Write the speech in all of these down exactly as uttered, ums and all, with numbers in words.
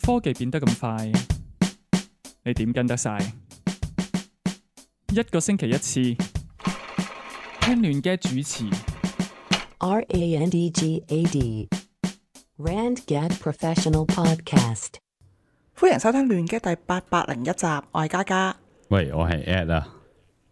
科技變得咁快，你點跟得晒？一個星期一次，聽亂嘅主持。R A N D G A D Rand Gad Professional Podcast。歡迎收聽亂嘅第八百零一集，我係嘉嘉。喂，我係 Ed 啊，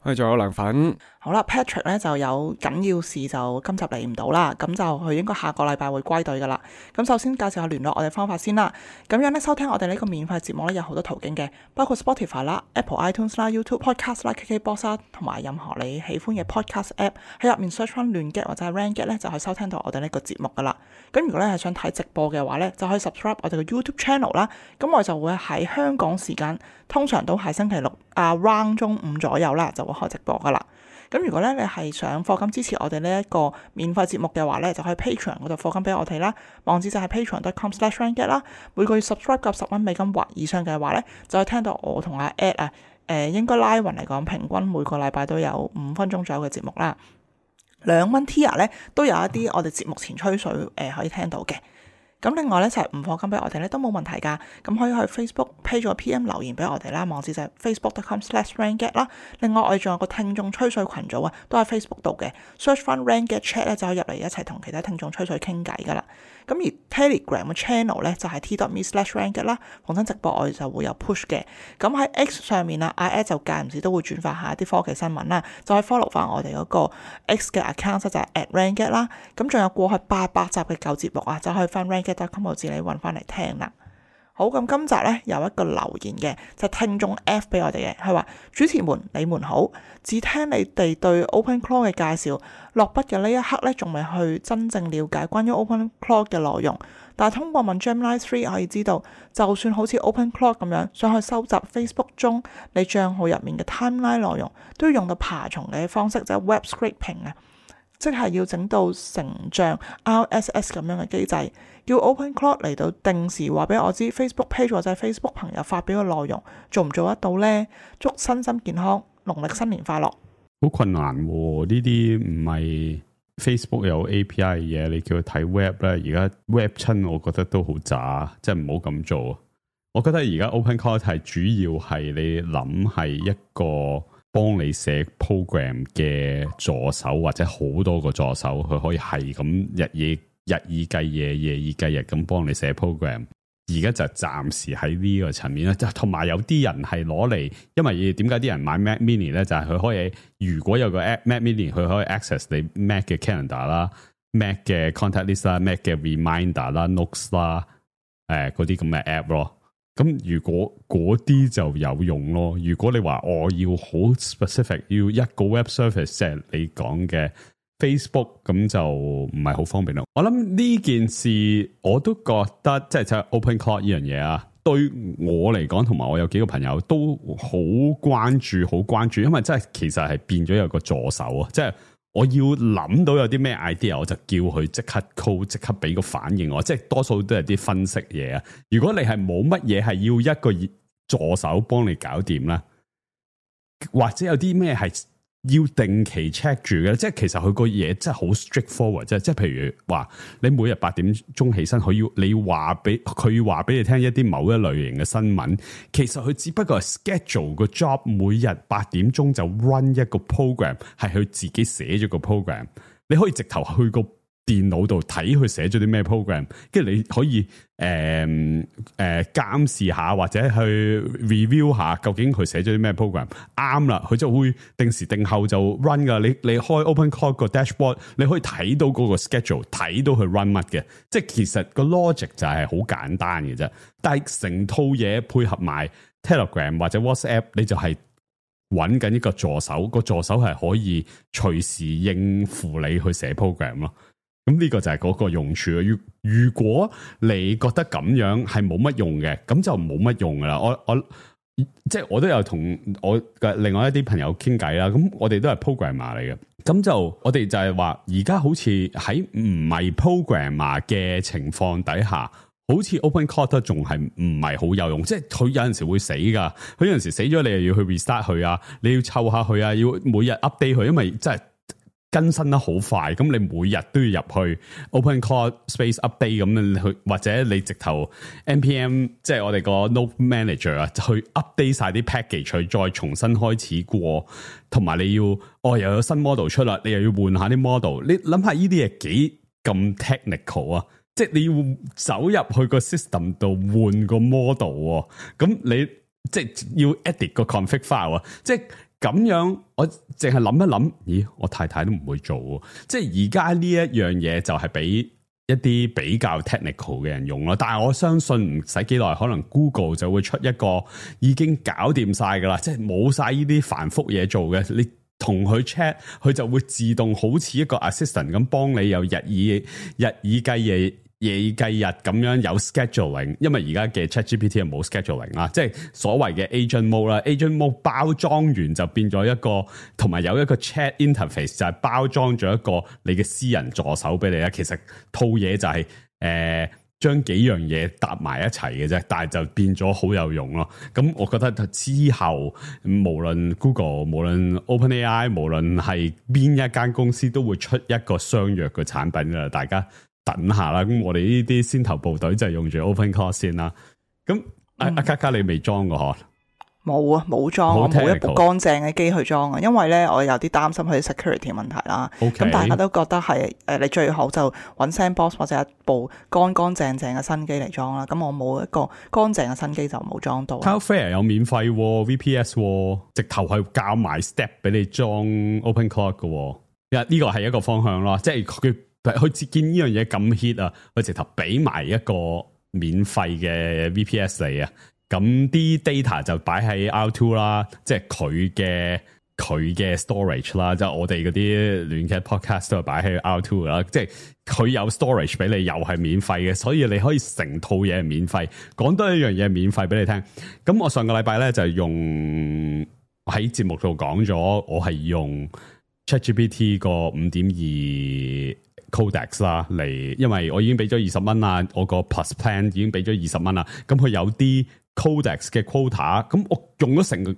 喂，仲有涼粉。好啦 ，Patrick 咧就有緊要事就今集嚟唔到啦，咁就佢應該下個禮拜會歸隊噶啦。咁首先介紹下聯絡我哋方法先啦。咁樣咧收聽我哋呢個免費節目咧有好多途徑嘅，包括 Spotify 啦、Apple iTunes 啦、YouTube Podcast 啦、K K Box 啦，同埋任何你喜歡嘅 Podcast App 喺入面 search 翻亂 get 或者係 Rand get 咧就可以收聽到我哋呢個節目噶啦。咁如果咧係想睇直播嘅話咧，就可以 subscribe 我哋嘅 YouTube Channel 啦。咁我就會喺香港時間，通常都係星期六啊 round 中午左右啦，就會開直播噶啦。咁如果咧你係想課金支持我哋呢一個免費節目嘅話咧，就可以 Patreon 嗰度課金俾我哋啦。網址就係 patreon dot com slash randget 啦。每個月 subscribe 夠十蚊美金或以上嘅話咧，就可以聽到我同阿 Ed 啊，誒、呃、應該拉勻嚟講，平均每個禮拜都有五分鐘左右嘅節目啦。兩蚊 tier 咧都有一啲我哋節目前吹水誒、呃、可以聽到嘅。咁另外咧就係唔課金俾我哋咧都冇問題㗎，咁可以去 Facebook page 咗 P M 留言俾我哋啦，網址就係 facebook dot com slash randget 啦。另外我哋仲有個聽眾吹水群組啊，都喺 Facebook 度嘅 ，search 翻 Randget chat 咧就可以入嚟一齊同其他聽眾吹水傾偈㗎啦。咁而 Telegram 嘅 channel 咧就係 t dot me slash randget 啦，逢親直播我哋就會有 push 嘅。咁喺 X 上面啊，阿 Ed 就間唔時都會轉發下一啲科技新聞啦，就可以 follow 翻我哋嗰個 X 嘅 account 就係 at randget 啦。咁仲有過去八百集嘅舊節目啊，就可以翻 randget dot com 自己揾翻嚟聽啦。好，咁今集咧有一個留言嘅，就係、聽眾 F 俾我哋嘅，係話主持們你們好，只聽你哋對 OpenClaw 嘅介紹，落筆嘅呢一刻咧仲未去真正了解關於 OpenClaw 嘅內容，但係通過問 Gemini 三可以知道，就算好似 OpenClaw 咁樣想去收集 Facebook 中你帳號入面嘅 timeline 內容，都要用到爬蟲嘅方式，就係 web scraping 啊，即係要整到成像 R S S 咁樣嘅機制，叫 OpenClaw 嚟到定時話俾我知 Facebook page 或者 Facebook 朋友發表嘅內容做唔做得到呢？祝身心健康，農曆新年快樂。好困難喎，呢啲唔係 Facebook 有 A P I 嘅嘢，你叫佢睇 web 咧，而家 web 親我覺得都好渣，即係唔好咁做。我覺得而家 OpenClaw 係主要係你諗係一個幫你寫 program 嘅助手，或者好多個助手，佢可以係咁日夜日以繼夜，夜以繼日咁幫你寫 program。而家就暫時喺呢個層面咧，同埋有啲人係攞嚟，因為點解啲人買 Mac Mini 咧？就係、是、佢可以，如果有個 Mac Mini，佢可以 access 你 Mac 嘅 calendar 啦、Mac 嘅 contact list 啦、Mac 嘅 reminder 啦、notes 啦，誒嗰啲咁嘅 app 咯。咁如果嗰啲就有用咯。如果你話我要好 specific，要一個 web service，即係你講嘅 Facebook， 咁就唔係好方便咯。我諗呢件事我都覺得，即係即係 OpenClaw 呢樣嘢啊，對我嚟講，同埋我有幾個朋友都好關注，好關注，因為真係其實係變咗有個助手啊，即係我要諗到有啲咩 idea， 我就叫佢即刻 call， 即刻俾個反應我，即係多數都係啲分析嘢啊。如果你係冇乜嘢係要一個助手幫你搞掂啦，或者有啲咩係要定期 check 住嘅，即係其實佢個嘢真係好 straightforward，即係即係譬如話你每日八點鐘起身，佢要你話俾佢話俾你聽一啲某一類型嘅新聞，其實佢只不過係 schedule 個 job，每日八點鐘就 run 一個 program， 係佢自己寫咗個 program， 你可以直頭去個電腦度睇佢寫咗啲咩 program， 跟住你可以誒誒監視下或者去 review 下究竟佢寫咗啲咩 program 啱啦，佢就會定時定候就 run 噶。你你開 OpenClaw 個 dashboard， 你可以睇到嗰個 schedule， 睇到佢 run 乜嘅。即係其實個 logic 就係好簡單嘅啫。但係成套嘢配合埋 Telegram 或者 WhatsApp， 你就係揾緊一個助手，個助手係可以隨時應付你去寫 program 咯。咁呢個就係嗰個用處。如如果你覺得咁樣係冇乜用嘅，咁就冇乜用噶啦。我我即係我都有同我嘅另外一啲朋友傾偈啦。咁我哋都係 programmer 嚟嘅。咁就我哋就係話，而家好似喺唔係 programmer 嘅情況底下，好似 OpenClaw 都仲係唔係好有用。即係佢有陣時會死噶，佢有陣時死咗，你又要去 restart 佢啊，你要湊下佢啊，要每日 update 佢，因為真係更新得好快，咁你每日都要入去 OpenCloud Space Update 咁去，或者你直頭 N P M 即係我哋個 Node Manager 啊，去 update 晒啲 package，去再重新開始過，同埋你要哦又有新 model 出啦，你又要換下啲 model， 你諗下呢啲嘢幾咁 technical 啊！即係你要走入去個 system 度換個 model， 咁你即係要 edit 個 config file 啊！即係咁樣，我淨係諗一諗，咦？我太太都唔會做，即係而家呢一樣嘢就係俾一啲比較 technical 嘅人用咯。但係我相信唔使幾耐，可能 Google 就會出一個已經搞掂晒噶啦，即係冇晒呢啲繁複嘢做嘅，你同佢 chat， 佢就會自動好似一個 assistant 咁幫你有日以日以繼夜。夜以繼日咁樣有 scheduling， 因為而家嘅 ChatGPT 係冇 scheduling 啦，即係所謂嘅 agent mode 啦 ，agent mode 包裝完就變咗一個，同埋有一個 chat interface 就係包裝咗一個你嘅私人助手俾你啦。其實套嘢就係、是、誒、呃、將幾樣嘢搭埋一齊嘅啫，但係就變咗好有用咯。咁我覺得之後無論 Google、無論 OpenAI、無論係邊一間公司都會出一個相約嘅產品㗎，大家等下啦，咁我哋呢啲先頭部隊就係用住 OpenCloud 先啦。咁阿阿嘉嘉你未裝過嗬？冇啊，冇裝，我冇一部乾淨嘅機去裝啊。因為咧，我有啲擔心佢 security 問題啦。咁、okay. 大家都覺得係誒，你最好就揾 Sandbox 或者一部乾乾淨淨嘅新機嚟裝啦。咁我冇一個乾淨嘅新機就冇裝到。Cloudflare 有免費 V P S， 直頭係教埋 step 俾你裝 OpenCloud 嘅。呢個係一個方向咯，即係佢。佢見呢樣嘢咁 hit 啊，佢直頭俾埋一個免費嘅 V P S 嚟啊，咁啲 data 就擺喺 R 二 啦，即係佢嘅佢嘅 storage 啦，即係我哋嗰啲亂嘅 podcast 都係擺喺 R 二 啦，即係佢有 storage 俾你，又係免費嘅，所以你可以成套嘢係免費。講多一樣嘢免費俾你聽，咁我上個禮拜咧就用喺節目度講咗，我係用 ChatGPT 個五點二。Codex 啦嚟，因為我已經俾咗二十蚊啦，我個 Plus Plan 已經俾咗二十蚊啦。咁佢有啲 Codex 嘅 quota，咁我用咗成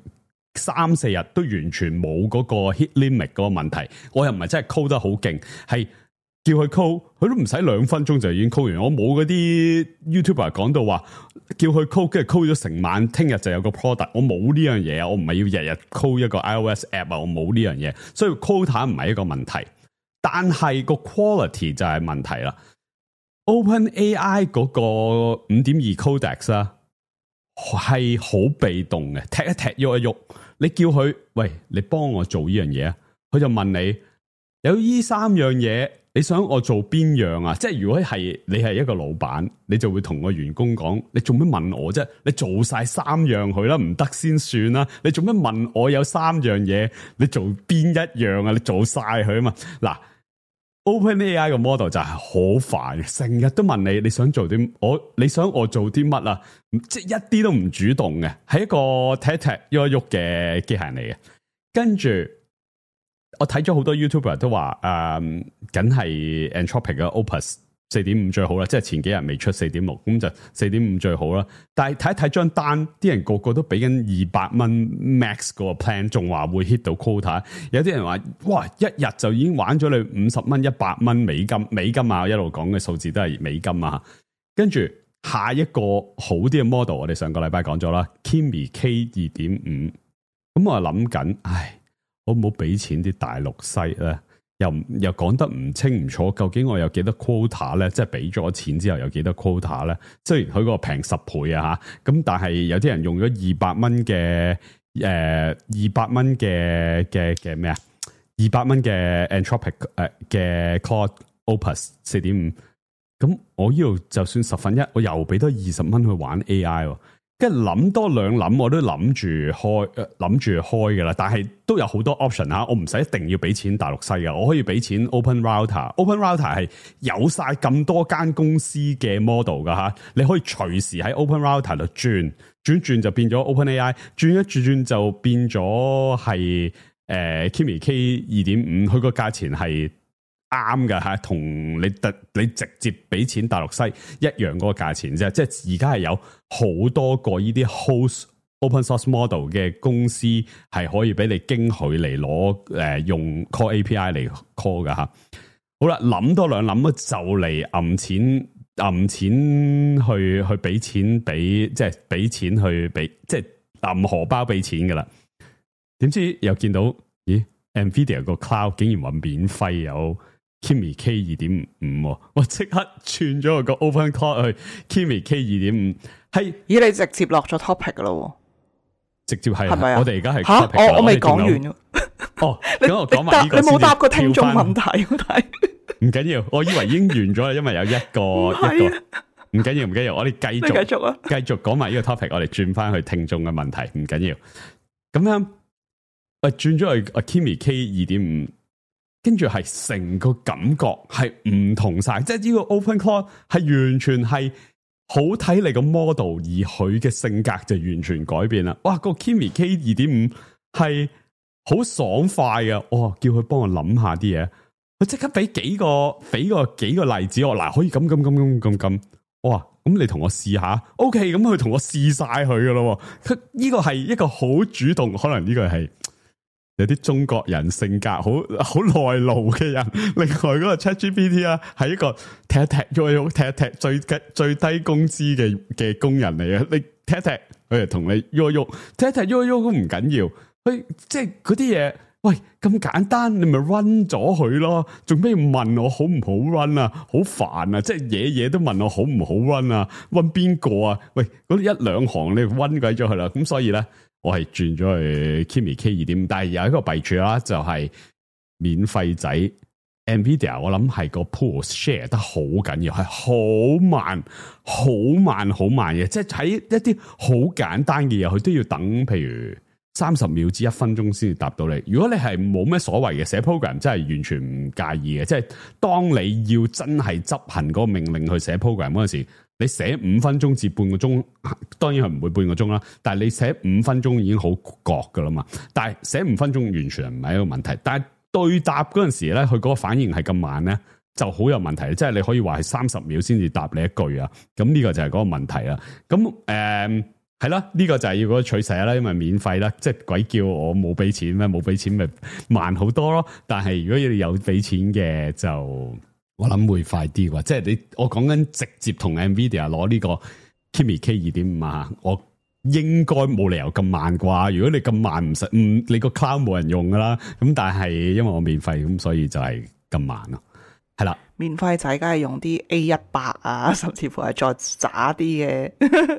三四日都完全冇嗰個 hit limit 嗰個問題。我又唔係真係 code 得好勁，係叫佢 code，佢都唔使兩分鐘就已經 code 完。我冇嗰啲 YouTuber 講到話叫佢 code，跟住 code 咗成晚，聽日就有個 product。我冇呢樣嘢啊，我唔係要日日 code 一個 iOS app 啊，我冇呢樣嘢，所以 quota 唔係一個問題。但係個 quality 就係問題啦。OpenAI 嗰個五點二 Codex 啊，係好被動嘅，踢一踢喐一喐，你叫佢喂，你幫我做呢樣嘢啊，佢就問你有呢三樣嘢，你想我做邊樣啊？即係如果係你係一個老闆，你就會同個員工講，你做咩問我啫？你做晒三樣佢啦，唔得先算啦。你做咩問我有三樣嘢？你做邊一樣啊？你做晒佢啊嘛。嗱。OpenAI 個 model 就係好煩，成日都問你你想做啲我你想我做啲乜啊？即係一啲都唔主動嘅，係一個踢一踢喐一喐嘅機械人嚟嘅。跟住我睇咗好多 YouTuber 都話，誒，梗係 Anthropic 嘅 Opus 四點五最好啦，即係前幾日未出四點六，咁就四點五最好啦。但係睇一睇張單，啲人個個都俾緊二百蚊 max 嗰個 plan， 仲話會 hit 到 quota。有啲人話，哇，一日就已經玩咗你五十蚊、一百蚊美金，美金啊，一路講嘅數字都係美金啊。跟住下一個好啲嘅 model， 我哋上個禮拜講咗啦 ，Kimi K 二點五。咁我諗緊，唉，我冇俾錢啲大陸西咧。又又講得唔清唔楚，究竟我有幾多 quota 咧？即係俾咗錢之後有幾多 quota 咧？雖然佢個平十倍啊吓，咁但係有啲人用咗二百蚊嘅誒二百蚊嘅嘅嘅咩啊？二百蚊嘅 Anthropic 誒嘅 Claude Opus 四點五，咁我呢度就算十分一，我又俾多二十蚊去玩 A I 喎。跟住諗多兩諗，我都諗住開，諗住開噶啦。但係都有好多 option 吓，我唔使一定要俾錢大陸西嘅，我可以俾錢 Open Router。Open Router 係有晒咁多間公司嘅 model 噶吓，你可以隨時喺 Open Router 度轉，轉轉就變咗 OpenAI， 轉一轉轉就變咗係誒 Kimi K 二點五，佢個價錢係啱㗎吓，同你特你直接俾錢大陸西一樣嗰個價錢啫，即係而家係有好多個呢啲 host open source model 嘅公司係可以俾你經佢嚟攞誒用 call A P I 嚟 call 噶吓。好啦，諗多兩諗就嚟揞錢揞錢去去俾錢俾即係俾錢去俾即係揞荷包俾錢噶啦。點知又見到咦 Nvidia 個 cloud 竟然話免費有 Kimi K 二點五，我即刻轉咗個 open cloud 去 Kimi K 二點五，係咦你直接落咗 topic 噶咯？直接係，係咪啊？我哋而家係吓，我我未講完。完。哦，咁我講埋呢個先。你冇答過聽眾問題，但係唔緊要，我以為已經完咗啦，因為有一個一個。唔緊要，唔緊要，我哋繼續繼續啊，繼續講埋呢個 topic，我哋轉翻去聽眾嘅問題，唔緊要。咁樣，我轉咗去 Kimi K 二點五，跟住係成個感覺係唔同晒，即係呢個 open cloud 係完全係。好睇你個 model，而佢嘅性格就完全改變啦。哇，個 Kimi K 二點五係好爽快嘅，哇！叫佢幫我諗下啲嘢，佢即刻俾幾個俾個幾個例子我，嗱可以咁咁咁咁咁咁，哇！咁你同我試下 ，OK，咁佢同我試晒佢噶咯。佢呢個係一個好主動，可能呢個係。有啲中國人性格好好內露嘅人，另外嗰個 ChatGPT 啊，係一個踢一踢喐一喐踢一踢最最低工資嘅嘅工人嚟嘅，你踢一踢佢就同你喐一喐，踢一踢喐一喐都唔緊要，佢即係嗰啲嘢，喂咁簡單，你咪 run 咗佢咯，做咩要問我好唔好 run 啊？好煩啊！即係嘢嘢都問我好唔好 run 啊？ run 邊個啊？喂，嗰一兩行你 run 鬼咗佢啦，咁所以咧。我係轉咗去 Kimi K 二點五，但係有一個弊處啦，就係免費仔 Nvidia， 我諗係個 pool share 得好緊要，係好慢、好慢、好慢嘅，即係喺一啲好簡單嘅嘢，佢都要等，譬如三十秒至一分鐘先至答到你。如果你係冇咩所謂嘅寫 program，真係完全唔介意嘅。即係當你要真係執行嗰個命令去寫 program 嗰陣時。你寫五分鐘至半個鐘，當然係唔會半個鐘啦。但係你寫五分鐘已經好覺噶啦嘛。但係寫五分鐘完全唔係一個問題。但係對答嗰陣時咧，佢嗰個反應係咁慢咧，就好有問題。即係你可以話係三十秒先至答你一句啊。咁呢個就係嗰個問題啦。咁誒係啦，呢個就係要嗰個取捨啦。因為免費啦，即係鬼叫我冇俾錢咩？冇俾錢咪慢好多咯。但係如果你有俾錢嘅就。我諗會快啲啩，即係你我講緊直接同 Nvidia 攞呢個 Kimi K 二點五啊，我應該冇理由咁慢啩。如果你咁慢唔實，嗯，你個 cloud 冇人用噶啦。咁但係因為我免費，咁所以就係咁慢咯。係啦，免費仔梗係用啲 A 一百啊，甚至乎係再渣啲嘅，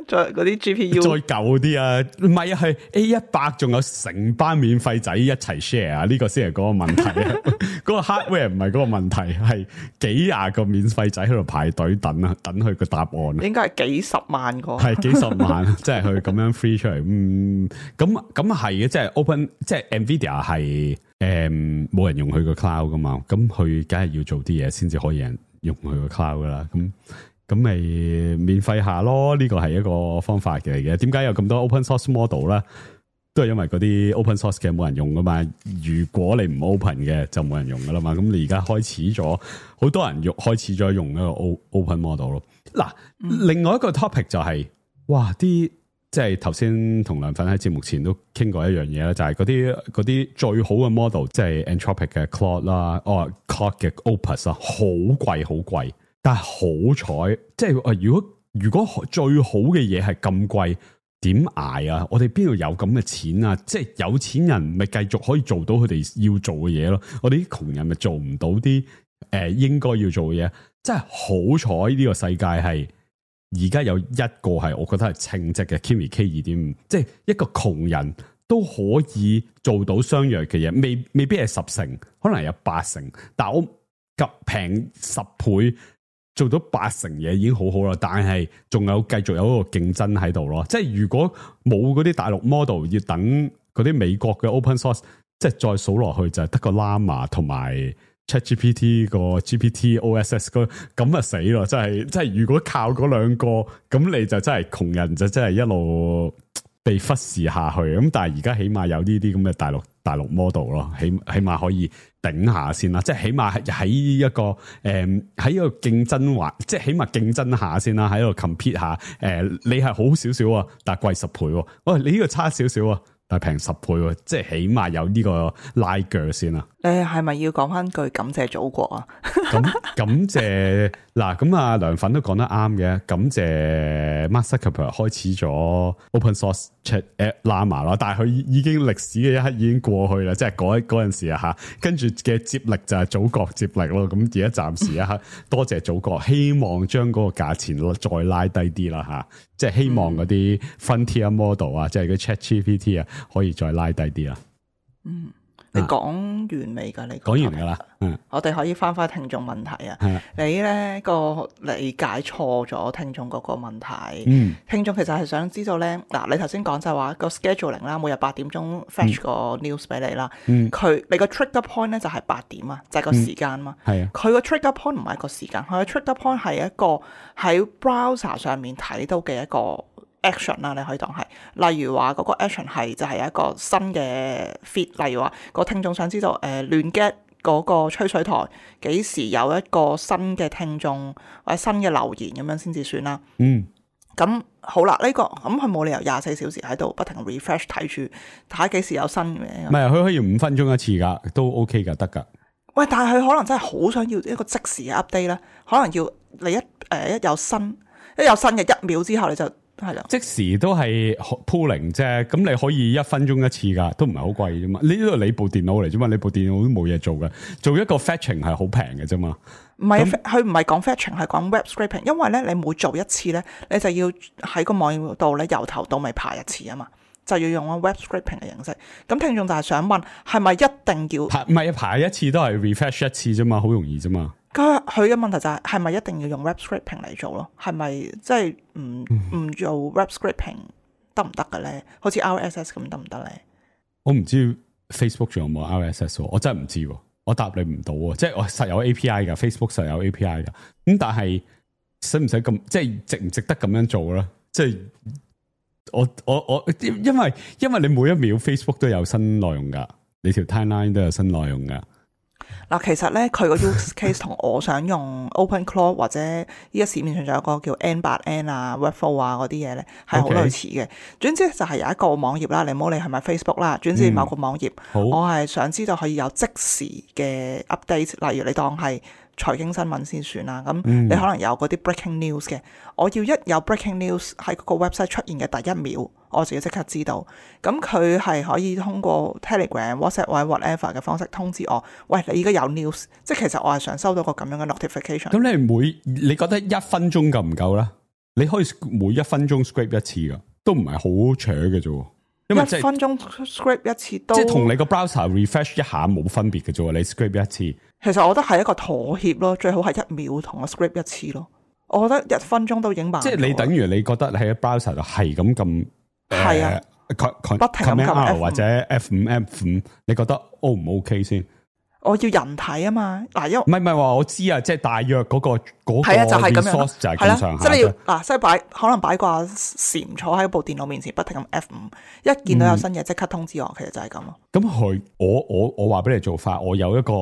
再嗰啲 G P U 再舊啲啊，唔係啊，係 A 一百仲有成班免費仔一齊 share 啊，呢個先係嗰個問題啊。嗰個 hardware 唔係嗰個問題，係幾廿個免費仔喺度排隊等啊，等佢個答案。應該係幾十萬個，係幾十萬，即係佢咁樣 free 出嚟。嗯，咁咁係嘅，即係 open，即係 Nvidia 係誒冇人用佢個 cloud 噶嘛，咁佢梗係要做啲嘢先至可以人用佢個 cloud 噶啦。咁咁咪免費下咯，呢個係一個方法嚟嘅。點解有咁多 open source model 咧？都係因為嗰啲 open source 嘅冇人用噶嘛，如果你唔 open 嘅就冇人用噶啦嘛，咁你而家開始咗，好多人用開始咗用一個 open model 咯。嗱，另外一個 topic 就係、是，哇，啲即係頭先同梁粉喺節目前都傾過一樣嘢啦，就係嗰啲嗰啲最好嘅 model，即係 Anthropic 嘅 Claude 啦，哦 Claude 嘅 Opus 啊，好貴好貴，但係好彩，即係如果如果最好嘅嘢係咁貴。點捱啊！我哋邊度有咁嘅錢啊？即係有錢人咪繼續可以做到佢哋要做嘅嘢咯。我哋啲窮人咪做唔到啲誒、呃、應該要做嘅嘢。真係好彩呢個世界係而家有一個係我覺得係稱職嘅 Kimi K 二點五，即係一個窮人都可以做到相若嘅嘢，未未必係十成，可能有八成，但係我急平十倍。做到八成嘢已經好好啦，但係仲有繼續有一個競爭喺度咯。即係如果冇嗰啲大陸 model，要等嗰啲美國嘅 open source，即係再數落去就係得個 Llama 同埋 ChatGPT 個 G P T O S S 個，咁啊死咯！真係，即係如果靠嗰兩個，咁你就真係窮人就真係一路被忽視下去。咁但係而家起碼有呢啲咁嘅大陸大陸 model 咯，起起碼可以頂下先啦，即係起碼喺一個誒喺、呃、一個競爭環，即係起碼競爭下先啦，喺度 compete 下，誒、呃、你係好少少啊，但係貴十倍，喂你呢個差少少啊，但係平十倍喎，即係起碼有呢個拉鋸先啦。你係咪要講翻句感謝祖國啊？咁感謝嗱，咁啊梁粉都講得啱嘅，感謝 Mark Zuckerberg 開始咗 Open Source Chat App Llama 啦，但係佢已經歷史嘅一刻已經過去啦，即係嗰嗰陣時啊嚇，跟住嘅接力就係祖國接力咯。咁而家暫時一刻多謝祖國，希望將嗰個價錢再拉低啲啦嚇，即係希望嗰啲 Frontier Model 啊，即係嗰 ChatGPT 啊，可以再拉低啲啦。嗯。你講完未㗎？你講完㗎啦，嗯，我哋可以翻返聽眾問題啊。係你咧個理解錯咗聽眾嗰個問題。嗯，聽眾其實係想知道咧，嗱，你頭先講就係話個 scheduling 啦，每日八點鐘 fetch 個 news 俾你啦。嗯，佢你個 trigger point 咧就係八點啊，就係個時間嘛。係啊，佢個 trigger point 唔係個時間，佢個 trigger point 係一個喺 browser 上面睇到嘅一個action 啦，你可以當係，例如話嗰個 action 係就係一個新嘅 feed，例如話個聽眾想知道誒亂 get 嗰個吹水台幾時有一個新嘅聽眾或者新嘅留言咁樣先至算啦。嗯，咁好啦，呢、這個咁佢冇理由廿四小時喺度不停 refresh 睇住睇下幾時有新嘅。唔係，佢可以五分鐘一次噶，都 OK 噶，得噶。喂，但係佢可能真係好想要一個即時嘅 update 咧，可能要你一誒、呃、一有新一有新嘅一秒之後你就。係啦，即時都係 pooling 啫，咁你可以一分鐘一次噶，都唔係好貴啫嘛。呢度你部電腦嚟啫嘛，你部電腦都冇嘢做嘅，做一個 fetching 係好平嘅啫嘛。唔係，佢唔係講 fetching，係講 web scraping，因為咧你每做一次咧，你就要喺個網頁度咧由頭到尾爬一次啊嘛，就要用 web scraping 嘅形式。咁聽眾就係想問，係咪一定要？唔係爬一次都係 refresh 一次啫嘛，好容易啫嘛。佢佢嘅問題就係係咪一定要用 web scraping 嚟做咯？係咪即係唔唔做 web scraping 得唔得嘅咧？好似 R S S 咁得唔得咧？我唔知 Facebook 仲有冇 R S S， 我真係唔知，我答你唔到啊！即係我實有 A P I 噶 ，Facebook 實有 A P I 噶。咁但係使唔使咁？即係值唔值得咁樣做咧？即係我我我，因為因為你每一秒 Facebook 都有新內容噶，你條 timeline 都有新內容噶。嗱，其實咧佢個 use case 同我想用 OpenClaw 或者依家市面上仲有一個叫 N 八 N 啊、Webflow 啊嗰啲嘢咧，係好類似嘅。Okay. 總之就係有一個網頁啦，你唔好理係咪 Facebook 啦，總之某個網頁，嗯、我係想知道可以有即時嘅 update，例如你當係財經新聞先算啦。咁你可能有嗰啲 breaking news 嘅，我要一有 breaking news 喺嗰個 website 出現嘅第一秒，我自己即刻知道。咁佢係可以通過 Telegram、WhatsApp 或者 whatever 嘅方式通知我，喂，你而家有 news，即係其實我係想收到個咁樣嘅 notification。咁你每你覺得一分鐘夠唔夠咧？你可以每一分鐘 scrape 一次噶，都唔係好扯嘅啫。因為、就是、一分鐘 scrape 一次都即係同你個 browser refresh 一下冇分別嘅啫。你 scrape 一次，其實我覺得係一個妥協咯，最好係一秒同我 scrape 一次咯。我覺得一分鐘都已經慢。即係你等於你覺得你喺 browser 度係咁撳，係啊，呃、不停咁撳 R 或者 F 五 F 五，你覺得 O 唔 OK 先？我要人睇啊嘛，嗱，因為唔係唔係話我知啊，即係大約嗰、嗰個嗰、嗰個就係咁樣，就係咁上下。即係你要嗱，即係擺可能擺掛禪坐喺部電腦面前，不停咁 F 五，一見到有新嘢即刻通知我，嗯、其實就係咁咯。咁佢我我我話俾你做法，我有一個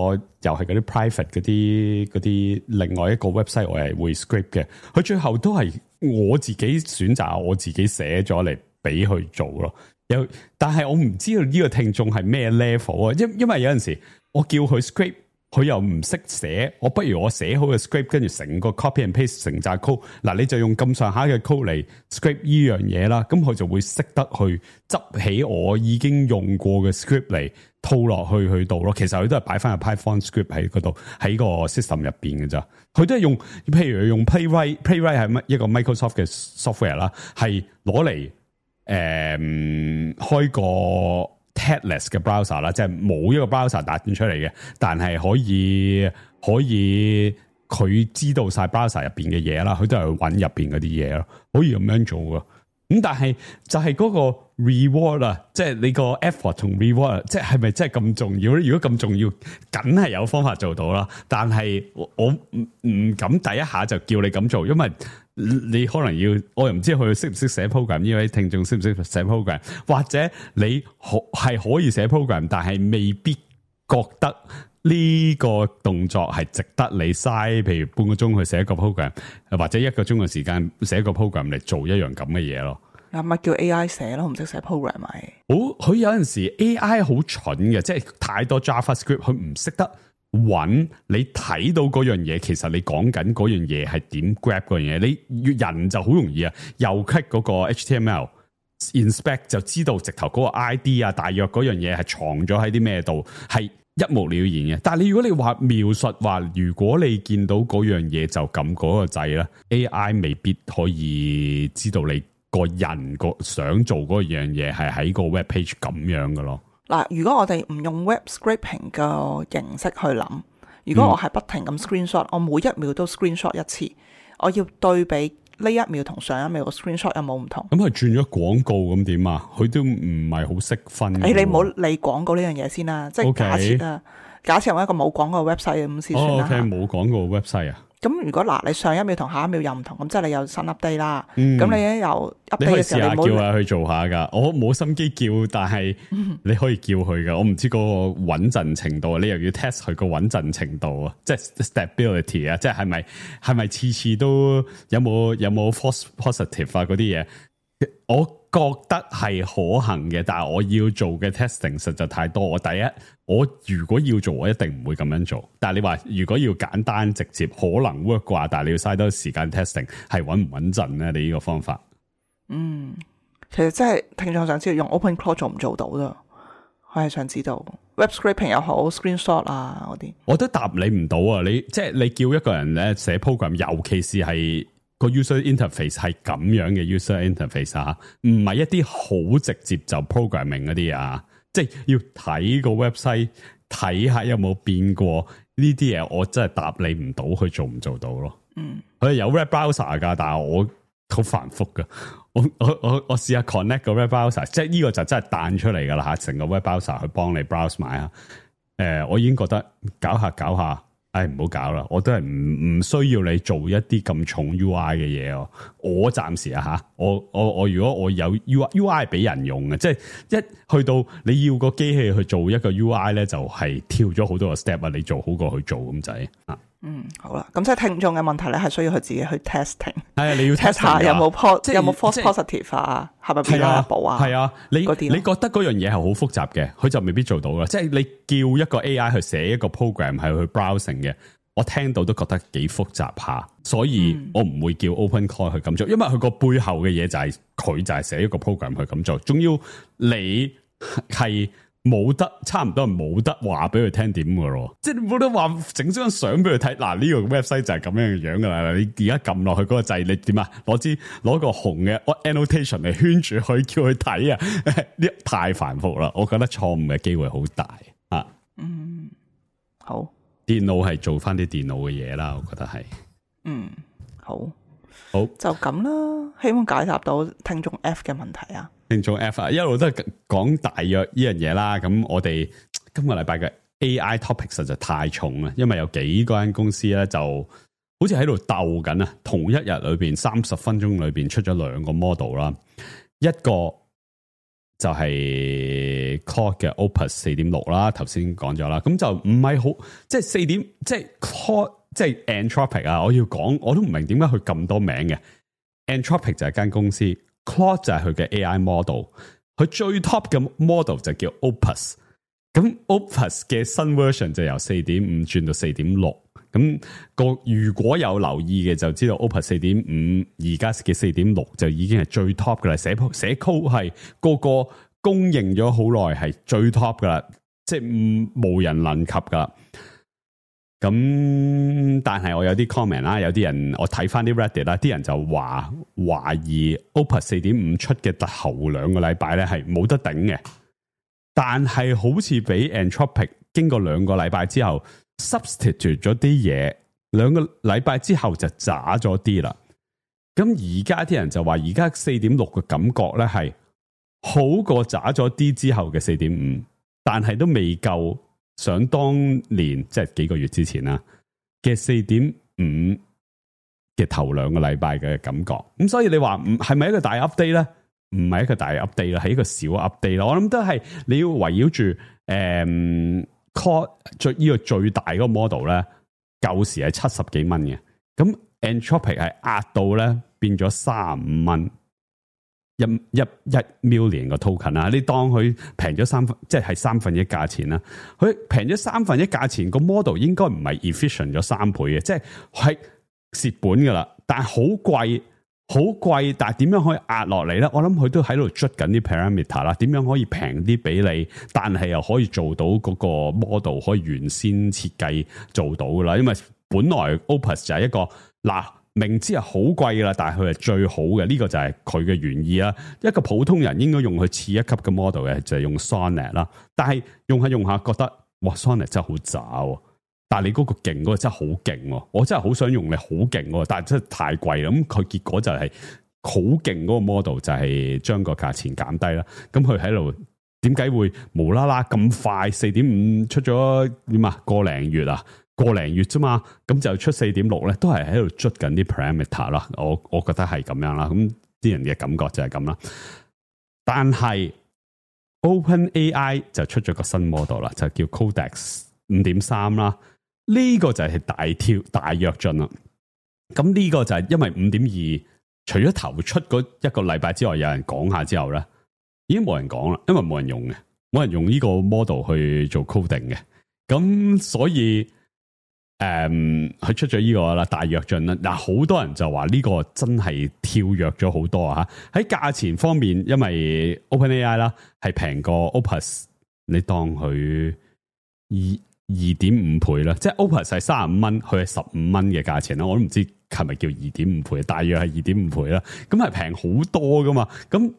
又係嗰啲 private 嗰啲嗰啲另外一個 website，我係會 script 嘅。佢最後都係我自己選擇，我自己寫咗嚟俾佢做咯。有，但係我唔知道呢個聽眾係咩 level 啊，因因為有陣時。我叫佢 script，佢又唔識寫，我不如我寫好嘅 script，跟住成個 copy and paste 成扎 code，嗱你就用咁上下嘅 code 嚟 script 呢樣嘢啦，咁佢就會識得去執起我已經用過嘅 script 嚟套落去去度咯。其實佢都係擺翻個 Python script 喺嗰度，喺個 system 入邊嘅咋。佢都係用，譬如用 Playwright，Playwright 係乜一個 Microsoft 嘅 software 啦，係攞嚟誒開個Headless 嘅 browser 啦，即係冇一個 browser 打斷出嚟嘅，但係可以可以佢知道晒 browser 入邊嘅嘢啦，佢都係揾入邊嗰啲嘢咯，可以咁樣做噶。咁咁但係就係嗰個 reward 啊，即係你個 effort 同 reward， 即係係咪真係咁重要咧？如果咁重要，梗係有方法做到啦。但係我唔唔敢第一下就叫你咁做，因為你可能要，我又唔知佢識唔識寫 program， 呢位聽眾識唔識寫 program， 或者你可係可以寫 program， 但係未必覺得呢個動作係值得你嘥，譬如半個鐘去寫一個 program， 或者一個鐘嘅時間寫一個 program 嚟做一樣咁嘅嘢咯。嗱，咪叫 A I 寫咯，唔識寫 program 咪。好，佢有陣時 A I 好蠢嘅，即係太多 JavaScript， 佢唔識得揾你睇到嗰樣嘢，其實你講緊嗰樣嘢係點 grab 嗰樣嘢。你人就好容易啊，右 click 嗰個 H T M L inspect 就知道直頭嗰個 I D 啊，大約嗰樣嘢係藏咗喺啲咩度，係一目了然嘅。但係你如果你話描述話，如果你見到嗰樣嘢就撳嗰個掣咧 ，A I 未必可以知道你個人個想做嗰樣嘢係喺個 web page 咁樣嘅咯。嗱，如果我哋唔用 web scraping 嘅形式去諗，如果我係不停咁 screenshot，、嗯、我每一秒都 screenshot 一次，我要對比呢一秒同上一秒個 screenshot 有冇唔同？咁佢轉咗廣告咁點啊？佢都唔係好識分。誒、欸，你唔好理廣告呢樣嘢先啦，即係假設啊， Okay. 假設我一個冇廣告嘅 website 咁先算啦。哦 OK， 冇廣告 website 啊。咁如果嗱，你上一秒同下一秒又唔同，咁即係你有新 update 啦。咁、嗯、你一有 update 嘅時候，你可以試下叫下佢做下噶。我冇心機叫，但係你可以叫佢噶。我唔知個穩陣程度，你又要 test 佢個穩陣程度啊，即係 stability 啊，即係係咪係咪次次都有冇有冇 false positive 啊嗰啲嘢？我覺得係可行嘅，但係我要做嘅 testing 實在太多。我第一，我如果要做，我一定唔會咁樣做。但係你話如果要簡單直接，可能 work 啩，但係你要嘥多時間 testing， 係穩唔穩陣咧？你呢個方法？嗯，其實真係聽眾想知道用 OpenClaw 做唔做到咯？我係想知道 web scraping 又好 screenshot 啊嗰啲，我都答你唔到啊！你即係你叫一個人咧寫 program， 尤其是係個 user interface 係咁樣嘅 user interface 啊，唔係一啲好直接就 programming 嗰啲啊，即係要睇個 website 睇下有冇變過呢啲嘢，我真係答你唔到佢做唔做到咯。嗯，佢有 web browser 噶，但係我好繁複噶。我我我我試下 connect 個 web browser， 即係呢個就真係彈出嚟噶啦吓，成個 web browser 去幫你 browse 埋啊。誒、呃，我已經覺得搞下搞下。唉，唔好搞啦！我都係唔唔需要你做一啲咁重 U I 嘅嘢哦。我暫時啊吓，我我我如果我有 U I U I 係俾人用嘅，即係一去到你要個機器去做一個 U I 咧，就係跳咗好多個 step 啊！你做好過去做咁滯啊。嗯，好啦，咁即係聽眾嘅問題咧，係需要佢自己去 testing。係啊，你要 test 下有冇 po 即有冇 false positive 啊？係咪變咗一步啊？係啊，你嗰啲你覺得嗰樣嘢係好複雜嘅，佢就未必做到啦。即係你叫一個 A I 去寫一個 program 係去 browsing 嘅。我聽到都覺得幾複雜下，所以我唔會叫 OpenClaw 去咁做，因為佢個背後嘅嘢就係、是、佢就係寫一個 program 去咁做，仲要你係冇得差唔多係冇得話俾佢聽點嘅咯，即係你冇得話整張相俾佢睇。嗱，呢個 website 就係咁樣嘅樣噶啦，你而家撳落去嗰個掣，你點啊？攞支攞個紅嘅 annotation 嚟圈住佢，叫佢睇啊！呢太繁複啦，我覺得錯誤嘅機會好大啊。嗯，好。電腦係做翻啲電腦嘅嘢啦，我覺得係。嗯，好，好就咁啦。希望解答到聽眾 F 嘅問題啊。聽眾 F 啊，一路都係講大約呢樣嘢啦。咁我哋今個禮拜嘅 A I topic 實在太重啦，因為有幾間公司咧就好似喺度鬥緊啊。同一日裏邊三十分鐘裏邊出咗兩個 model 啦，一個就係 Claude 嘅 Opus 四點六啦，頭先講咗啦，咁就唔係好，即係四點，即係 Claude，即係 Anthropic 啊！我要講，我都唔明點解佢咁多名嘅。Anthropic 就係間公司 ，Claude 就係佢嘅 A I model，佢最 top 嘅 model 就叫 Opus， 咁 Opus 嘅新 version 就由四點五轉到四點六。咁個如果有留意嘅就知道 Opus 四點五而家嘅四點六就已經係最 top 噶啦，寫寫 code 係個個公認咗好耐係最 top 噶啦，即係唔無人能及噶啦。咁但係我有啲 comment 啦，有啲人我睇翻啲 Reddit 啦，啲人就話懷疑 Opus 四點五出嘅頭兩個禮拜咧係冇得頂嘅，但係好似俾 Anthropic 經過兩個禮拜之後。substitute 咗啲嘢，兩個禮拜之後就渣咗啲啦。咁而家啲人就話，而家四點六嘅感覺咧係好過渣咗啲之後嘅四點五，但係都未夠想當年即係幾個月之前啦嘅四點五嘅頭兩個禮拜嘅感覺。咁所以你話唔係咪一個大 update 咧？唔係一個大 update 啦，係一個小 update 咯。我諗都係你要圍繞住誒 core 最呢個最大嗰個 model 咧，舊時係七十幾蚊嘅，咁 Anthropic 係壓到咧變咗三十五蚊一一一 million 個 token 啦。你當佢平咗三分，即係三分一價錢啦。佢平咗三分一價錢，個 model 應該唔係 efficient 咗三倍嘅，即係係蝕本噶啦。但係好貴。好貴，但係點樣可以壓落嚟咧？我諗佢都喺度捽緊啲 parameter 啦，點樣可以平啲俾你，但係又可以做到嗰個 model 可以原先設計做到噶啦。因為本來 Opus 就係一個嗱，明知係好貴噶啦，但係佢係最好嘅，呢、這個就係佢嘅原意啦。一個普通人應該用佢次一級嘅 model 嘅，就係、是、用 Sonnet 啦。但係用下用下覺得，哇 Sonnet 真係好渣喎。但係你嗰個勁嗰個真係好勁，我真係好想用你好勁，但係真係太貴啦。咁佢結果就係好勁嗰個 model 就係將個價錢減低啦。咁佢喺度點解會無啦啦咁快四點五出咗點啊？個零月啊，個零月啫嘛，咁就出四點六咧，都係喺度捽緊啲 parameter 啦。我我覺得係咁樣啦。咁啲人嘅感覺就係咁啦。但係 OpenAI 就出咗個新 model 啦，就叫 Codex 五點三啦。呢個就係大跳大躍進啦，咁呢個就係因為五點二，除咗頭出嗰一個禮拜之外，有人講下之後咧，已經冇人講啦，因為冇人用嘅，冇人用呢個 model 去做 coding 嘅，咁所以誒，佢、嗯、出咗呢個啦，大躍進啦，嗱，好多人就話呢個真係跳躍咗好多啊！喺價錢方面，因為 OpenAI 啦係平過 Opus， 你當佢二。二點五倍啦，即係 Opus 係三十五蚊，佢係十五蚊嘅價錢啦。我都唔知係咪叫二點五倍，大約係二點五倍啦。咁係平好多噶嘛。咁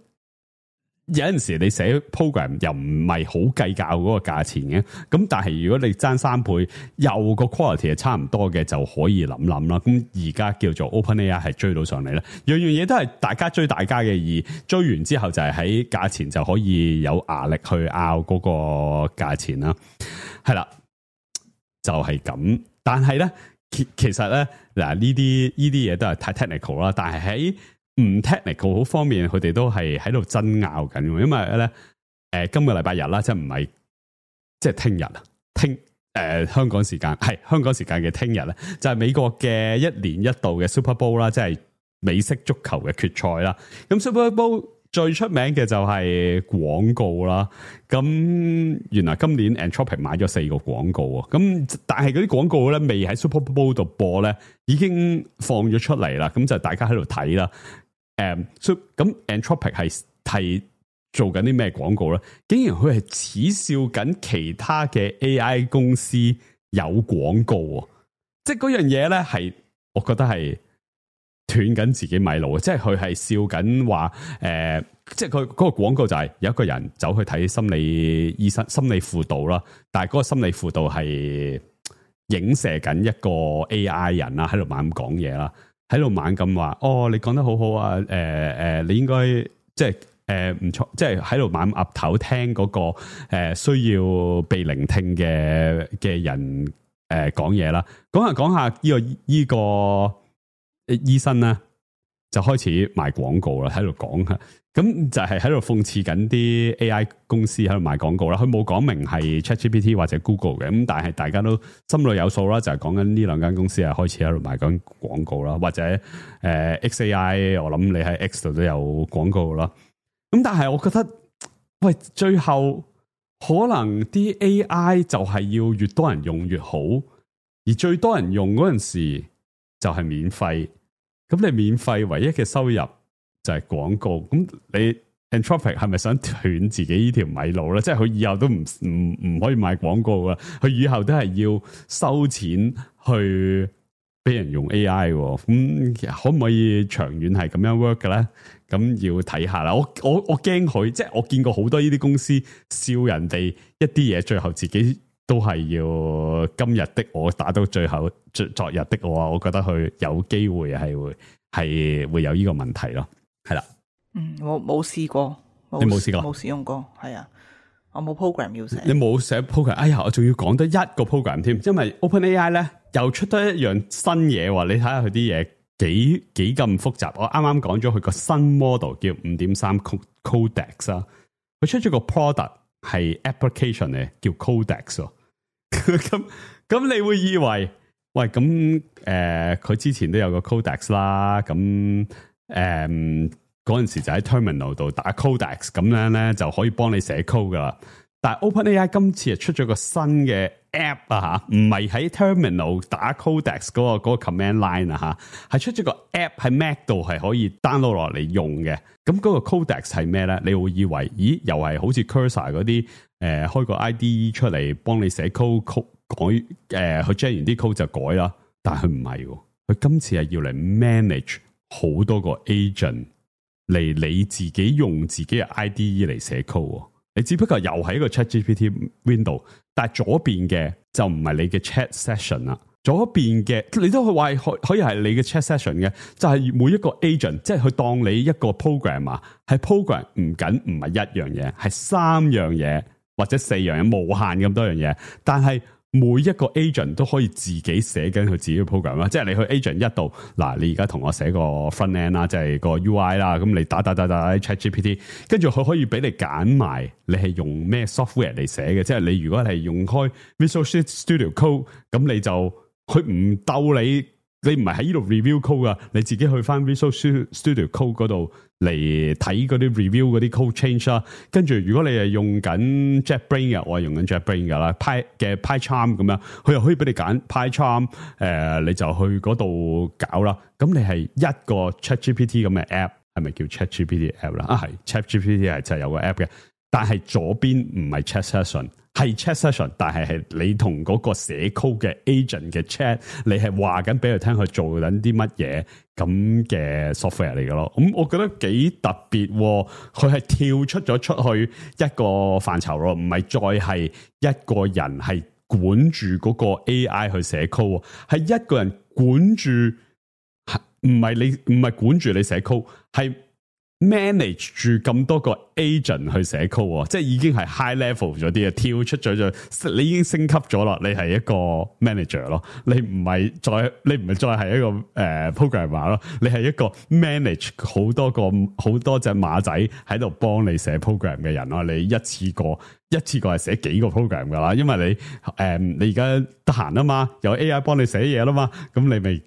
有陣時你寫 program 又唔係好計較嗰個價錢嘅。咁但係如果你爭三倍，又個 quality 係差唔多嘅，就可以諗諗啦。咁而家叫做 OpenAI 係追到上嚟啦，樣樣嘢都係大家追大家嘅，而追完之後就係喺價錢就可以有壓力去拗嗰個價錢啦。係啦。就係咁，但係咧，其其實咧，嗱呢啲呢啲嘢都係太 technical 啦。但係喺唔 technical 方面，佢哋都係喺度爭拗緊。因為咧，誒、呃、今個禮拜日啦，即係唔係即係聽日啊，聽誒、呃、香港時間係香港時間嘅聽日咧，就係、是、美國嘅一年一度嘅 Super Bowl 啦，即係美式足球嘅決賽啦。咁 Super Bowl最出名嘅就係廣告啦，咁原來今年 Anthropic 買咗四個廣告啊，咁但係嗰啲廣告咧未喺 Super Bowl 度播咧，已經放咗出嚟啦，咁就大家喺度睇啦。誒，咁 Anthropic 係係做緊啲咩廣告咧？竟然佢係恥笑緊其他嘅 A I 公司有廣告啊！即係嗰樣嘢咧，係我覺得係斷緊自己米路，即係佢係笑緊話，誒、呃，即係佢嗰個廣告就係有一個人走去睇心理醫生、心理輔導啦，但係嗰個心理輔導係影射緊一個 A I 人啦，喺度猛咁講嘢啦，喺度猛咁話，哦，你講得好好啊，誒、呃、誒，你應該即係誒唔錯，即係喺度猛岌頭聽嗰、那個誒、呃、需要被聆聽嘅嘅人誒講嘢啦，講下講下呢個呢個。這個醫生咧就開始賣廣告啦，喺度講吓，咁就係喺度諷刺緊啲 A I 公司喺度賣廣告啦。佢冇講明係 ChatGPT 或者 Google 嘅，咁但係大家都心裏有數啦，就係講緊呢兩間公司係開始喺度賣緊廣告啦，或者誒、呃、X A I， 我諗你喺 X 度都有廣告啦。咁但係我覺得，喂，最後可能啲 A I 就係要越多人用越好，而最多人用嗰陣時就係免費。咁你免費唯一嘅收入就係廣告，咁你 Anthropic 係咪想斷自己呢條米路咧？即係佢以後都唔唔唔可以賣廣告噶，佢以後都係要收錢去俾人用 A I， 咁可唔可以長遠係咁樣 work 嘅咧？咁要睇下啦。我我我驚佢，即係我見過好多呢啲公司笑人哋一啲嘢，最後自己都係要今日的我打到最後昨昨日的我啊！我覺得佢有機會係會係會有呢個問題咯，係啦。嗯，我冇試過，你冇試過，冇使用過，係啊，我冇 program 要寫。你冇寫 program，哎呀，我仲要講多一個 program 添，因為 OpenAI 咧又出多一樣新嘢喎，你睇下佢啲嘢幾幾咁複雜。我啱啱講咗佢個新 model 叫 五點三 Codex 啊，佢出咗個 product 係 application 嚟，叫 Codex 喎。咁咁你會以為，喂咁誒，佢、呃、之前都有個 Codex 啦，咁誒嗰陣時就喺 terminal 度打 Codex，咁樣咧就可以幫你寫 code 噶啦。但係 OpenAI 今次係出咗個新嘅 app 啊吓，唔係喺 terminal 打 Codex 嗰、嗰個、嗰個 command line 啊吓，係出咗個 app 喺 Mac 度係可以 download 落嚟用嘅。咁嗰個 Codex 係咩咧？你會以為，咦，又係好似 Cursor 嗰啲誒開個 I D E 出嚟幫你寫 code, code 改誒，佢、呃、generate 完啲 code 就改啦。但係佢唔係喎，佢今次係要嚟 manage 好多個 agent 嚟你自己用自己嘅 I D E 嚟寫 code。你只不過又係一個 ChatGPT window， 但係左邊嘅就唔係你嘅 chat session 啦。左邊嘅你都可以話可可以係你嘅 chat session 嘅，就係、是、每一個 agent， 即係佢當你一個 program 啊，係 program 唔僅唔係一樣嘢，係三樣嘢或者四樣嘢，無限咁多樣嘢，但係每一個 agent 都可以自己寫緊佢自己嘅 program 啦，即係你去 agent 一度，嗱你而家同我寫個 front end 啦，即係個 U I 啦，咁你打打打打 ChatGPT， 跟住佢可以俾你揀埋你係用咩 software 嚟寫嘅，即係你如果係用開 Visual Studio Code， 咁你就佢唔鬥你，你唔係喺呢度 review code 噶，你自己去翻 Visual Studio Code 嗰度嚟睇嗰啲 review 嗰啲 code change 啦。跟住如果你係用緊 JetBrains 嘅，我係用緊 JetBrains 噶啦 ，Py 嘅 PyCharm 咁樣，佢又可以俾你揀 PyCharm，誒、呃、你就去嗰度搞啦。咁你係一個 ChatGPT 咁嘅 app， 係咪叫 ChatGPT app 啦？啊係 ChatGPT 係就係有個 app 嘅，但係左邊唔係 Chat Session。係 chat session， 但係係你同嗰個寫 code 嘅 agent 嘅 chat， 你係話緊俾佢聽佢做緊啲乜嘢咁嘅 software 嚟嘅咯。咁我覺得幾特別，佢係跳出咗出去一個範疇咯，唔係再係一個人係管住嗰個 A I 去寫 code， 係一個人管住，唔係你唔係管住你寫 code， 係manage 住咁多個 agent 去寫 code， 即係已經係 high level 咗啲啊，跳出咗就你已經升級咗啦，你係一個 manager 咯，你唔係再你唔係再係一個誒、呃、programmer 咯，你係一個 manage 好多個好多隻馬仔喺度幫你寫 program 嘅人咯，你一次過一次過係寫幾個 program 噶啦，因為你誒、呃、你而家得閒啊嘛，有 A I 幫你寫嘢啦嘛，咁你咪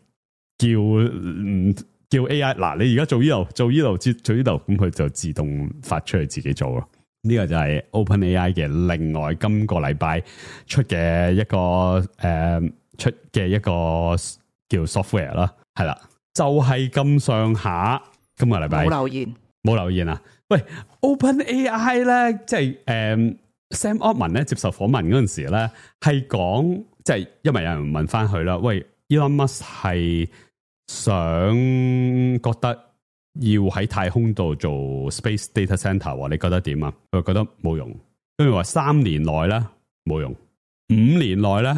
叫嗯。叫 A I 嗱，你而家做呢度，做呢度，做呢度，咁佢就自動發出去自己做咯。呢、這個就係 OpenAI 嘅另外今個禮拜出嘅一個誒、呃、出嘅一個叫 software 啦，係啦，就係咁上下。今個禮拜冇留言，冇留言啊！喂 ，OpenAI 咧，即係誒、呃、Sam Altman 咧接受訪問嗰陣時咧，係講即係因為有人問翻佢啦，喂 Elon Musk 係。想覺得要喺太空度做 space data center， 你覺得點啊？佢覺得冇用，跟住話三年內咧冇用，五年內咧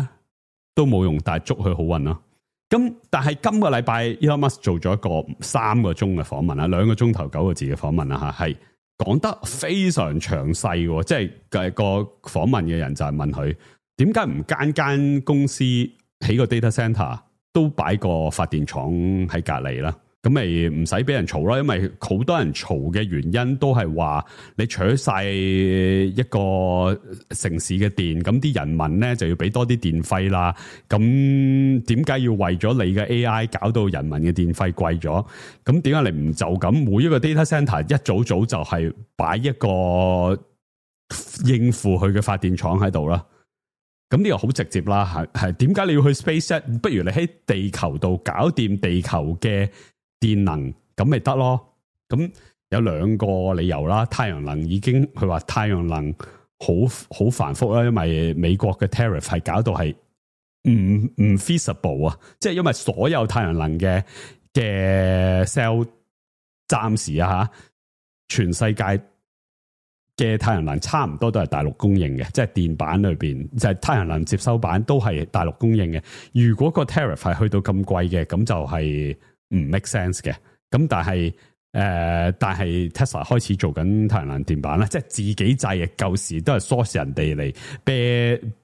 都冇用，但係祝佢好運咯。咁但係今個禮拜 Elon Musk 做咗一個三個鐘嘅訪問啊，兩個鐘頭九個字嘅訪問啊，吓係講得非常詳細，即係個訪問嘅人就係問佢點解唔間間公司起個 data center？都擺個發電廠喺隔籬啦，咁咪唔使俾人嘈啦，因為好多人嘈嘅原因都係話你取晒一個城市嘅電，咁啲人民咧就要俾多啲電費啦。咁點解要為咗你嘅 A I 搞到人民嘅電費貴咗？咁點解你唔就咁每一個 data center 一早早就係擺一個應付佢嘅發電廠喺度啦？咁呢個好直接啦，係係點解你要去 SpaceX？ 不如你喺地球度搞掂地球嘅電能，咁咪得咯？咁有兩個理由啦。太陽能已經佢話太陽能好好繁複啦，因為美國嘅 tariff 係搞到係唔唔 feasible 啊，即係因為所有太陽能嘅嘅 cell 暫時啊吓，全世界嘅太陽能差唔多都係大陸供應嘅，即係電板裏邊就係、是、太陽能接收板都係大陸供應嘅。如果個 tariff 係去到咁貴嘅，咁就係唔 make sense 嘅。咁但係誒、呃，但係 Tesla 開始做緊太陽能電板啦，即係自己製嘅，舊時都係 source 人哋嚟啤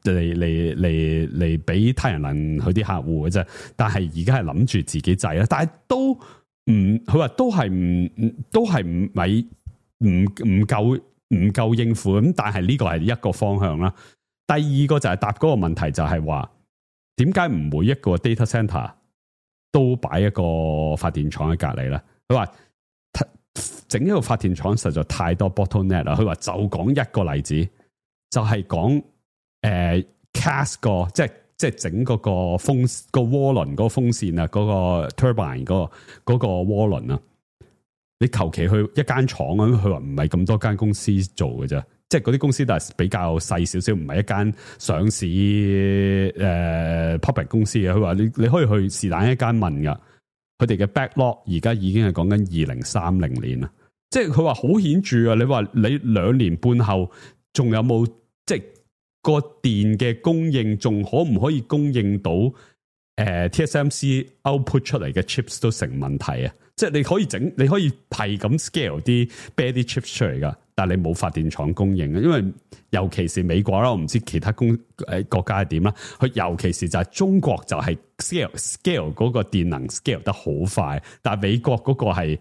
嚟嚟嚟嚟俾太陽能佢啲客戶嘅啫。但係而家係諗住自己製啦，但係都唔，佢話都係唔都係唔咪唔唔夠唔夠應付咁。但係呢個係一個方向啦。第二個就係答嗰個問題，就係話點解唔每一個 data center 都擺一個發電廠喺隔籬咧？佢話整一個發電廠實在太多 bottleneck 啦。佢話就講一個例子，就係講誒 cast 個即係即係整嗰個風個渦輪嗰個風扇啊，嗰、嗰個 turbine 嗰、嗰個嗰、嗰個渦輪啊。你求其去一間廠咁，佢話唔係咁多間公司做嘅啫。即係嗰啲公司都係比較細少少，唔係一間上市誒、呃、public 公司嘅。佢話你你可以去是但一間問噶，佢哋嘅 backlog 而家已經係講緊二零三零年啦。即係佢話好顯著啊！你話你兩年半後仲有冇即係個電嘅供應，仲可唔可以供應到誒、呃、T S M C output 出嚟嘅 chips 都成問題啊！即係你可以整，你可以係咁 scale 啲 bad chips 出嚟噶。但係你冇發電廠供應嘅，因為尤其是美國啦，我唔知其他公誒國家係點啦。佢尤其是就係中國就係 scale scale 嗰個電能 scale 得好快，但係美國嗰個係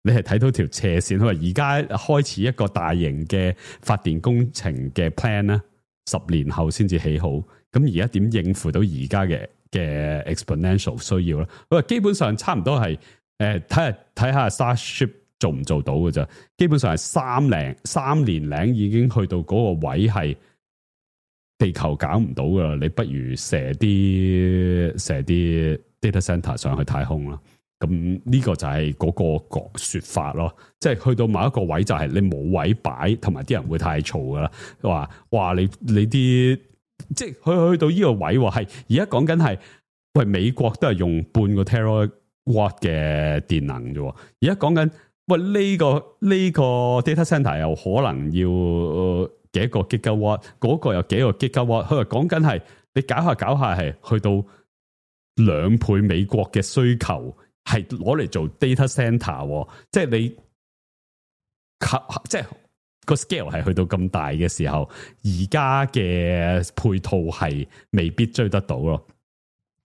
你係睇到條斜線。佢話而家開始一個大型嘅發電工程嘅 plan 咧，十年後先至起好。咁而家點應付到而家嘅嘅 exponential 需要咧？佢話基本上差唔多係誒睇下睇下 Starship。做唔做到嘅啫？基本上係三零三年零已經去到嗰個位，係地球搞唔到噶啦。你不如射啲射啲 data center 上去太空啦。咁呢個就係嗰個講說法咯。即係去到某一個位，就係你冇位擺，同埋啲人會太嘈噶啦。話哇，你你啲即係去去到呢個位，係而家講緊係喂美國都係用半個 terawatt 嘅電能啫。而家講緊。喂，呢、這個呢、這個 data center 又可能要、呃、幾個 gigawatt，嗰個又幾個 gigawatt。佢話講緊係你搞下搞下係去到兩倍美國嘅需求，係攞嚟做 data center，即係你即係個 scale 係去到咁大嘅時候，而家嘅配套係未必追得到咯。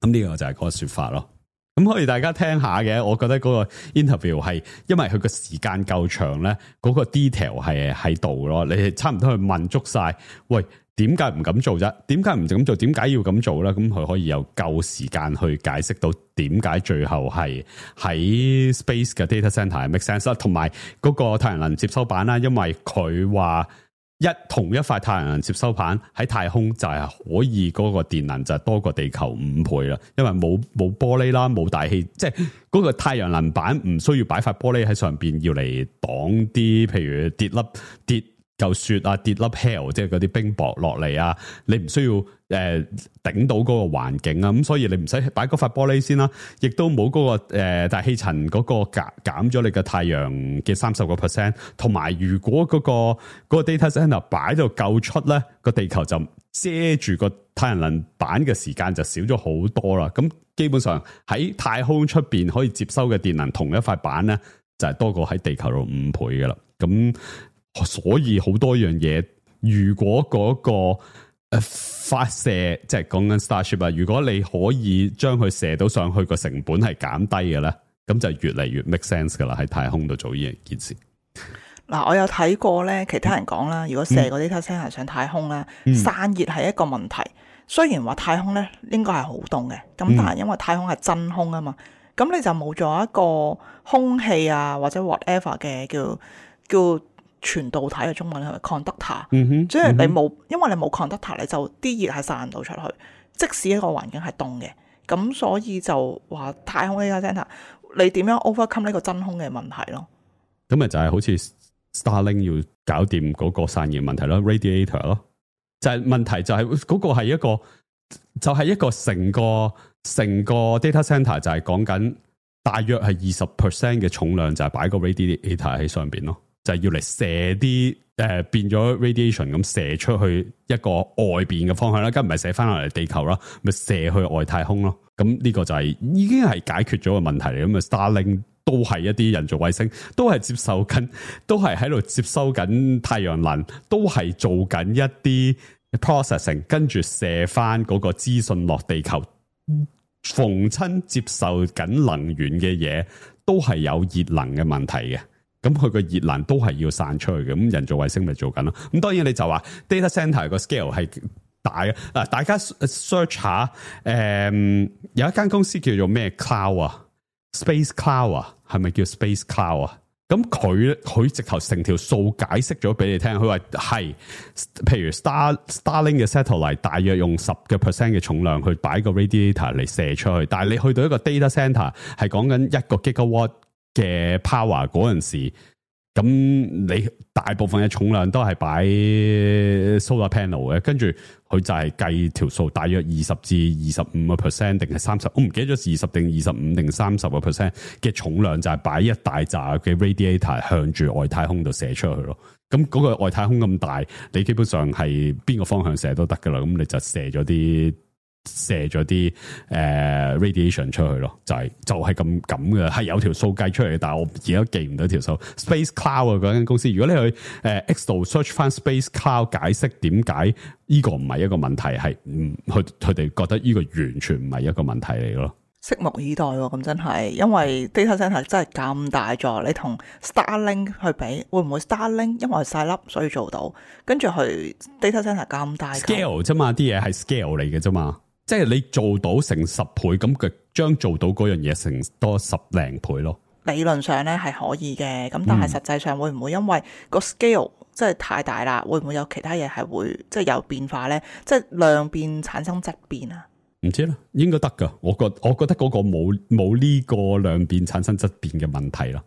咁呢個就係個說法咯。咁可以大家聽下嘅，我覺得嗰個 interview 係因為佢個時間夠長咧，嗰、嗰個 detail 係喺度咯。你係差唔多去問足晒，喂，點解唔咁做啫？點解唔咁做？點解要咁做咧？咁佢可以有夠時間去解釋到點解最後係喺 space 嘅 data center 係 make sense 啦，同埋嗰個太陽能接收板啦，因為佢話。一同一塊太陽能接收板喺太空就係可以嗰個電能就係多過地球五倍啦，因為冇冇玻璃啦，冇大氣，即係嗰個太陽能板唔需要擺塊玻璃喺上邊，要嚟擋啲，譬如跌粒跌嚿雪啊，跌粒 hail， 即係嗰啲冰雹落嚟啊，你唔需要誒頂、呃、到嗰個環境啊，咁所以你唔使擺嗰塊玻璃先啦，亦都冇嗰、嗰個誒、呃、大氣層嗰個減減咗你嘅太陽嘅三十個 percent， 同埋如果嗰、嗰個嗰、嗰個 data center 擺到夠出咧，個地球就遮住個太陽能板嘅時間就少咗好多啦。咁基本上喺太空出邊可以接收嘅電能，同一塊板咧就係、是、多過喺地球度五倍噶啦。咁所以好多樣嘢，如果嗰個誒發射，即係講緊 Starship 啊，如果你可以將佢射到上去，個成本係減低嘅咧，咁就越嚟越 make sense 噶啦，喺太空度做呢件事。嗱，我有睇過咧，其他人講啦，如果射個 data center 上太空咧，嗯、散熱係一個問題。雖然話太空咧應該係好凍嘅，咁但係因為太空係真空啊嘛，咁你就冇咗一個空氣啊或者 whatever 嘅叫叫。傳導體嘅中文係咪 conductor？、嗯、哼即係你冇，嗯、因為你冇 conductor，你就啲熱係散唔到出去。即使一個環境係凍嘅，咁所以就話太空 data center，你點樣 overcome 呢個真空嘅問題咯？咁咪就係好似 Starlink 要搞掂嗰個散熱問題咯 ，radiator 咯，就係、是、問題就係嗰個係一個，就係、是、一個成個成個 data center 就係講緊大約係二十 percent 嘅重量就係擺個 radiator 喺上邊咯。就係要嚟射啲誒變咗 radiation 咁射出去一個外邊嘅方向啦，咁唔係射翻落嚟地球啦，咪射去外太空咯。咁呢個就係、是、已經係解決咗個問題嚟。咁啊 Starlink 都係一啲人造衛星，都係接受緊，都係喺度接收緊太陽能，都係做緊一啲 processing， 跟住射翻嗰個資訊落地球。逢親接受緊能源嘅嘢，都係有熱能嘅問題嘅。咁佢個熱能都係要散出去嘅。咁人造衛星咪做緊咯。咁當然你就話 data center 個 scale 係大嘅。嗱，大家 search 下，誒、嗯，有一間公司叫做咩 Cloud 啊 ，Space Cloud 啊，係咪叫 Space Cloud 啊？咁佢佢直頭成條數解釋咗俾你聽，佢話係，譬如 Star Starlink 嘅 satellite 大約用十個 percent 嘅重量去擺個 radiator 嚟射出去，但係你去到一個 data center 係講緊一個 gigawatt 嘅 power 嗰陣時，咁你大部分嘅重量都係擺 solar panel 嘅，跟住佢就係計條數，大約二十至二十五個 percent 定係三十，我唔記得咗二十定二十五定三十個 percent 嘅重量就係擺一大紮嘅 radiator 向住外太空度射出去咯。咁嗰個外太空咁大，你基本上係邊個方向射都得噶啦。咁你就射咗啲。射咗啲誒 radiation 出去咯，就係、是、就係咁咁嘅，係有條數計出嚟嘅，但係我而家記唔到條數。Space Cloud 啊，嗰間公司，如果你去誒、呃、X 度 search 翻 Space Cloud 解釋點解呢個唔係一個問題，係唔佢佢哋覺得呢個完全唔係一個問題嚟咯。拭目以待喎，咁真係，因為 data center 真係咁大座，你同 Starlink 去比，會唔會 Starlink 因為細粒所以做到，跟住去 data center 咁大 scale 啫嘛，啲嘢係 scale 嚟嘅啫嘛。即係你做到成十倍，咁佢將做到嗰樣嘢成多十零倍咯。理論上咧係可以嘅，咁但係實際上會唔會因為個 scale 即係太大啦？會唔會有其他嘢係會即係有變化咧？即係量變產生質變啊？唔知啦，應該得噶。我覺我覺得嗰個冇冇呢個量變產生質變嘅問題咯。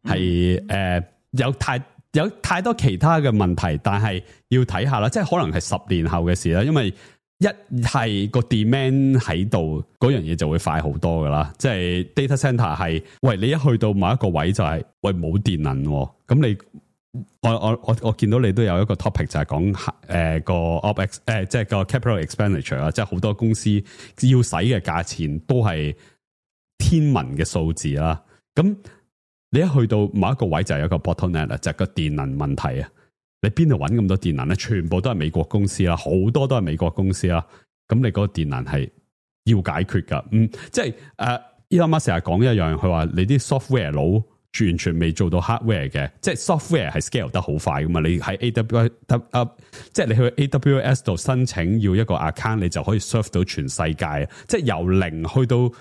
係誒、嗯呃、有太有太多其他嘅問題，但係要睇下啦。即係可能係十年後嘅事啦，因為。一係個 demand 喺度，嗰樣嘢就會快好多噶啦。即係 data center 係，喂，你一去到某一個位就係、是，喂，冇電能，咁你我我我我見到你都有一個 topic 就係講誒個 opex 誒，即係個 capital expenditure 啊，即係好多公司要使嘅價錢都係天文嘅數字啦。咁你一去到某一個位就係有一個 bottleneck 啦，就係個電能問題啊。你邊度揾咁多電能咧？全部都係美國公司啦，好多都係美國公司啦。咁你嗰個電能係要解決噶。嗯，即係誒，Elon Musk成日講一樣，佢話你啲 software 佬完全未做到 hardware 嘅，即係 software 係 scale 得好快噶嘛。你喺 A W S， 即係你去 A W S 度申請要一個 account，你就可以 serve 到全世界。即係由零去到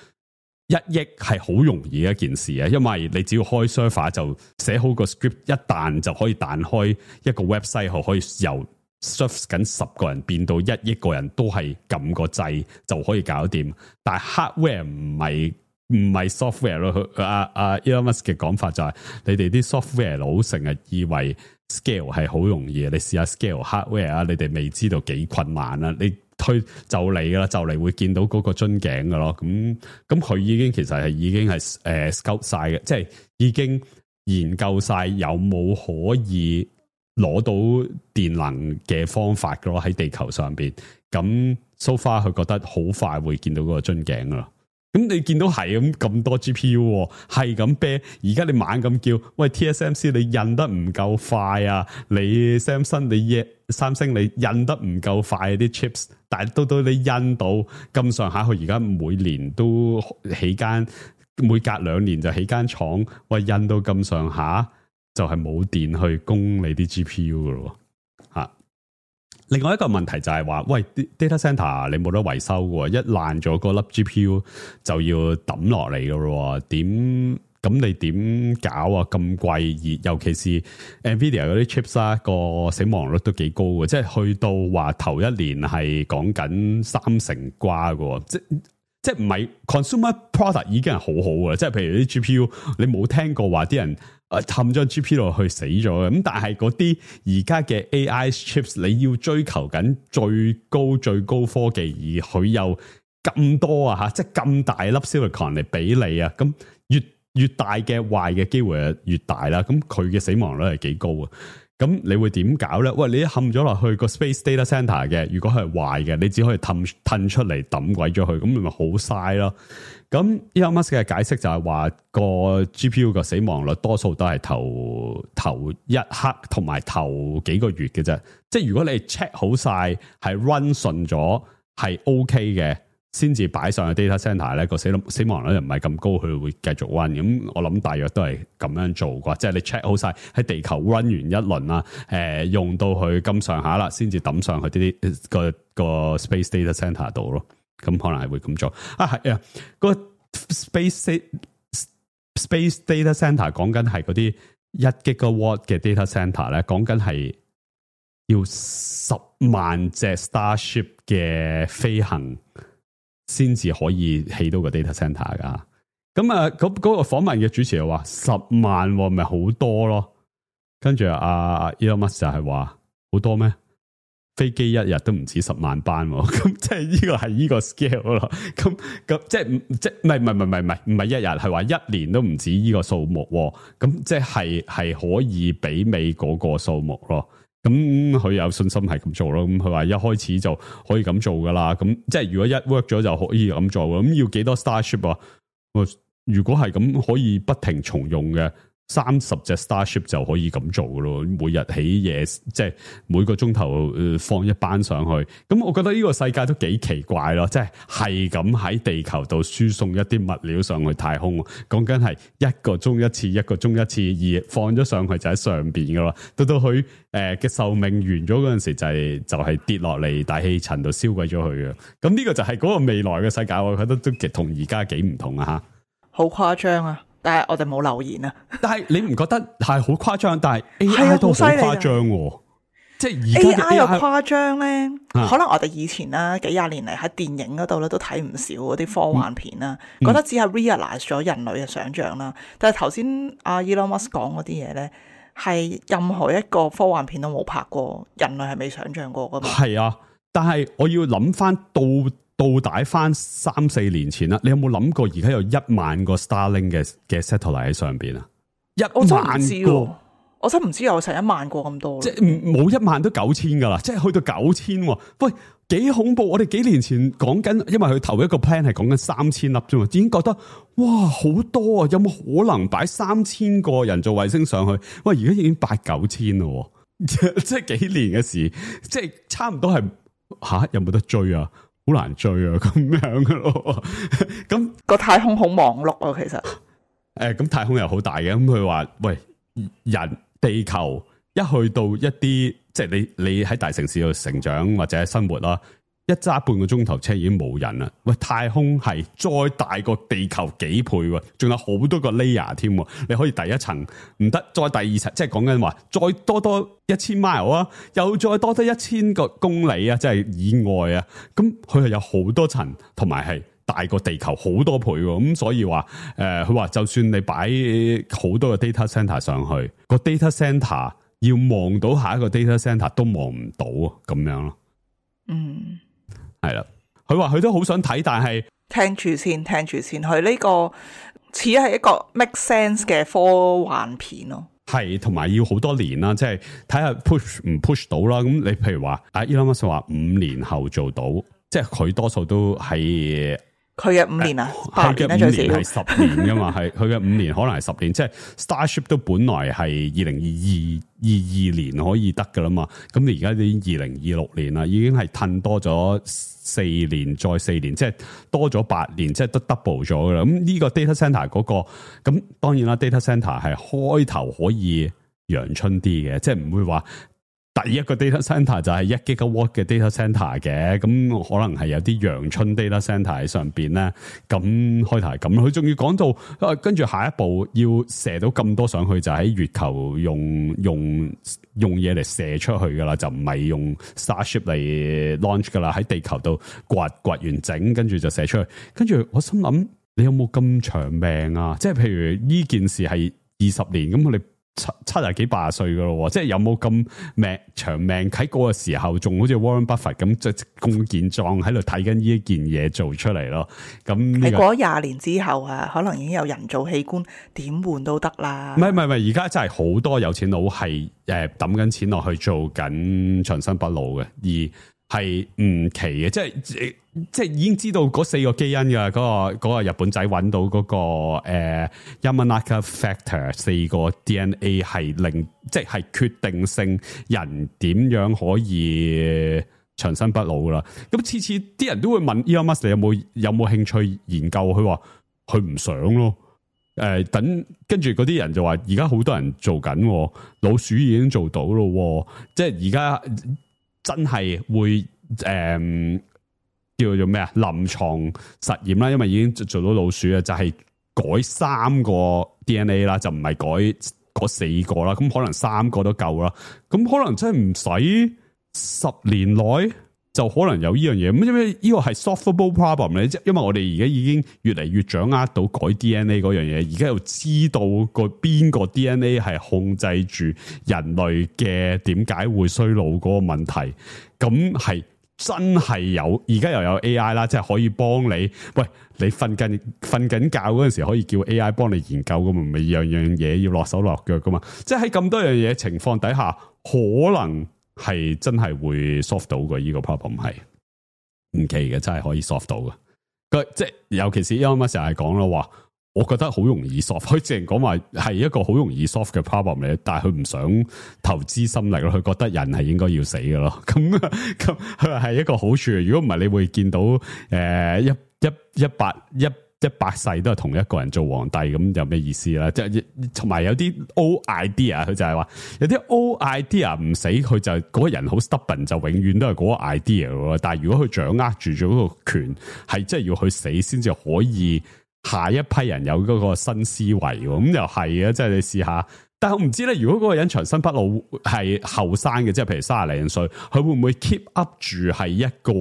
一億係好容易嘅一件事啊，因為你只要開 server 就寫好個 script， 一彈就可以彈開一個 website，後可以由 serve 緊十個人變到一億個人都係撳個掣就可以搞掂。但係 hardware 唔係唔係 software 咯。阿阿 Elon Musk 嘅講法就係、是、你哋啲 software 佬成日以為 scale 係好容易，你試下 scale hardware 啊，你哋未知道幾困難啊，你。推就嚟噶啦，就嚟會見到嗰個樽頸噶咯。咁咁佢已經其實係已經係誒 scout 晒嘅，即係已經研究晒有冇可以攞到電能嘅方法噶咯喺地球上邊。咁 so far 佢覺得好快會見到嗰個樽頸噶啦。咁你見到係咁咁多 G P U 係咁啤，而家你猛咁叫，喂 T S M C 你印得唔夠快啊？你 Samsung 你三星你印得唔夠快啲 chips， 但係到到你印到咁上下，佢而家每年都起間，每隔兩年就起間廠，喂印到咁上下就係冇電去供你啲 G P U 噶咯吓。另外一個問題就係話，喂 data center 你冇得維修嘅，一爛咗嗰粒 G P U 就要抌落嚟嘅咯，點咁你點搞啊？咁貴，而尤其是 Nvidia 嗰啲 chips 啦，個死亡率都幾高嘅，即係去到話頭一年係講緊三成瓜嘅，即即係唔係 consumer product 已經係好好嘅，即係譬如啲 G P U 你冇聽過話啲人誒氹咗 G P U 落去死咗嘅，咁但係嗰啲而家嘅 A I chips 你要追求緊最高最高科技，而佢又咁多啊吓，即係咁大粒 silicon 嚟俾你啊，咁越越大嘅壞嘅機會越大啦，咁佢嘅死亡率係幾高啊？咁你會點搞咧？喂，你一冚咗落去個 space data center 嘅，如果係壞嘅，你只可以褪褪出嚟抌鬼咗佢，咁你咪好嘥咯。咁 Elon Musk 嘅解釋就係話個 G P U 個死亡率多數都係頭頭一刻同埋頭幾個月嘅啫。即係如果你 check 好晒係 run 順咗係 OK 嘅，先至擺上去 data center 咧，個死死亡率又唔係咁高，佢會繼續 run。咁我諗大約都係咁樣做啩，即係你 check 好晒喺地球 run 完一輪啦，誒、呃、用到佢咁上下啦，先至抌上去啲啲個個 space data center 度咯。咁可能係會咁做啊，係啊，個 space space data center 講緊係嗰啲一 gigawatt 嘅 data center 咧，講緊係要十萬隻 Starship 嘅飛行先至可以起到個 data center 噶。咁啊，嗰、那、嗰個訪問嘅主持又話十萬咪好多咯，跟住阿 Elon Musk 就係話好多咩？飛機一日都唔止十萬班，咁即係呢個係呢個 scale 咯。咁咁即係即係唔係唔係唔係唔係唔係一日，係話一年都唔止呢個數目。咁即係係可以媲美嗰個數目咯。咁佢有信心係咁做咯。咁佢話一開始就可以咁做噶啦。咁即係如果一 work 咗就可以咁做。咁要幾多 Starship 啊？如果係咁可以不停重用嘅。三十隻 Starship 就可以咁做噶咯，每日起夜，即係每個鐘頭放一班上去。咁我覺得呢個世界都幾奇怪咯，即係係咁喺地球度輸送一啲物料上去太空，講緊係一個鐘一次，一個鐘一次，而放咗上去就喺上邊噶啦。到到佢誒嘅壽命完咗嗰陣時，就係就係跌落嚟大氣層度燒鬼咗佢嘅。咁呢個就係嗰個未來嘅世界，我覺得都極同而家幾唔同啊！吓，好誇張啊！但係我哋冇留言啊！但係你唔覺得係好誇張？但係 A I 都好誇張喎，即係而家 A I 又誇張咧。啊、可能我哋以前啦，幾廿年嚟喺電影嗰度咧都睇唔少嗰啲科幻片啦，嗯、覺得只係 realize 咗人類嘅想象啦。嗯、但係頭先阿 Elon Musk 講嗰啲嘢咧，係任何一個科幻片都冇拍過，人類係未想象過噶嘛？係啊，但係我要諗翻到。倒帶翻三四年前啦，你有冇諗過而家有一萬個 Starlink 嘅嘅 satellite 喺上邊啊？一萬個，我真唔知有成一萬個咁多，即係冇一萬都九千噶啦，即係去到九千。喂，幾恐怖！我哋幾年前講緊，因為佢頭一個 plan 係講緊三千粒啫嘛，已經覺得哇好多啊！有冇可能擺三千個人造衛星上去？喂，而家已經八九千咯，即係幾年嘅事，即係差唔多係吓，有冇得追啊？好難追啊，咁樣噶咯。咁個太空好忙碌啊，其實。誒，咁太空又好大嘅。咁佢話，喂，人地球一去到一啲，即係你你喺大城市度成長或者生活啦，一揸半個鐘頭車已經冇人啦。喂，太空係再大過地球幾倍喎，仲有好多個 layer 添。你可以第一層唔得，再第二層，即係講緊話再多多一千 mile 啊，又再多多一千個公里啊，即係以外啊。咁佢係有好多層，同埋係大過地球好多倍。咁所以話誒，佢話就算你擺好多個 data center 上去，個 data center 要望到下一個 data center 都望唔到啊，咁樣咯。嗯。係啦，佢話佢都好想睇，但係聽住先，聽住先。佢呢個似係一個 make sense 嘅科幻片咯，係同埋要好多年啦，即係睇下 push 唔 push 到啦。咁你譬如話，阿 Elon Musk 話五年後做到，即係佢多數都係佢嘅五年啊，八年咧最少，係十年噶嘛，係佢嘅五年可能係十年，即係 Starship 都本來係二零二二二二年可以得噶啦嘛，咁你而家已經二零二六年啦，已經係褪多咗四年再四年，即係多咗八年，即係都 double 咗噶啦。咁呢個 data center 嗰個，咁當然啦 ，data center 係開頭可以陽春啲嘅，即係唔會話。第一個 data center 就係一 gigawatt 嘅 data center 嘅，咁可能係有啲陽春 data center 喺上邊咧。咁開頭係咁，佢仲要講到，跟住下一步要射到咁多上去，就喺月球用用用嘢嚟射出去噶啦，就唔係用 Starship 嚟 launch 噶啦，喺地球度掘掘完整，跟住就射出去。跟住我心諗，你有冇咁長命啊？即係譬如呢件事係二十年，咁我哋七七廿幾八十歲噶咯，即係有冇咁命長命喺嗰個時候，仲好似 Warren Buffett 咁即係咁健壯喺度睇緊呢一件嘢做出嚟咯。咁你過咗廿年之後啊，可能已經有人造器官，點換都得啦。唔係唔係唔係，而家真係好多有錢佬係誒抌緊錢落去做緊長生不老嘅，而係唔奇嘅，即係即係已經知道嗰四個基因嘅嗰、嗰個、嗰個日本仔揾到嗰、嗰個誒、呃、Yamanaka factor 四個 D N A 係令即係決定性人點樣可以長生不老啦。咁次次啲人都會問 Elon Musk 你有冇有冇興趣研究？佢話佢唔想咯。誒、呃，等跟住嗰啲人就話而家好多人做緊，老鼠已經做到咯，即係而家真係會誒。呃叫做咩啊？臨床實驗啦，因為已經做到老鼠啊，就係、是、改三個 D N A 啦，就唔係改嗰四個啦。咁可能三個都夠啦。咁可能真係唔使十年內就可能有呢樣嘢。咁因為呢個係 solvable problem 咧，即因為我哋而家已經越嚟越掌握到改 D N A 嗰樣嘢，而家又知道個邊個 D N A 係控制住人類嘅點解會衰老嗰個問題。咁係。真係有，而家又有 A I 啦，即係可以幫你。喂，你瞓緊瞓緊覺嗰陣時，可以叫 A I 幫你研究噶嘛？咪樣樣嘢要落手落腳噶嘛？即係喺咁多樣嘢情況底下，可能係真係會 solve 到嘅。呢個 problem 係唔奇嘅，真係可以 solve 到嘅。佢即係尤其是 Elon Musk 成日講啦，話我覺得好容易 solve。佢淨係講話係一個好容易 solve 嘅 problem 嚟，但係佢唔想投資心力咯。佢覺得人係應該要死嘅咯。咁咁佢係一個好處。如果唔係，你會見到誒、呃、一一一百一一百世都係同一個人做皇帝，咁有咩意思啦？即係同埋有啲 old idea，佢就係話有啲 old idea 唔死，佢就嗰、嗰個人好 stubborn，就永遠都係嗰個 idea 咯。但係如果佢掌握住咗嗰個權，係真係要去死先至可以。下一批人有嗰個新思維，咁又係啊！即係你試下，但係我唔知咧。如果嗰個人長生不老係後生嘅，即係譬如三十零歲，佢會唔會 keep up 住係一個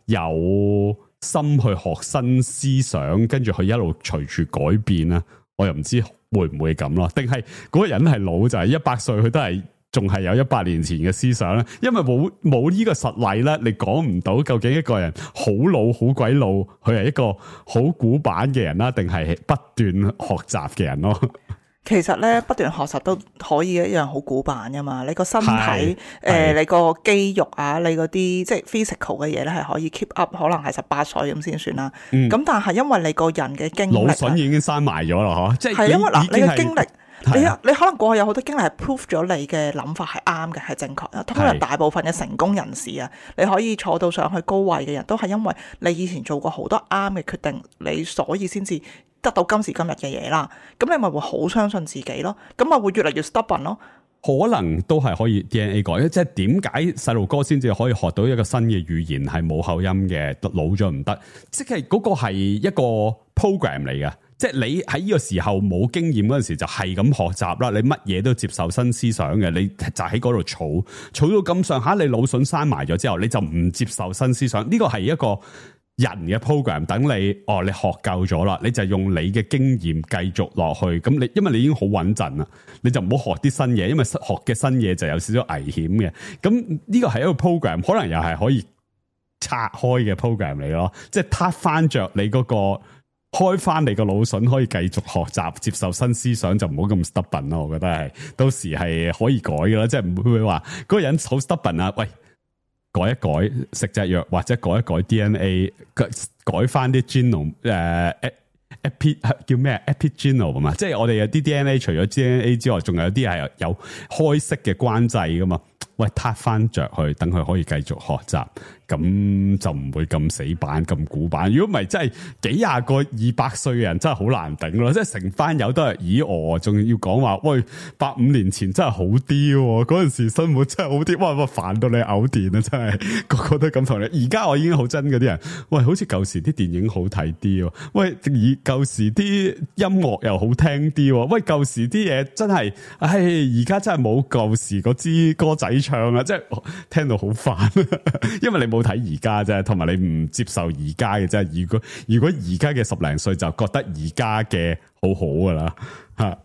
有心去學新思想，跟住佢一路隨住改變啊？我又唔知會唔會咁咯？定係嗰個人係老就係一百歲，佢都係仲係有一百年前嘅思想咧？因為冇冇呢個實例咧，你講唔到究竟一個人好老好鬼老，佢係一個好古板嘅人啦，定係不斷學習嘅人咯？其實咧，不斷學習都可以一樣好古板噶嘛。你個身體誒、呃，你個肌肉啊，你嗰啲即係 physical 嘅嘢咧，係可以 keep up，可能係十八歲咁先算啦。咁、嗯、但係因為你個人嘅經歷，腦筍已經生埋咗啦，嗬？即係因為嗱，你嘅經歷。你啊、你可能過去有好多經歷係 prove 咗你嘅諗法係啱嘅，係正確嘅。通常大部分嘅成功人士啊，你可以坐到上去高位嘅人都係因為你以前做過好多啱嘅決定，你所以先至得到今時今日嘅嘢啦。咁你咪會好相信自己咯，咁咪會越嚟越 stubborn 咯。可能都係可以 D N A 改，即係點解細路哥先至可以學到一個新嘅語言係冇口音嘅，老咗唔得，即係嗰個係一個 program 嚟嘅。即係你喺呢個時候冇經驗嗰陣時就係咁學習啦，你乜嘢都接受新思想嘅，你就喺嗰度儲儲到咁上下，你腦筍生埋咗之後，你就唔接受新思想。呢個係一個人嘅 program， 等你哦，你學夠咗啦，你就用你嘅經驗繼續落去。咁你因為你已經好穩陣啦，你就唔好學啲新嘢，因為學嘅新嘢就有少少危險嘅。咁呢個係一個 program， 可能又係可以拆開嘅 program 嚟咯，即係撻翻着你嗰個。開翻你個腦筍，可以繼續學習接受新思想，就唔好咁 stubborn 咯。我覺得係到時係可以改嘅啦，即係唔會話嗰個人好 stubborn 啊。喂，改一改食隻藥，或者改一改 D N A， 改改翻啲 genome 誒 epi 叫咩 epigenome 啊嘛，即係我哋有啲 D N A 除咗 D N A 之外，仲有啲係有開式嘅關掣噶嘛。喂，撻翻着去，等佢可以繼續學習，咁就唔會咁死板、咁古板。如果唔係，真係幾廿個二百歲嘅人真係好難頂咯。即係成班友都係咦我，仲要講話喂，八五年前真係好啲，嗰陣時生活真係好啲。哇哇煩到你嘔電啊！真係個個都咁同你。而家我已經好憎嗰啲人，喂，好似舊時啲電影好睇啲，喂，而舊時啲音樂又好聽啲，喂，舊時啲嘢真係，唉，而家真係冇舊時嗰支歌仔唱啊！即係聽到好煩，因為你冇睇而家啫，同埋你唔接受而家嘅啫。如果如果而家嘅十零歲就覺得而家嘅好好噶啦吓。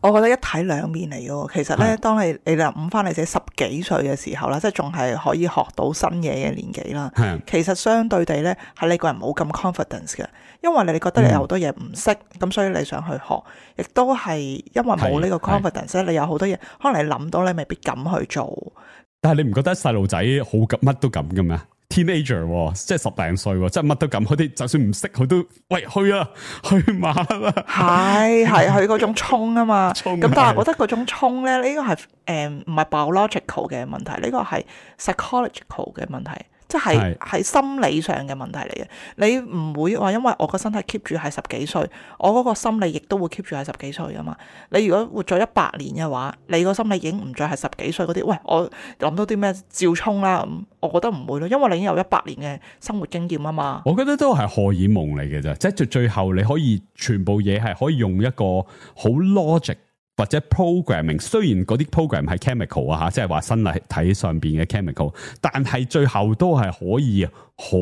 我覺得一體兩面嚟嘅喎。其實咧，係當你你諗翻你自己十幾歲嘅時候啦，即係仲係可以學到新嘢嘅年紀啦。係其實相對地咧，係你個人冇咁 confidence 嘅，因為你覺得你有好多嘢唔識，咁、嗯、所以你想去學，亦都係因為冇呢個 confidence 咧，你有好多嘢可能你諗到，你未必敢去做。但係你唔覺得細路仔好乜都咁嘅咩？teenager 即係十零歲，即係乜都咁，佢哋就算唔識，佢都喂去啊，去馬啦，係係佢嗰種衝啊嘛。咁衝但係我覺得嗰種衝咧，呢個係誒唔係 biological 嘅問題，呢個係 psychological 嘅問題。即係係心理上嘅問題嚟嘅，你唔會話因為我個身體 keep 住係十幾歲，我嗰個心理亦都會 keep 住係十幾歲噶嘛。你如果活咗一百年嘅話，你個心理已經唔再係十幾歲嗰啲，喂，我諗到啲咩照衝啦，咁我覺得唔會咯，因為你已經有一百年嘅生活經驗啊嘛。我覺得都係荷爾蒙嚟嘅啫，即係最最後你可以全部嘢係可以用一個好 logic。或者 programming， 雖然嗰啲 program 係 chemical 啊吓，即係話身體上邊嘅 chemical， 但係最後都係可以好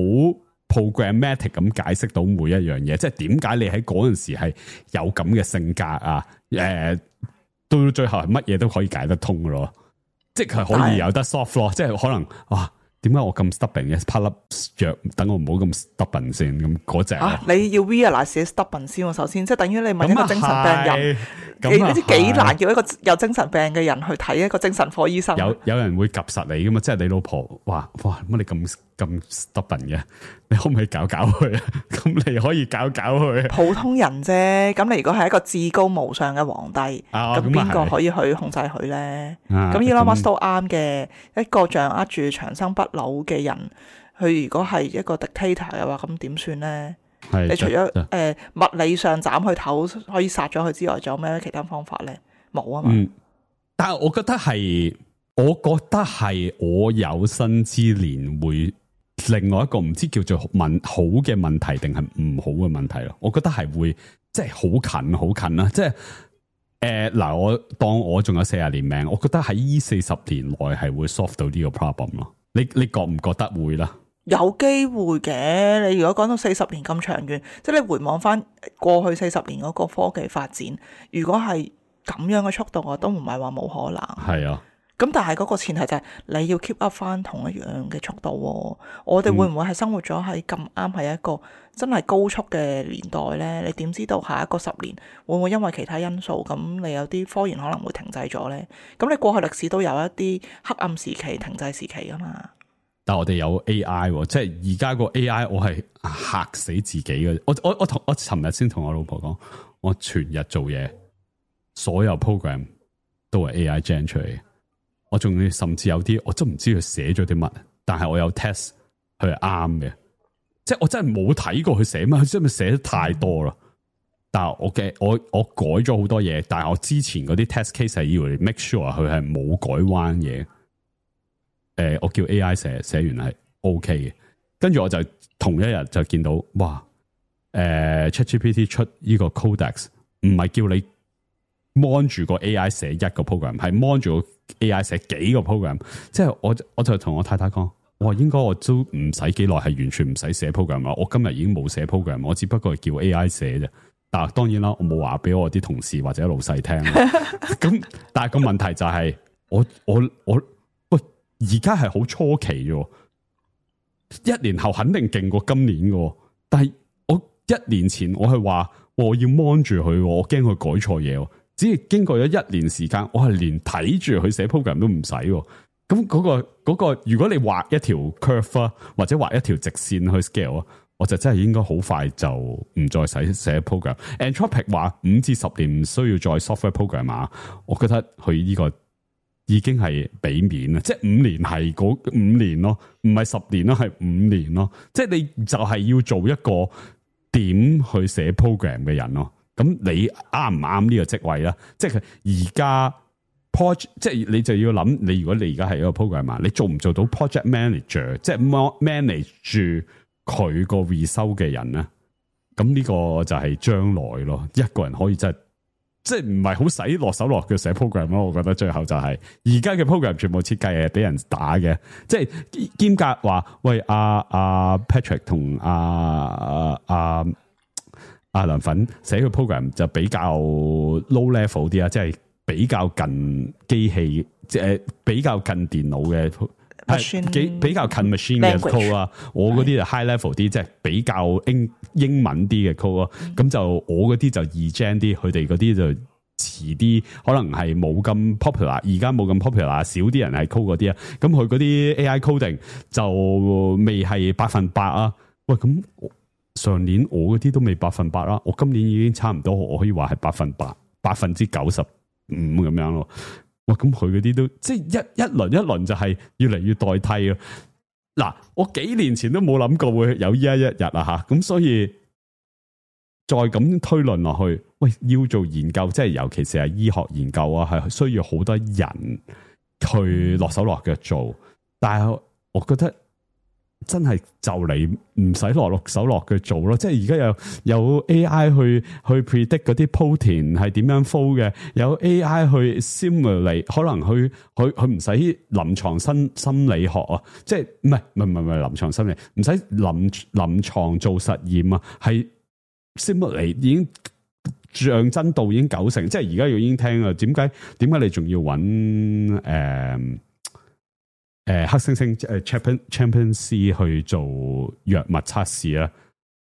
programmatic 咁解釋到每一樣嘢，即係點解你喺嗰陣時係有咁嘅性格啊？誒、呃，到最後係乜嘢都可以解得通嘅咯，即係可以有得 soft 咯，即係可能哇。點解我咁 stubborn 嘅？拍粒藥等我唔好咁 stubborn 先，咁嗰隻啊！你要 realize 自己 stubborn 先喎，首先即係等於你問一個精神病人，你你知幾難叫一個有精神病嘅人去睇一個精神科醫生？有有人會及實你噶嘛？即係你老婆話：哇，乜你咁咁 stubborn 嘅？你可唔可以搞搞佢啊？咁你可以搞搞佢。普通人啫，咁你如果係一個至高無上嘅皇帝，咁邊個可以去控制佢咧？咁 Elon Musk 都啱嘅，一個掌握住長生不老嘅人，佢如果係一個 dictator 嘅話，咁點算咧？你除咗誒、呃、物理上斬佢頭可以殺咗佢之外，仲有咩其他方法咧？冇啊嘛。嗯，但係我覺得係，我覺得係我有生之年會。另外一個唔知叫做問好嘅問題定係唔好嘅問題咯，我覺得係會即係好近好近啦，即係誒嗱，我當我仲有四十年命，我覺得喺呢四十年內係會 solve 到呢個 problem 咯。你你覺唔覺得會啦？有機會嘅，你如果講到四十年咁長遠，即係你回望翻過去四十年嗰個科技發展，如果係咁樣嘅速度，我都唔係話冇可能。係啊。咁但係嗰個前提就係你要 keep up 翻同一樣嘅速度喎。我哋會唔會係生活咗喺咁啱係一個真係高速嘅年代呢？你點知道下一個十年會唔會因為其他因素咁你有啲科研可能會停滯咗呢？咁你過去歷史都有一啲黑暗時期、停滯時期噶嘛？但係我哋有 A I， 即係而家個 A I 我係嚇死自己嘅。我我我同我尋日先同我老婆講，我全日做嘢，所有 program 都係 A I gen 出嚟嘅。我仲要甚至有啲我真唔知佢寫咗啲乜，但係我有 test 佢係啱嘅，即係我真係冇睇過佢寫乜，佢真係寫得太多啦。但係我嘅我我改咗好多嘢，但係我之前嗰啲 test case 係以為 make sure 佢係冇改彎嘢。誒、呃，我叫 A I 寫寫完係 OK 嘅，跟住我就同一日就見到哇，誒、呃、ChatGPT 出呢個 Codex 唔係叫你 mon 住個 A I 寫一個 program， 係 mon 住個 A I 寫幾個 program， 即係我我就同我太太講，我應該我都唔使幾耐，係完全唔使寫 program 啦。我今日已經冇寫 program， 我只不過係叫 A I 寫啫。但係當然啦，我冇話俾我啲同事或者老細聽。咁但係個問題就係、是、我我我喂，而家係好初期啫，一年後肯定勁過今年嘅。但係我一年前我係話我要 mon 住佢，我驚佢改錯嘢。只係經過咗一年時間，我係連睇住佢寫 program 都唔使。咁嗰個嗰個，如果你畫一條 curve 啊，或者畫一條直線去 scale 啊，我就真係應該好快就唔再使寫 program。Anthropic 話五至十年唔需要再 software program 啊，我覺得佢呢個已經係俾面啦，即係五年係嗰五年咯，唔係十年咯，係五年咯。即係你就係要做一個點去寫 program 嘅人咯。咁你啱唔啱呢個職位咧？即係而家 project， 即係你就要諗，你如果你而家係一個 programmer， 你做唔做到 project manager， 即係 manage 住佢個 result 嘅人咧？咁呢個就係將來咯，一個人可以真係即係唔係好使落手落腳寫 program 咯？我覺得最後就係而家嘅 program 全部設計係俾人打嘅，即係兼夾話喂阿阿、啊啊、Patrick 同阿阿。啊啊阿梁粉寫個 program 就比較 low level 啲啊，即係比較近機器，即係比較近電腦嘅。係幾比較近 machine 嘅 code 啊，我嗰啲就 high level 啲，即係比較英英文啲嘅 code 咯。咁就我嗰啲就易 gen 啲，佢哋嗰啲就遲啲，可能係冇咁 popular，而家冇咁 popular，少啲人係 code 嗰啲啊。咁佢嗰啲 A I coding 就未係百分百啊。喂，咁上年我嗰啲都未百分百啦，我今年已經差唔多，我可以話係百分百，百分之九十五咁樣咯。哇！咁佢嗰啲都即係一一輪一輪就係越嚟越代替咯。嗱，我幾年前都冇諗過會有依一一日啊吓，咁所以再咁推論落去，喂，要做研究，即係尤其是係醫學研究啊，係需要好多人去落手落腳做。但係我覺得真係就嚟唔使落落手落腳做咯，即係而家有有 A I 去去 predict 嗰啲 protein 係點樣 fold 嘅，有 A I 去 simulate， 可能去佢佢唔使臨床心心理學啊，即係唔係唔係唔係唔係臨床心理，唔使臨臨床做實驗啊，係 simulate 已經像真度已經九成，即係而家已經聽啊，點解點解你仲要揾誒？呃誒，黑猩猩誒 champion champion C 去做藥物測試啊，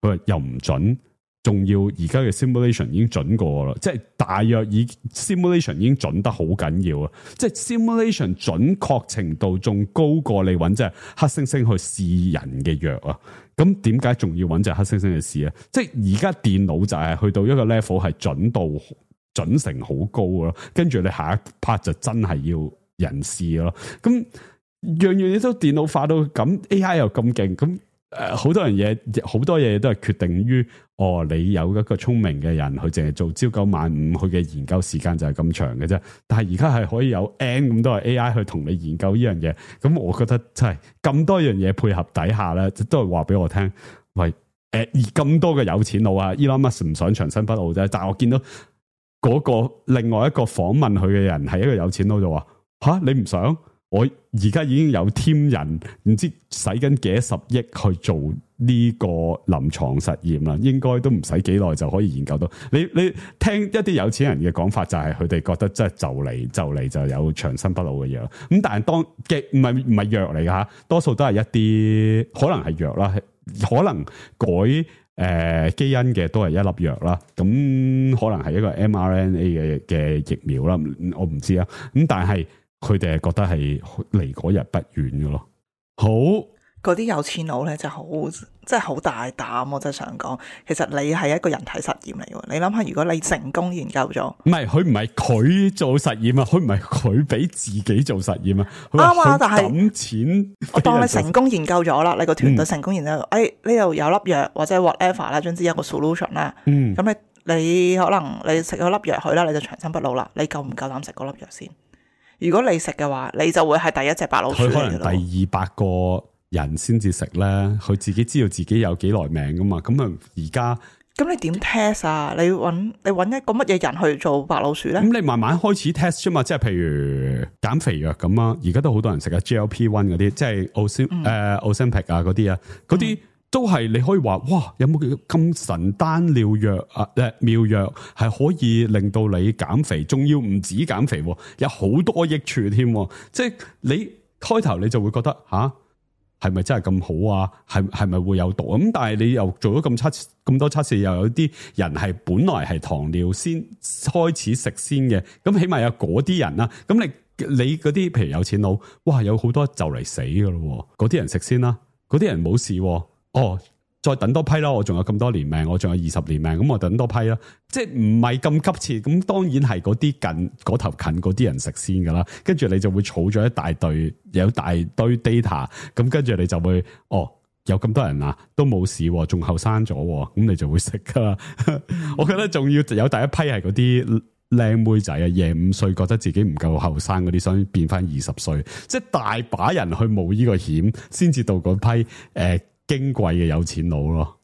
佢話又唔準，仲要而家嘅 simulation 已經準過啦，即係大約已 simulation 已經準得好緊要啊，即係 simulation 準確程度仲高過你揾隻黑猩猩去試人嘅藥啊，咁點解仲要揾隻黑猩猩去試啊？即係而家電腦就係去到一個 level 係準度準成好高咯，跟住你下一 part 就真係要人試咯，咁。樣樣嘢都電腦化到咁 ，A I 又咁勁，咁誒好多樣嘢，好多嘢都係決定於哦，你有一個聰明嘅人，佢淨係做朝九晚五，佢嘅研究時間就係咁長嘅啫。但係而家係可以有 N 咁多嘅 A I 去同你研究呢樣嘢，咁我覺得真係咁多樣嘢配合底下咧，都係話俾我聽，喂誒，而咁多嘅有錢佬啊 ，Elon Musk 唔想長生不老啫，但係我見到嗰個另外一個訪問佢嘅人係一個有錢佬就話吓，你唔想？我而家已經有 team 人，唔知使緊幾多十億去做呢個臨床實驗啦，應該都唔使幾耐就可以研究到。你你聽一啲有錢人嘅講法，就係佢哋覺得即係就嚟就嚟就有長生不老嘅藥。咁但係當嘅唔係唔係藥嚟㗎吓，多數都係一啲可能係藥啦，可能改誒、呃、基因嘅都係一粒藥啦。咁可能係一個 M R N A 嘅嘅疫苗啦，我唔知啊。咁但係。佢哋係覺得係離嗰日不遠嘅咯。好，嗰啲有錢佬咧就好，真係好大膽。我真係想講，其實你係一個人體實驗嚟嘅。你諗下，如果你成功研究咗，唔係佢唔係佢做實驗啊，佢唔係佢俾自己做實驗啊。啱啊，但係抌錢，我當你成功研究咗啦，你個團隊成功研究，誒、嗯，呢度有粒藥或者 whatever 啦，總之有個 solution 啦。嗯，咁你你可能你食咗粒藥去啦，你就長生不老啦。你夠唔夠膽食嗰粒藥先？如果你食嘅話，你就會係第一隻白老鼠嚟嘅咯。佢可能第二百個人先至食咧，佢自己知道自己有幾耐命噶嘛。咁啊，而家咁你點 test 啊？你揾你揾一個乜嘢人去做白老鼠咧？咁你慢慢開始 test 啫嘛。即係譬如減肥藥咁啊，而家都好多人食啊 G L P 一 嗰啲，即係 Ozempic 誒 Ozempic 啊嗰啲啊，嗰啲。都係你可以話，哇！有冇咁神丹妙藥啊？誒，妙藥係可以令到你減肥，仲要唔止減肥，有好多益處添。即係你開頭你就會覺得吓，係咪真係咁好啊？係係咪會有毒？咁但係你又做咗咁測咁多測試，又有啲人係本來係糖尿先開始食先嘅，咁起碼有嗰啲人啦。咁你你嗰啲譬如有錢佬，哇！有好多就嚟死噶咯，嗰啲人食先啦，嗰啲人冇事。哦，再等多批啦！我仲有咁多年命，我仲有二十年命，咁我等多批啦。即係唔係咁急切，咁當然係嗰啲近嗰頭近嗰啲人食先噶啦。跟住你就會儲咗一大堆，有大堆 data，咁跟住你就會哦，有咁多人啊，都冇事，仲後生咗，咁你就會食噶啦。我覺得仲要有第一批係嗰啲靚妹仔啊，廿五歲覺得自己唔夠後生嗰啲，想變翻二十歲，即係大把人去冒呢個險，先至到嗰批誒。呃矜貴嘅有錢佬咯，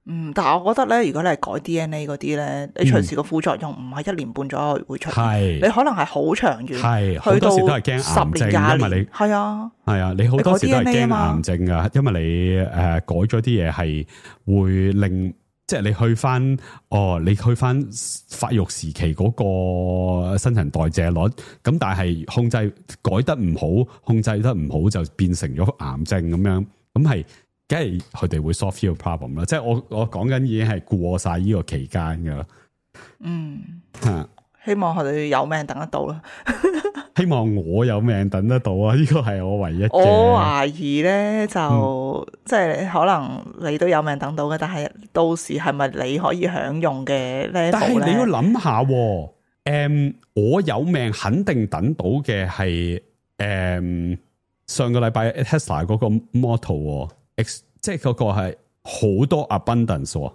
嗯，但係我覺得咧，如果你係改 D N A 嗰啲咧，你隨時個副作用唔係一年半載會出現，係、嗯、你可能係好長遠，係好多時都係驚癌症，因為你係啊，係啊，你好多時都係驚癌症噶，因為你誒、呃、改咗啲嘢係會令。即即係你去翻哦，你去翻發育時期嗰個新陳代謝率，咁但係控制改得唔好，控制得唔好就變成咗癌症咁樣，咁係梗係佢哋會 solve 呢個 problem 啦。即係我我講緊已經係過晒呢個期間噶啦。嗯，吓，希望佢哋有命等得到啦。希望我有命等得到啊！呢個係我唯一嘅。我懷疑咧就、嗯、即係可能你都有命等到嘅，但係到時係咪你可以享用嘅 level 咧？但係你要諗下，誒、嗯，我有命肯定等到嘅係誒上個禮拜 Tesla 嗰個 Model X， 即係嗰個係好多 abundance，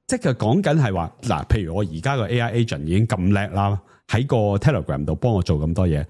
即係講緊係話嗱，譬如我而家個 A I agent 已經咁叻啦。喺個 Telegram 度幫我做咁多嘢，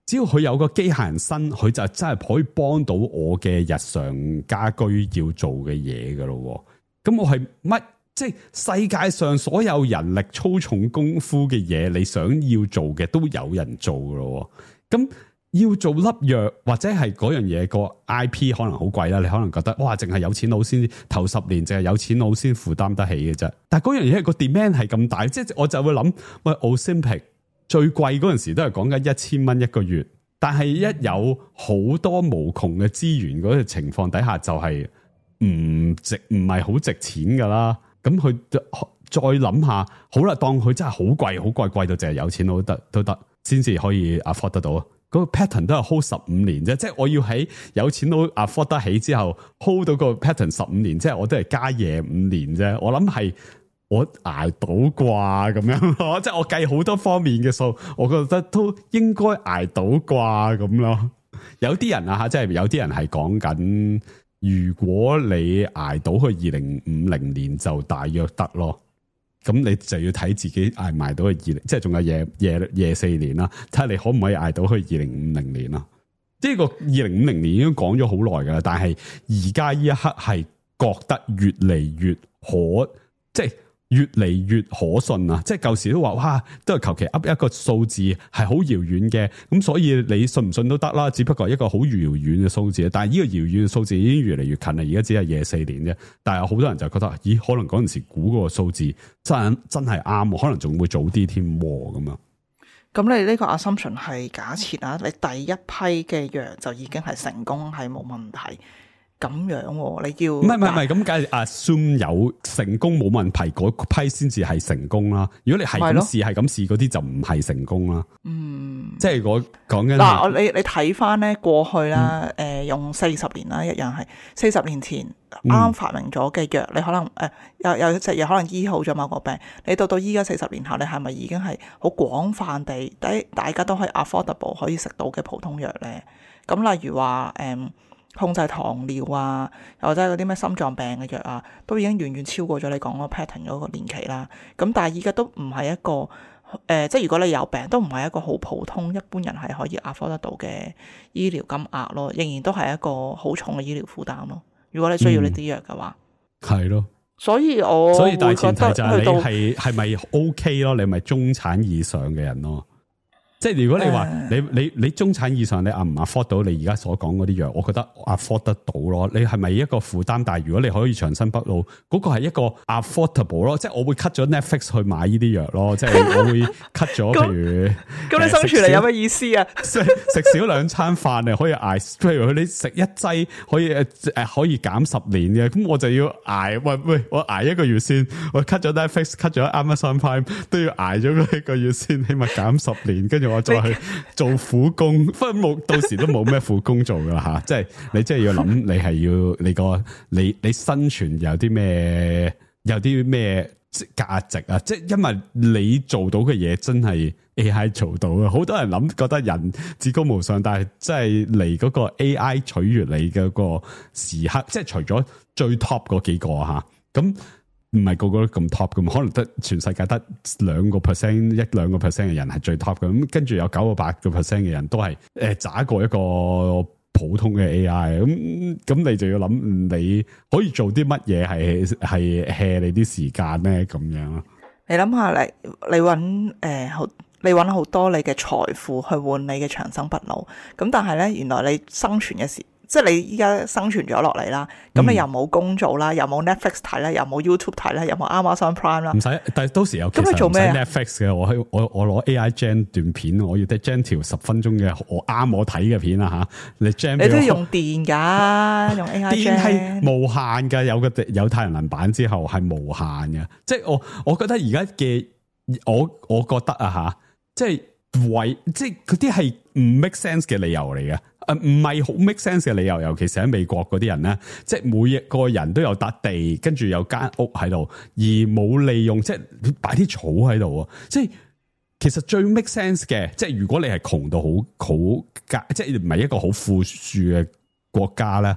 只要佢有個機械人身，佢就真係可以幫到我嘅日常家居要做嘅嘢噶咯。咁我係乜？即係世界上所有人力粗重功夫嘅嘢，你想要做嘅都有人做噶咯。咁要做粒藥或者係嗰樣嘢個 I P 可能好貴啦，你可能覺得哇，淨係有錢佬先頭十年，淨係有錢佬先負擔得起嘅啫。但係嗰樣嘢個 demand 係咁大，即係我就會諗喂 Ozempic。最貴嗰陣時都係講緊一千蚊一個月，但係一有好多無窮嘅資源嗰個情況底下，就係唔值，唔係好值錢噶啦。咁佢再諗下，好啦，當佢真係好貴，好貴，貴到淨係有錢佬都得都得，先至可以 afford 得到。嗰個 pattern 都係 hold 十五年啫，即係我要喺有錢佬 afford 得起之後 hold 到個 pattern 十五年，即係我都係加夜五年啫。我諗係。我捱到啩咁樣咯，即係我計好多方面嘅數，我覺得都應該捱到啩咁咯。有啲人啊吓，即係有啲人係講緊，如果你捱到去二零五零年就大約得咯。咁你就要睇自己捱埋到去二零，即係仲有夜夜夜四年啦，睇下你可唔可以捱到去二零五零年啦。呢個二零五零年已經講咗好耐噶啦，但係而家呢一刻係覺得越嚟越可，即係。越嚟越可信啊！即係舊時都話哇，都係求其噏一個數字係好遙遠嘅，咁所以你信唔信都得啦。只不過一個好遙遠嘅數字，但係呢個遙遠嘅數字已經越嚟越近啦。而家只係廿四年啫，但係好多人就覺得，咦？可能嗰陣時估嗰個數字真真係啱，可能仲會早啲添咁啊！咁你呢個 assumption 係假設啊，你第一批嘅藥就已經係成功，係冇問題。咁樣喎，你要唔係唔係唔係咁，梗係 assume 有成功冇問題嗰批先至係成功啦。如果你係咁試係咁試嗰啲就唔係成功啦。嗯，即係我講緊嗱，我你你睇翻咧過去啦，誒、嗯呃、用四十年啦，一樣係四十年前啱啱發明咗嘅藥，嗯、你可能誒、呃、有有隻藥可能醫好咗某個病，你到到依家四十年後，你係咪已經係好廣泛地，大大家都可以 affordable 可以食到嘅普通藥咧？咁例如話誒。嗯控制糖尿啊，又或者係嗰啲咩心臟病嘅藥啊，都已經遠遠超過咗你講嗰個 pattern 嗰個年期啦。咁但係依家都唔係一個誒、呃，即係如果你有病，都唔係一個好普通一般人係可以 afford 得到嘅醫療金額咯，仍然都係一個好重嘅醫療負擔咯。如果你需要呢啲藥嘅話，係咯、嗯。所以我所以大前提就係你係係咪 OK 咯？你咪中產以上嘅人咯。即係如果你話你你你中產以上你啊唔 afford 到你而家所講嗰啲藥，我覺得 afford 得到咯。你係咪一個負擔？但係如果你可以長生不老，嗰、那個係一個 affordable 咯。即係我會 cut 咗 Netflix 去買呢啲藥咯。即係我會 cut 咗，譬如咁你生存嚟有咩意思啊？食食少兩餐飯你可以捱，譬如你食一劑可以誒誒可以減十年嘅，咁我就要捱喂喂，我捱一個月先，我 cut 咗 Netflix，cut 咗 Amazon Prime 都要捱咗一個月先，起碼減十年，跟住。我再去做苦工，不過冇到時都冇咩苦工做噶啦吓，即係你即係要諗，你係要你個你你生存有啲咩有啲咩價值啊？即係因為你做到嘅嘢真係 A I 做到啊！好多人諗覺得人至高無上，但係即係嚟嗰個 A I 取悅你嘅個時刻，即係除咗最 top 嗰幾個吓咁。唔係個個都咁 top 咁，可能得全世界得兩個 percent 一兩個 percent 嘅人係最 top 嘅，咁跟住有九個八個 percent 嘅人都係誒渣過一個普通嘅 A I，咁咁你就要諗你可以做啲乜嘢係係 hea 你啲時間咧咁樣咯。你諗下你你搵誒好，你搵好多你嘅財富去換你嘅長生不老，咁但係咧原來你生存嘅時。即係你依家生存咗落嚟啦，咁你又冇工做啦，又冇 Netflix 睇啦，又冇 YouTube 睇啦，又冇 Amazon Prime 啦，唔使，但係到時有其實咁你做咩啊？ Netflix 嘅，我喺我我攞 A I gen 段片，我要得 gen 條十分鐘嘅我啱我睇嘅片啊吓，你 gen 你都要用電㗎，用 A I gen 電係無限㗎，有個有太陽能板之後係無限嘅，即係我我覺得而家嘅我我覺得啊吓，即係為即係嗰啲係唔 make sense 嘅理由嚟嘅。誒，唔係好 make sense 嘅理由，尤其是喺美國嗰啲人咧，即係每一個人都有笪地，跟住有間屋喺度，而冇利用，即係擺啲草喺度。即係其實最 make sense 嘅，即係如果你係窮到好好家，即係唔係一個好富庶嘅國家咧，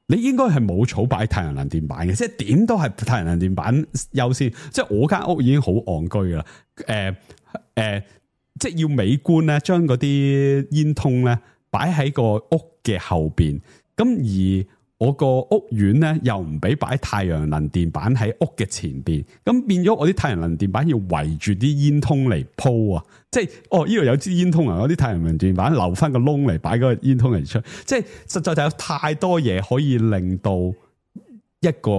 你應該係冇草擺太陽能電板嘅，即係點都係太陽能電板優先。即係我間屋已經好戇居啦，誒、呃、誒、呃，即係要美觀咧，將嗰啲煙通咧。擺喺個屋嘅後邊，咁而我個屋苑咧又唔俾擺太陽能電板喺屋嘅前邊，咁變咗我啲太陽能電板要圍住啲煙通嚟鋪啊！即係哦，呢度有支煙通啊，我啲太陽能電板留翻個窿嚟擺個煙通嚟出，即係實在就有太多嘢可以令到一個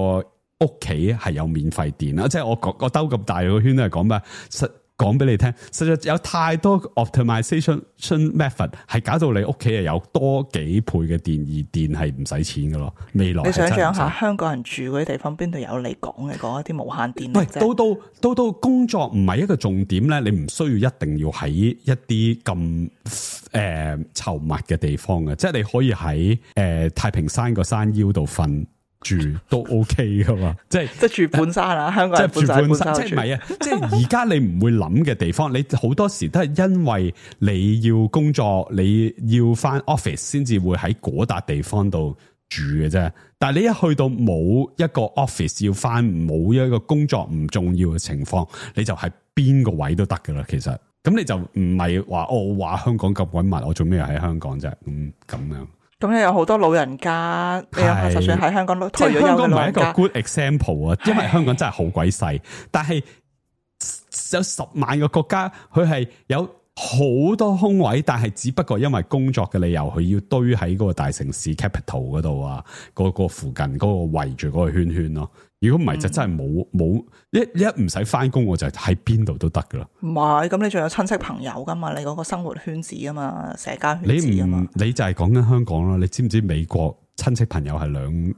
屋企係有免費電啦！即係我我兜咁大個圈都係講咩？實講俾你聽，實在有太多 optimization method 係搞到你屋企係有多幾倍嘅電，而電係唔使錢噶咯。未來你想象下，香港人住嗰啲地方邊度有你講嘅嗰一啲無限電力？喂，到到到到工作唔係一個重點咧，你唔需要一定要喺一啲咁誒稠密嘅地方嘅，即係你可以喺誒、呃、太平山個山腰度瞓。住都 OK 噶嘛，即係即係住半山啊！香港人即係住半山，山即係唔係啊？即係而家你唔會諗嘅地方，你好多時都係因為你要工作，你要翻 office 先至會喺嗰笪地方度住嘅啫。但係你一去到冇一個 office 要翻，冇一個工作唔重要嘅情況，你就係邊個位都得噶啦。其實咁你就唔係話哦，我話香港咁鬼密，我做咩喺香港啫？咁咁樣。咁你有好多老人家，你有就算喺香港都退咗休嘅老人家，即係香港唔係一個 good example 啊，因為香港真係好鬼細，但係有十萬個國家，佢係有好多空位，但係只不過因為工作嘅理由，佢要堆喺嗰個大城市 capital 嗰度啊，嗰個附近嗰個圍住嗰個圈圈咯。如果唔係就真係冇冇一一唔使翻工，我就喺邊度都得噶啦。唔係，咁你仲有親戚朋友噶嘛？你嗰個生活圈子啊嘛，社交圈子啊嘛。你唔你就係講緊香港啦。你知唔知美國親戚朋友係兩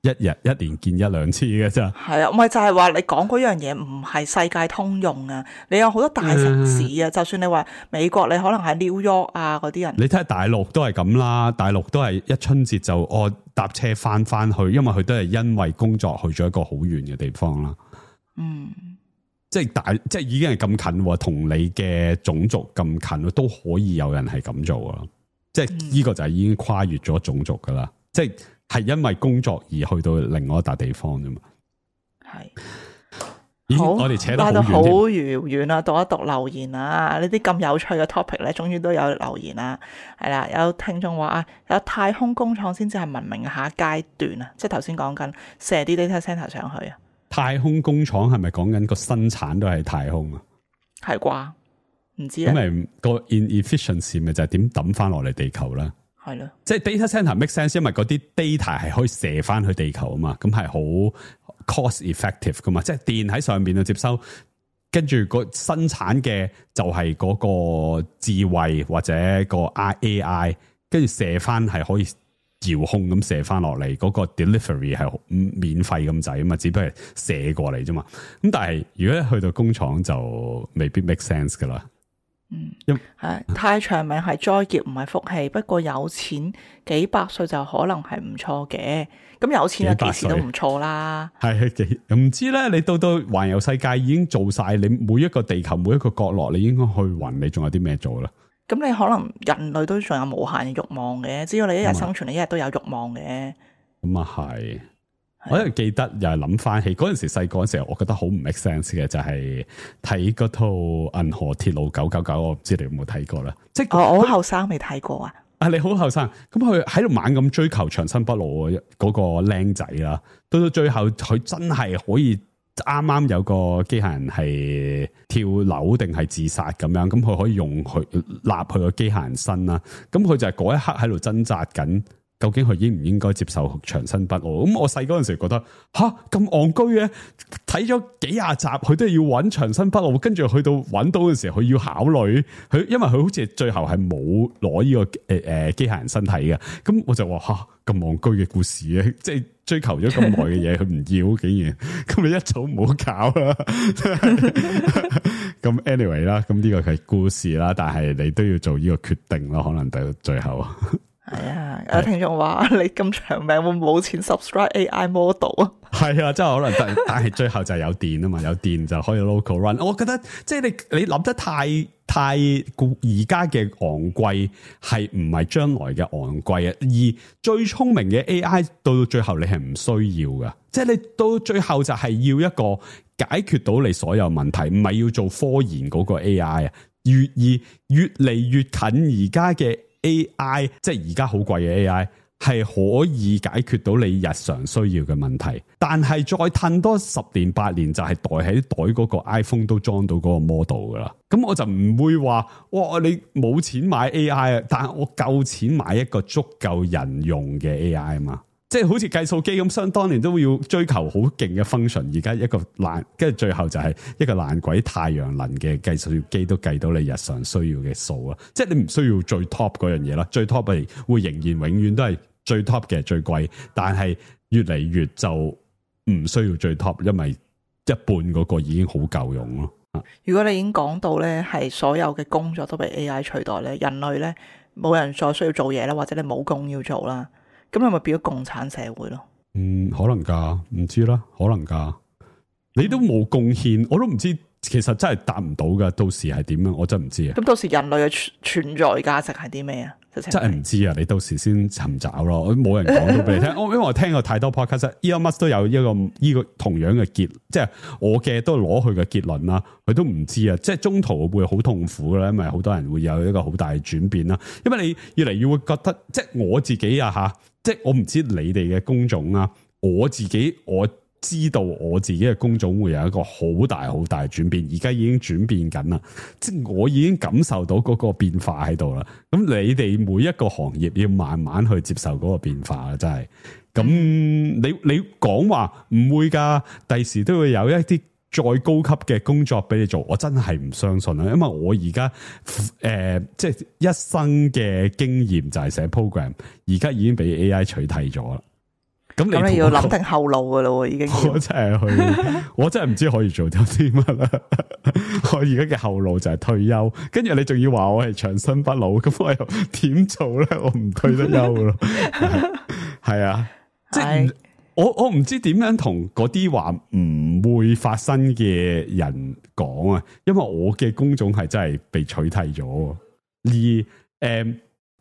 一日一年見一兩次嘅啫？係啊，唔係就係話你講嗰樣嘢唔係世界通用啊。你有好多大城市啊，嗯、就算你話美國，你可能喺 New York 啊嗰啲人，你睇下大陸都係咁啦。大陸都係一春節就我搭車翻翻去，因為佢都係因為工作去咗一個好遠嘅地方啦。嗯，即係大，即係已經係咁近，同你嘅種族咁近，都可以有人係咁做啊！即係呢個就係已經跨越咗種族噶啦，即係。係因為工作而去到另外一笪地方啫嘛。係，好，我哋扯得好遙遠啊！讀一讀留言啊！呢啲咁有趣嘅 topic 咧，終於都有留言啦。係啦，有聽眾話啊，有太空工廠先至係文明下階段啊！即係頭先講緊射啲 data center 上去啊。太空工廠係咪講緊個生產都係太空啊？係啩？唔知啊。咁咪個 inefficiency 咪就係點抌翻落嚟地球啦？係咯，即係 data center make sense，因為嗰啲 data 係可以射翻去地球啊嘛，咁係好 cost effective 噶嘛，即係電喺上邊度接收，跟住個生產嘅就係嗰個智慧或者個 A I， 跟住射翻係可以遙控咁射翻落嚟，嗰個 delivery 係免費咁滯啊嘛，只不過係射過嚟啫嘛。咁但係如果一去到工廠就未必 make sense 噶啦。嗯，係太長命係災劫，唔係福氣。不過有錢幾百歲就可能係唔錯嘅。咁有錢啊，幾時都唔錯啦。係幾唔知咧？你到到環遊世界已經做晒，你每一個地球每一個角落，你應該去暈，你仲有啲咩做啦？咁你可能人類都仲有無限嘅慾望嘅，只要你一日生存，你一日都有慾望嘅。咁啊係。我因為記得又係諗翻起嗰陣時細個嗰陣時，我覺得好唔 make sense 嘅就係睇嗰套《銀河鐵路九九九》，我唔知你有冇睇過啦。即係我好後生未睇過啊。啊，你好後生，咁佢喺度猛咁追求長生不老嗰個僆仔啦，到到最後佢真係可以啱啱有個機械人係跳樓定係自殺咁樣，咁佢可以用佢立佢個機械人身啦。咁佢就係嗰一刻喺度掙扎緊。究竟佢應唔應該接受長生不老？咁我細嗰陣時覺得吓咁戇居嘅，睇咗幾廿集，佢都係要揾長生不老，跟住去到揾到嘅時候，佢要考慮佢，因為佢好似最後係冇攞呢個誒誒機械人身體嘅。咁我就話吓咁戇居嘅故事咧，即係追求咗咁耐嘅嘢，佢唔要，竟然咁你一早唔好搞啦。咁 anyway 啦，咁呢個係故事啦，但係你都要做呢個決定咯，可能到最後。係啊，有聽眾話你咁長命會冇錢 subscribe A I model 啊？係啊，真係可能，但但係最後就係有電啊嘛，有電就可以 local run。我覺得即係你你諗得太太而家嘅昂貴係唔係將來嘅昂貴啊？而最聰明嘅 A I 到到最後你係唔需要噶，即係你到最後就係要一個解決到你所有問題，唔係要做科研嗰個 A I 啊。越而越嚟越近而家嘅 A I， 即係而家好貴嘅 A I， 係可以解決到你日常需要嘅問題。但係再褪多十年八年，就係袋喺袋嗰個 iPhone 都裝到嗰個 model 噶啦。咁我就唔會話，哇！你冇錢買 A I 啊，但係我夠錢買一個足夠人用嘅 A I 啊嘛。即係好似計數機咁，想當年都要追求好勁嘅 function， 而家一個爛，跟住最後就係一個爛鬼太陽能嘅計數機都計到你日常需要嘅數啊！即係你唔需要最 top 嗰樣嘢啦，最 top 係會仍然永遠都係最 top 嘅最貴，但係越嚟越就唔需要最 top， 因為一半嗰個已經好夠用咯。如果你已經講到咧，係所有嘅工作都被 A I 取代咧，人類咧冇人再需要做嘢啦，或者你冇工要做啦。咁你咪變咗共產社會咯？嗯，可能噶，唔知啦，可能噶。你都冇貢獻，我都唔知，其實真係答唔到噶。到時係點樣，我真唔知啊。咁到時人類嘅存在價值係啲咩啊？真係唔知啊！你到時先尋找咯。我冇人講到俾你聽。我因為我聽過太多 podcast，Elon Musk 都有一個呢個同樣嘅結，即係我嘅都攞佢嘅結論啦。佢都唔知啊，即係中途會好痛苦啦，因為好多人會有一個好大嘅轉變啦。因為你越嚟越會覺得，即係我自己啊吓。即係我唔知你哋嘅工種啊，我自己我知道我自己嘅工種會有一個好大好大嘅轉變，而家已經轉變緊啦。即係我已經感受到嗰個變化喺度啦。咁你哋每一個行業要慢慢去接受嗰個變化啊，真係。咁你你講話唔會噶，第時都會有一啲再高級嘅工作俾你做，我真係唔相信啦，因為我而家誒即係一生嘅經驗就係寫 program， 而家已經俾 A I 取替咗啦。咁你，你要諗定後路噶啦，已經。我真係去，我真係唔知可以做到啲乜啦。我而家嘅後路就係退休，跟住你仲要話我係長生不老，咁我又點做咧？我唔退得休咯。係啊，即係。我我唔知點樣同嗰啲話唔會發生嘅人講啊，因為我嘅工種係真係被取替咗。而誒、呃，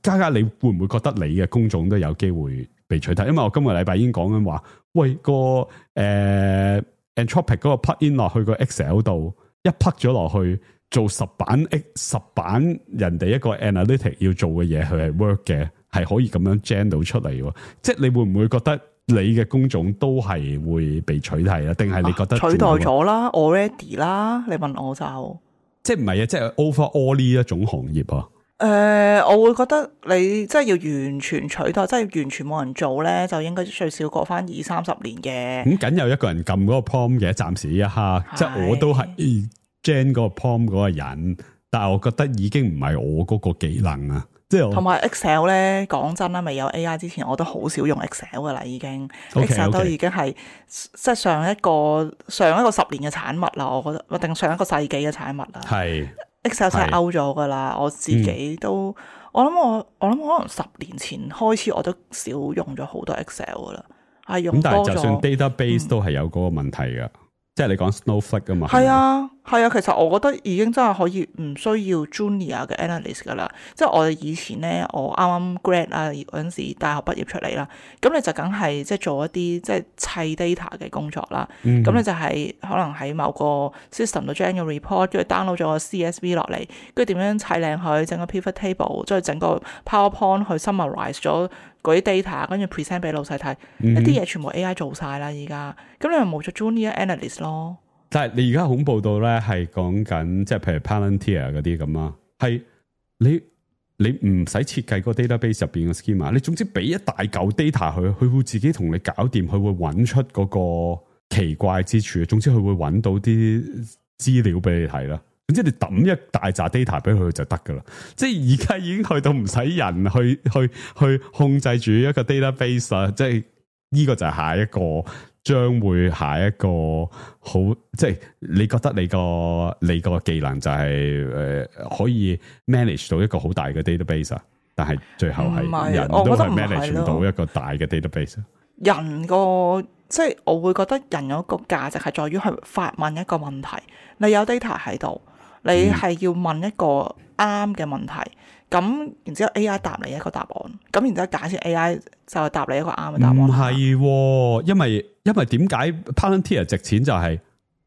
嘉嘉你會唔會覺得你嘅工種都有機會被取替？因為我今個禮拜已經講緊話，喂個誒、呃、Anthropic 嗰個 plug in 落去個 Excel 度，一 plug 咗落去做十版 X 十版人哋一個 analytic 要做嘅嘢，佢係 work 嘅，係可以咁樣 gen 到出嚟。即係你會唔會覺得？你嘅工種都係會被取替啊？定係你覺得、啊、取代咗啦 already 啦？你問我就即係唔係啊？即係 overall 呢一種行業啊？誒、呃，我會覺得你即係要完全取代，即係完全冇人做咧，就應該最少過翻二三十年嘅。咁梗有一個人撳嗰個 prompt 嘅，暫時一刻，即係我都係 gen 嗰個 prompt 嗰個人，但係我覺得已經唔係我嗰個技能啊。同埋 Excel 咧，講真啦，未有 A I 之前，我都好少用 Excel 噶啦，已經 okay, Excel 都 okay. 已經係即係上一個上一個十年嘅產物啦，我覺得，定上一個世紀嘅產物啦。係 Excel 真係 out 咗噶啦，我自己都，嗯、我諗我我諗可能十年前開始，我都少用咗好多 Excel 噶啦，係用多咗。咁但係就算 database、嗯、都係有嗰個問題噶。即係你講 Snowflake 噶嘛？係啊，係啊，其實我覺得已經真係可以唔需要 Junior 嘅 Analyst 噶啦。即係我哋以前咧，我啱啱 grad 啊嗰陣時，大學畢業出嚟啦，咁你就梗係即係做一啲即係砌 data 嘅工作啦。咁、嗯、你就係可能喺某個 system 度 generate report，跟住 download 咗個 C S V 落嚟，跟住點樣砌靚佢，整個 pivot table，再整個 PowerPoint 去 summarize 咗嗰啲 data， 跟住 present 俾老細睇，一啲嘢全部 A I 做晒啦，而家咁你咪冇咗 Junior Analyst 咯。但係你而家恐怖到咧，係講緊即係譬如 Palantir 嗰啲咁啊，係你你唔使設計個 database 入邊嘅 schema，你總之俾一大嚿 data 佢，佢會自己同你搞掂，佢會揾出嗰個奇怪之處。總之佢會揾到啲資料俾你睇啦。總之你抌一大紮 data 俾佢就得噶啦。即係而家已經去到唔使人去去去控制住一個 database 啦。即係呢個就係下一個。將會下一個好，即係你覺得你個你個技能就係、是、誒、呃、可以 manage 到一個好大嘅 database 啊，但係最後係人都係 manage 唔到一個大嘅 database。人個即係我會覺得人有一個價值係在於去發問一個問題，你有 data 喺度，你係要問一個啱嘅問題。咁、嗯，然之後 A I 答你一個答案，咁然之後假設 A I 就係答你一個啱嘅答案。唔係、哦，因為因為點解 Palantir 值錢就係、是、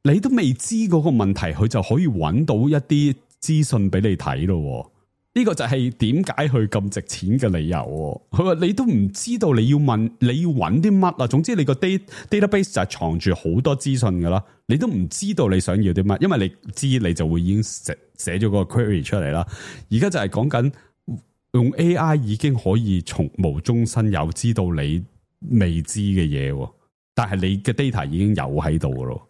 你都未知嗰個問題，佢就可以揾到一啲資訊俾你睇咯。呢、這個就係點解佢咁值錢嘅理由。佢話你都唔知道你要問你要揾啲乜啊。總之你個 data database 就係藏住好多資訊噶啦，你都唔知道你想要啲乜，因為你知你就會已經寫寫咗個 query 出嚟啦。而家就係講緊用 A I 已經可以從無中生有知道你未知嘅嘢，但係你嘅 data 已經有喺度噶咯。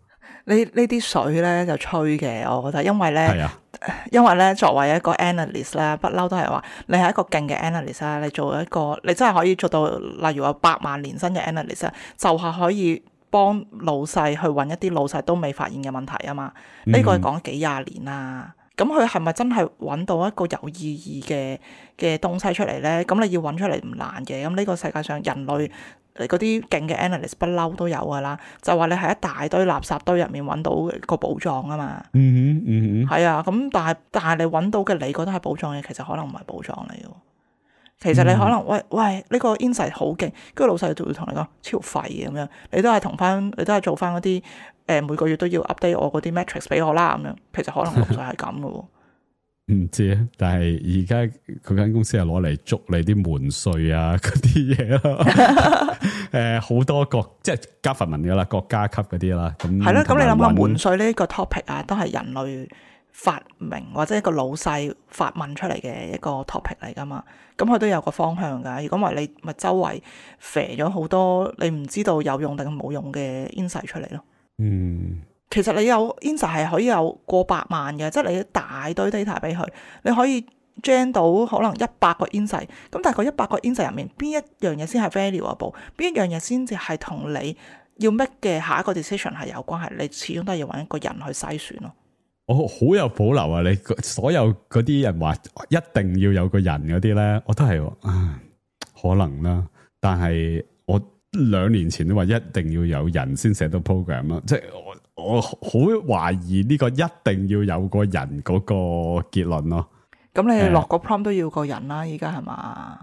呢呢啲水咧就吹嘅，我覺得，因為咧，係啊，因為咧作為一個 analyst 咧，不嬲都係話你係一個勁嘅 analyst 啦，你做一個你真係可以做到，例如話百萬年薪嘅 analyst，就係可以幫老細去揾一啲老細都未發現嘅問題啊嘛。呢、嗯、個係講幾廿年啦，咁佢係咪真係揾到一個有意義嘅嘅東西出嚟咧？咁你要揾出嚟唔難嘅。咁呢個世界上人類嗰啲勁嘅 analyst 不嬲都有噶啦，就話你喺一大堆垃圾堆入面揾到個寶藏啊嘛。嗯哼，嗯哼，係啊。咁但係但係你揾到嘅你覺得係寶藏嘅，其實可能唔係寶藏嚟嘅。其實你可能、嗯、喂喂呢、呢個 insight 好勁，跟住老細就會同你講超廢嘅咁樣，你都係同翻你都係做翻嗰啲誒每個月都要 update 我嗰啲 metrics 俾我啦咁樣。其實可能老細係咁嘅喎。唔知啊，但係而家佢間公司係攞嚟捉你啲門稅啊嗰啲嘢咯。誒，好多國即係 government 噶啦，國家級嗰啲啦。咁係咯，咁你諗下門稅呢個 topic 啊，都係人類發明或者一個老細發問出嚟嘅一個 topic 嚟噶嘛。咁佢都有個方向噶。如果唔係你咪周圍肥咗好多你唔知道有用定冇用嘅 insight 出嚟咯。嗯。其實你有 insight 係可以有過百萬嘅，即係你一大堆 data 俾佢，你可以 gen 到可能一百個 insight。咁但係個一百個 insight 入面，邊一樣嘢先係 valuable？ 邊一樣嘢先至係同你要 make 嘅下一個 decision 係有關係？你始終都係要揾一個人去篩選咯。我好有保留啊！你所有嗰啲人話一定要有個人嗰啲咧，我都係啊，可能啦。但係我兩年前都話一定要有人先寫到 program 啦，即係我。我好懷疑呢個一定要有個人嗰個結論咯。咁你落個 prompt 都要個人啦，而家係嘛？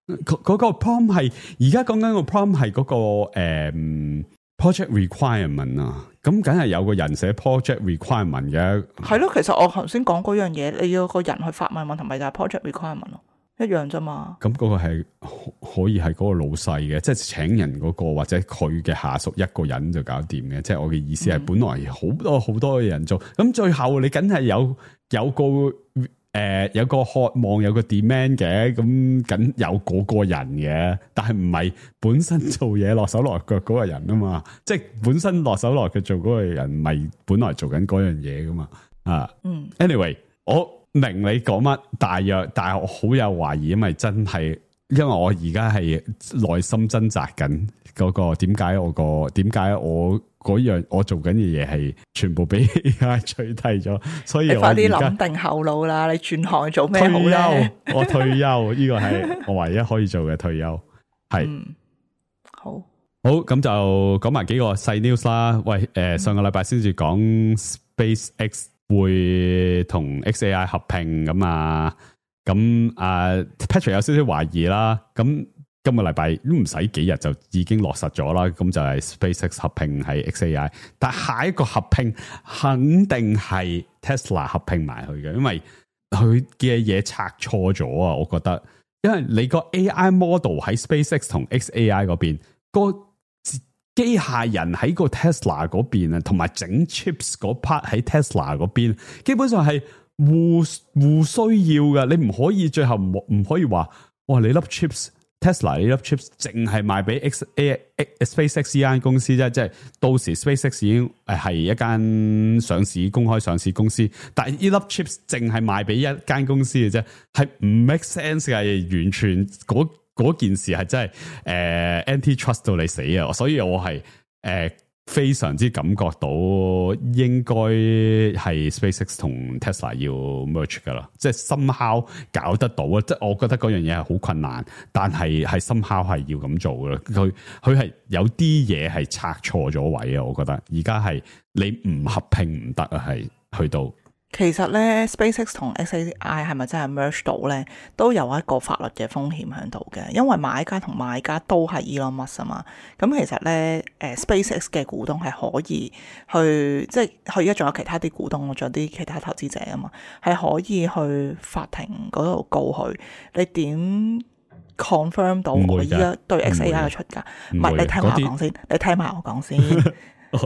嗰、嗰個 prompt 係而家講緊個 prompt 係嗰個誒、嗯、project requirement 啊。咁梗係有個人寫 project requirement 嘅。係咯，其實我頭先講嗰樣嘢，你要個人去發問問題，咪就係 project requirement 咯。一樣啫嘛，咁嗰個係可以係嗰個老細嘅，即係請人嗰個或者佢嘅下屬一個人就搞掂嘅。即係我嘅意思係，本來好多好多嘅人做，咁、嗯、最後你梗係有有個誒、呃、有個渴望有個 demand 嘅，咁梗有嗰個人嘅，但係唔係本身做嘢落手落腳嗰個人啊嘛，即係本身落手落腳做嗰個人，唔係本來做緊嗰樣嘢噶嘛啊。嗯，anyway 我。明你講乜，大約，但係我好有懷疑，因為真係，因為我而家係內心掙扎緊嗰個點解我個點解我嗰樣我做緊嘅嘢係全部俾 A I 取替咗，所以我而家你快啲諗定後路啦，你轉行做咩好咧？我退休，呢個係我唯一可以做嘅退休，係、嗯、好好咁就講埋幾個細 news 啦。喂，誒、呃，上個禮拜先至講 SpaceX。會同 X A I 合併咁啊，咁啊 Patrick 有少少懷疑啦，咁今個禮拜都唔使幾日就已經落實咗啦，咁就係 SpaceX 合併係 X A I， 但下一個合併肯定係 Tesla 合併埋去嘅，因為佢嘅嘢拆錯咗啊，我覺得，因為你個 A I model 喺 SpaceX 同 X A I 嗰邊個。機械人喺個 Tesla 嗰邊啊，同埋整 chips 嗰 part 喺 Tesla 嗰邊，基本上係互互需要㗎，你唔可以最後唔唔可以話，哇！你粒 chips Tesla 你粒 chips 淨係賣俾 X A SpaceX 呢間公司啫，即係到時 SpaceX 已經誒係一間上市公開上市公司，但係呢粒 chips 淨係賣俾一間公司嘅啫，係唔 make sense 嘅，完全嗰嗰件事係真係誒、呃、anti-trust 到你死啊！所以我係誒。呃非常之感覺到應該係 SpaceX 同 Tesla 要 merge 噶啦，即係 somehow 搞得到啊！即係我覺得嗰樣嘢係好困難，但係係 somehow 係要咁做噶啦。佢佢係有啲嘢係拆錯咗位啊！我覺得而家係你唔合併唔得啊，係去到。其實咧 SpaceX 同 X A I 係咪真係 merge 到咧，都有一個法律嘅風險喺度嘅，因為買家同賣家都係 Elon Musk 啊嘛。咁其實咧，誒 SpaceX 嘅股東係可以去，即係佢而家仲有其他啲股東，仲有啲其他投資者啊嘛，係可以去法庭嗰度告佢。你點 confirm 到我依家對 X A I 嘅出價？唔係，你聽埋我講先，你聽埋我講先。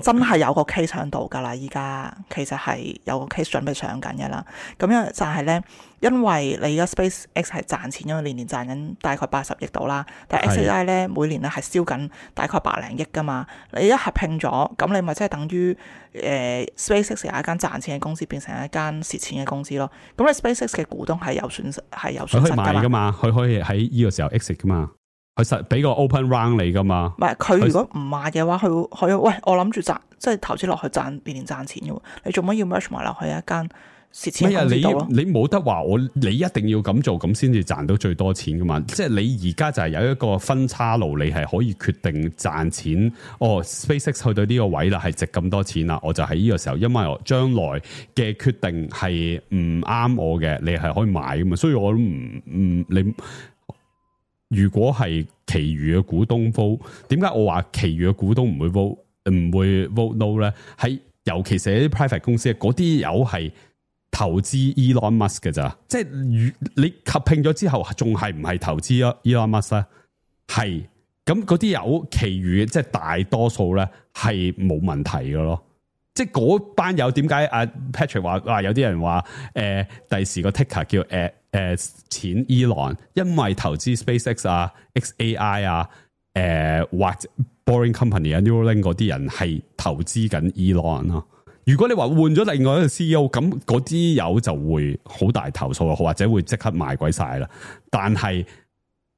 真係有個 case 喺度㗎啦，依家其實係有個 case 準備上緊嘅啦。咁樣就係咧，因為你而家 SpaceX 係賺錢，因為年年賺緊大概八十億度啦。但係 X A I 咧每年咧係燒緊大概百零億㗎嘛。你一合併咗，咁你咪即係等於誒、呃、SpaceX 由一間賺錢嘅公司變成一間蝕錢嘅公司咯。咁你 SpaceX 嘅股東係有損失，係有損失㗎嘛？佢可以賣㗎嘛？佢可以喺呢個時候 exit 㗎嘛？佢實俾個 open round 你噶嘛？唔係佢如果唔賣嘅話，佢佢喂我諗住賺，即係投資落去賺年年賺錢嘅。你做乜要 merge 埋落去一間蝕錢嘅公司度咯？你冇得話我，你一定要咁做，咁先至賺到最多錢噶嘛？即係你而家就係有一個分叉路，你係可以決定賺錢。哦 ，SpaceX 去到呢個位啦，係值咁多錢啦，我就喺呢個時候，因為我將來嘅決定係唔啱我嘅，你係可以買噶嘛？所以我都唔唔你。如果係其餘嘅股東 vote，點解我話其餘嘅股東唔會 vote 唔會 vote no 咧？喺尤其是啲 private 公司，嗰啲友係投資 Elon Musk 嘅咋？即係你合併咗之後，仲係唔係投資 Elon Musk 咧？係咁嗰啲友，其餘即係大多數咧係冇問題嘅咯。即係嗰班友點解阿 Patrick 話話有啲人話誒第時個 ticker 叫誒。呃誒、呃，錢 Elon， 因為投資 SpaceX 啊、X A I 啊、誒、呃、或者 Boring Company 啊、Neuralink 嗰啲人係投資緊 Elon 咯。如果你話換咗另外一個 C E O， 咁嗰啲友就會好大投訴，或者會即刻賣鬼晒啦。但係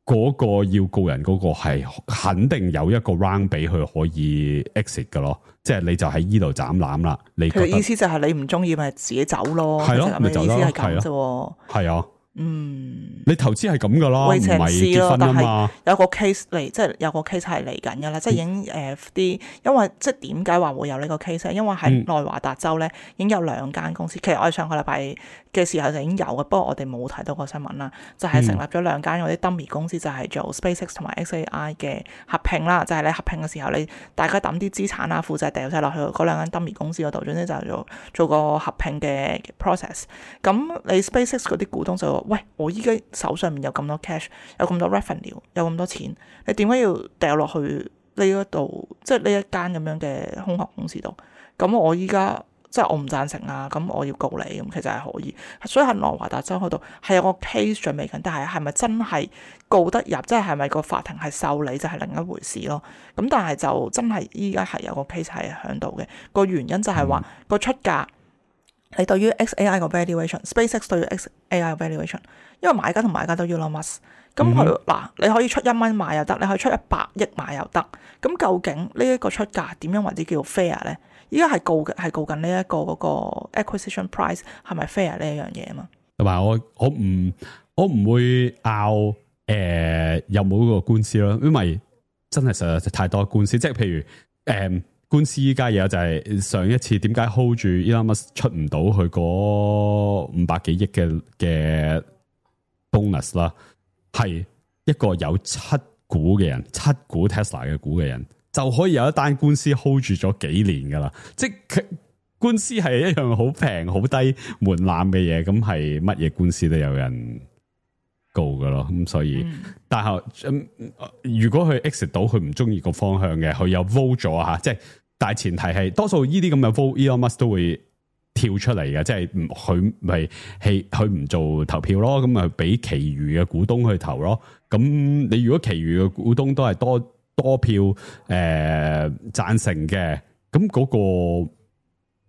嗰個要告人嗰個係肯定有一個 round 俾佢可以 exit 噶咯，即係你就喺呢度斬纜啦。你佢意思就係你唔中意咪自己走咯，係咯，咪走咯，係咁啫。係啊。嗯，你投資係咁噶啦，唔係結婚啊嘛。有個 case 嚟，即係有個 case 係嚟緊噶啦，即係已經誒啲，因為即係點解話會有呢個 case 咧？因為喺內華達州咧，已經有兩間公司。其實我哋上個禮拜嘅時候就已經有嘅，不過我哋冇睇到個新聞啦。就係、是、成立咗兩間嗰啲 dummy 公司，就係做 SpaceX 同埋 X A I 嘅合併啦。就係、是、你合併嘅時候，你大家抌啲資產啊、負債掉晒落去嗰兩間 dummy 公司嗰度，總之就做做個合併嘅 process。咁你 SpaceX 嗰啲股東就話：喂，我依家手上面有咁多 cash， 有咁多 revenue， 有咁多錢，你點解要掉落去呢一度，即係呢一間咁樣嘅空殼公司度？咁我依家即係我唔贊成啊！咁我要告你，咁其實係可以。所以喺內華達州嗰度係有個 case 準備緊，但係係咪真係告得入？即係係咪個法庭係受理就係另一回事咯。咁但係就真係依家係有個 case 係喺度嘅。個原因就係話個出價，你對於 X A I 個 valuation，SpaceX 對於 X A I 個 valuation， 因為買家同買家都要 Elon Musk。咁佢嗱，你可以出一蚊買又得，你可以出一百億買又得。咁究竟呢一個出價點樣為之叫 fair 咧？依家係告嘅係告緊呢一個嗰個 acquisition price 係咪 fair 呢一樣嘢啊嘛？同埋我我唔我唔會拗誒有冇嗰個官司咯，因為真係實在太多官司。即係譬如誒、呃、官司依家嘢就係上一次點解 hold 住 Elon Musk 出唔到佢嗰五百幾億嘅嘅 bonus 啦，係一個有七股嘅人，七股 Tesla 嘅股嘅人。就可以有一單官司 hold 住咗幾年噶啦，即係官司係一樣好平好低門檻嘅嘢，咁係乜嘢官司都有人告噶咯，咁所以，嗯、但係、嗯、如果佢 exit 到佢唔中意個方向嘅，佢有 vote 咗吓，即係大前提係多數呢啲咁嘅 vote Elon Musk 都會跳出嚟嘅，即係唔佢咪係佢唔做投票咯，咁咪俾其餘嘅股東去投咯。咁你如果其餘嘅股東都係多多票誒贊、呃、成嘅，咁嗰、嗰個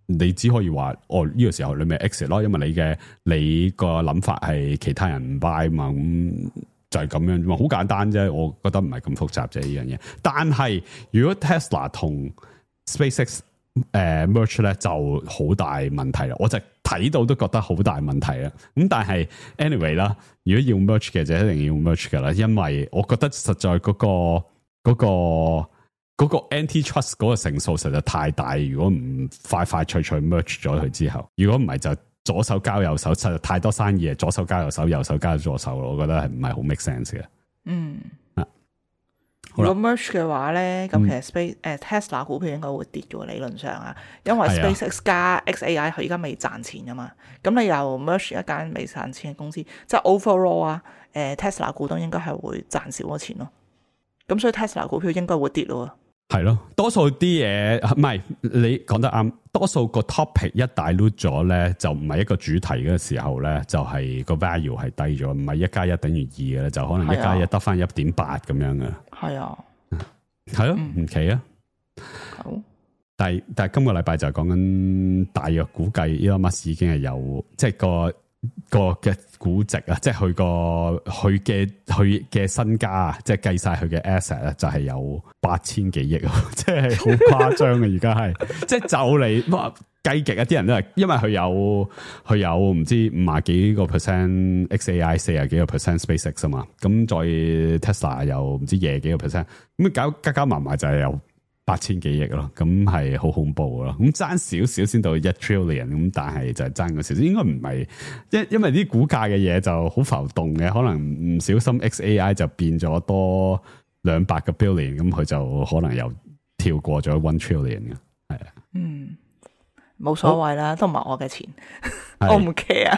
你只可以話哦呢、呢個時候你咪 exit 咯，因為你嘅你個諗法係其他人唔 buy 嘛，咁就係咁樣啫嘛，好簡單啫，我覺得唔係咁複雜啫呢樣嘢。但係如果 Tesla 同 SpaceX 誒、呃、merge 咧就好大問題啦，我就睇到都覺得好大問題啦。咁但係 anyway 啦，如果要 merge 嘅就一定要 merge 噶啦，因為我覺得實在嗰、嗰個嗰、嗰個嗰、嗰個 anti-trust 嗰個成數實在太大。如果唔快快脆脆 merge 咗佢之後，如果唔係就左手交右手，實在太多生意，左手交右手，右手交左手，我覺得係唔係好 make sense 嘅。嗯。如果 merge 嘅話咧，咁其實 Space 誒、嗯、Tesla 股票應該會跌嘅喎，理論上啊，因為 SpaceX 加 X A I 佢而家未賺錢噶嘛，咁你又 merge 一間未賺錢嘅公司，即係 overall 啊，誒 Tesla 股東應該係會賺少咗錢咯，咁所以 Tesla 股票應該會跌咯。係咯，多數啲嘢唔係你講得啱，多數個 topic 一大 dilute 咗咧，就唔係一個主題嘅時候咧，就係、是、個 value 係低咗，唔係一加一等於二嘅，就可能一加一得翻一點八咁樣嘅。係啊，係咯，唔奇啊。好，但係但係今個禮拜就係講緊大約估計 Elon Musk 已經係有即係個。個嘅估值啊，即係佢個佢嘅佢嘅身家啊，即係計晒佢嘅 asset 咧，就係有八千幾億，即係好誇張嘅。而家係即係就嚟計極一啲人都係，因為佢有佢有唔知五十幾個 percent X A I， 四十幾個 percent SpaceX 啊嘛，咁再 Tesla 又唔知廿幾個 percent，咁搞加加埋埋就係有八千幾億咯，咁係好恐怖咯。咁爭少少先到一 trillion， 咁但係就係爭個少少，應該唔係，因因為啲股價嘅嘢就好浮動嘅，可能唔小心 X A I 就變咗多兩百個 billion， 咁佢就可能又跳過咗 one trillion 嘅，係啊，嗯，冇所謂啦，都唔係我嘅錢，我唔 care。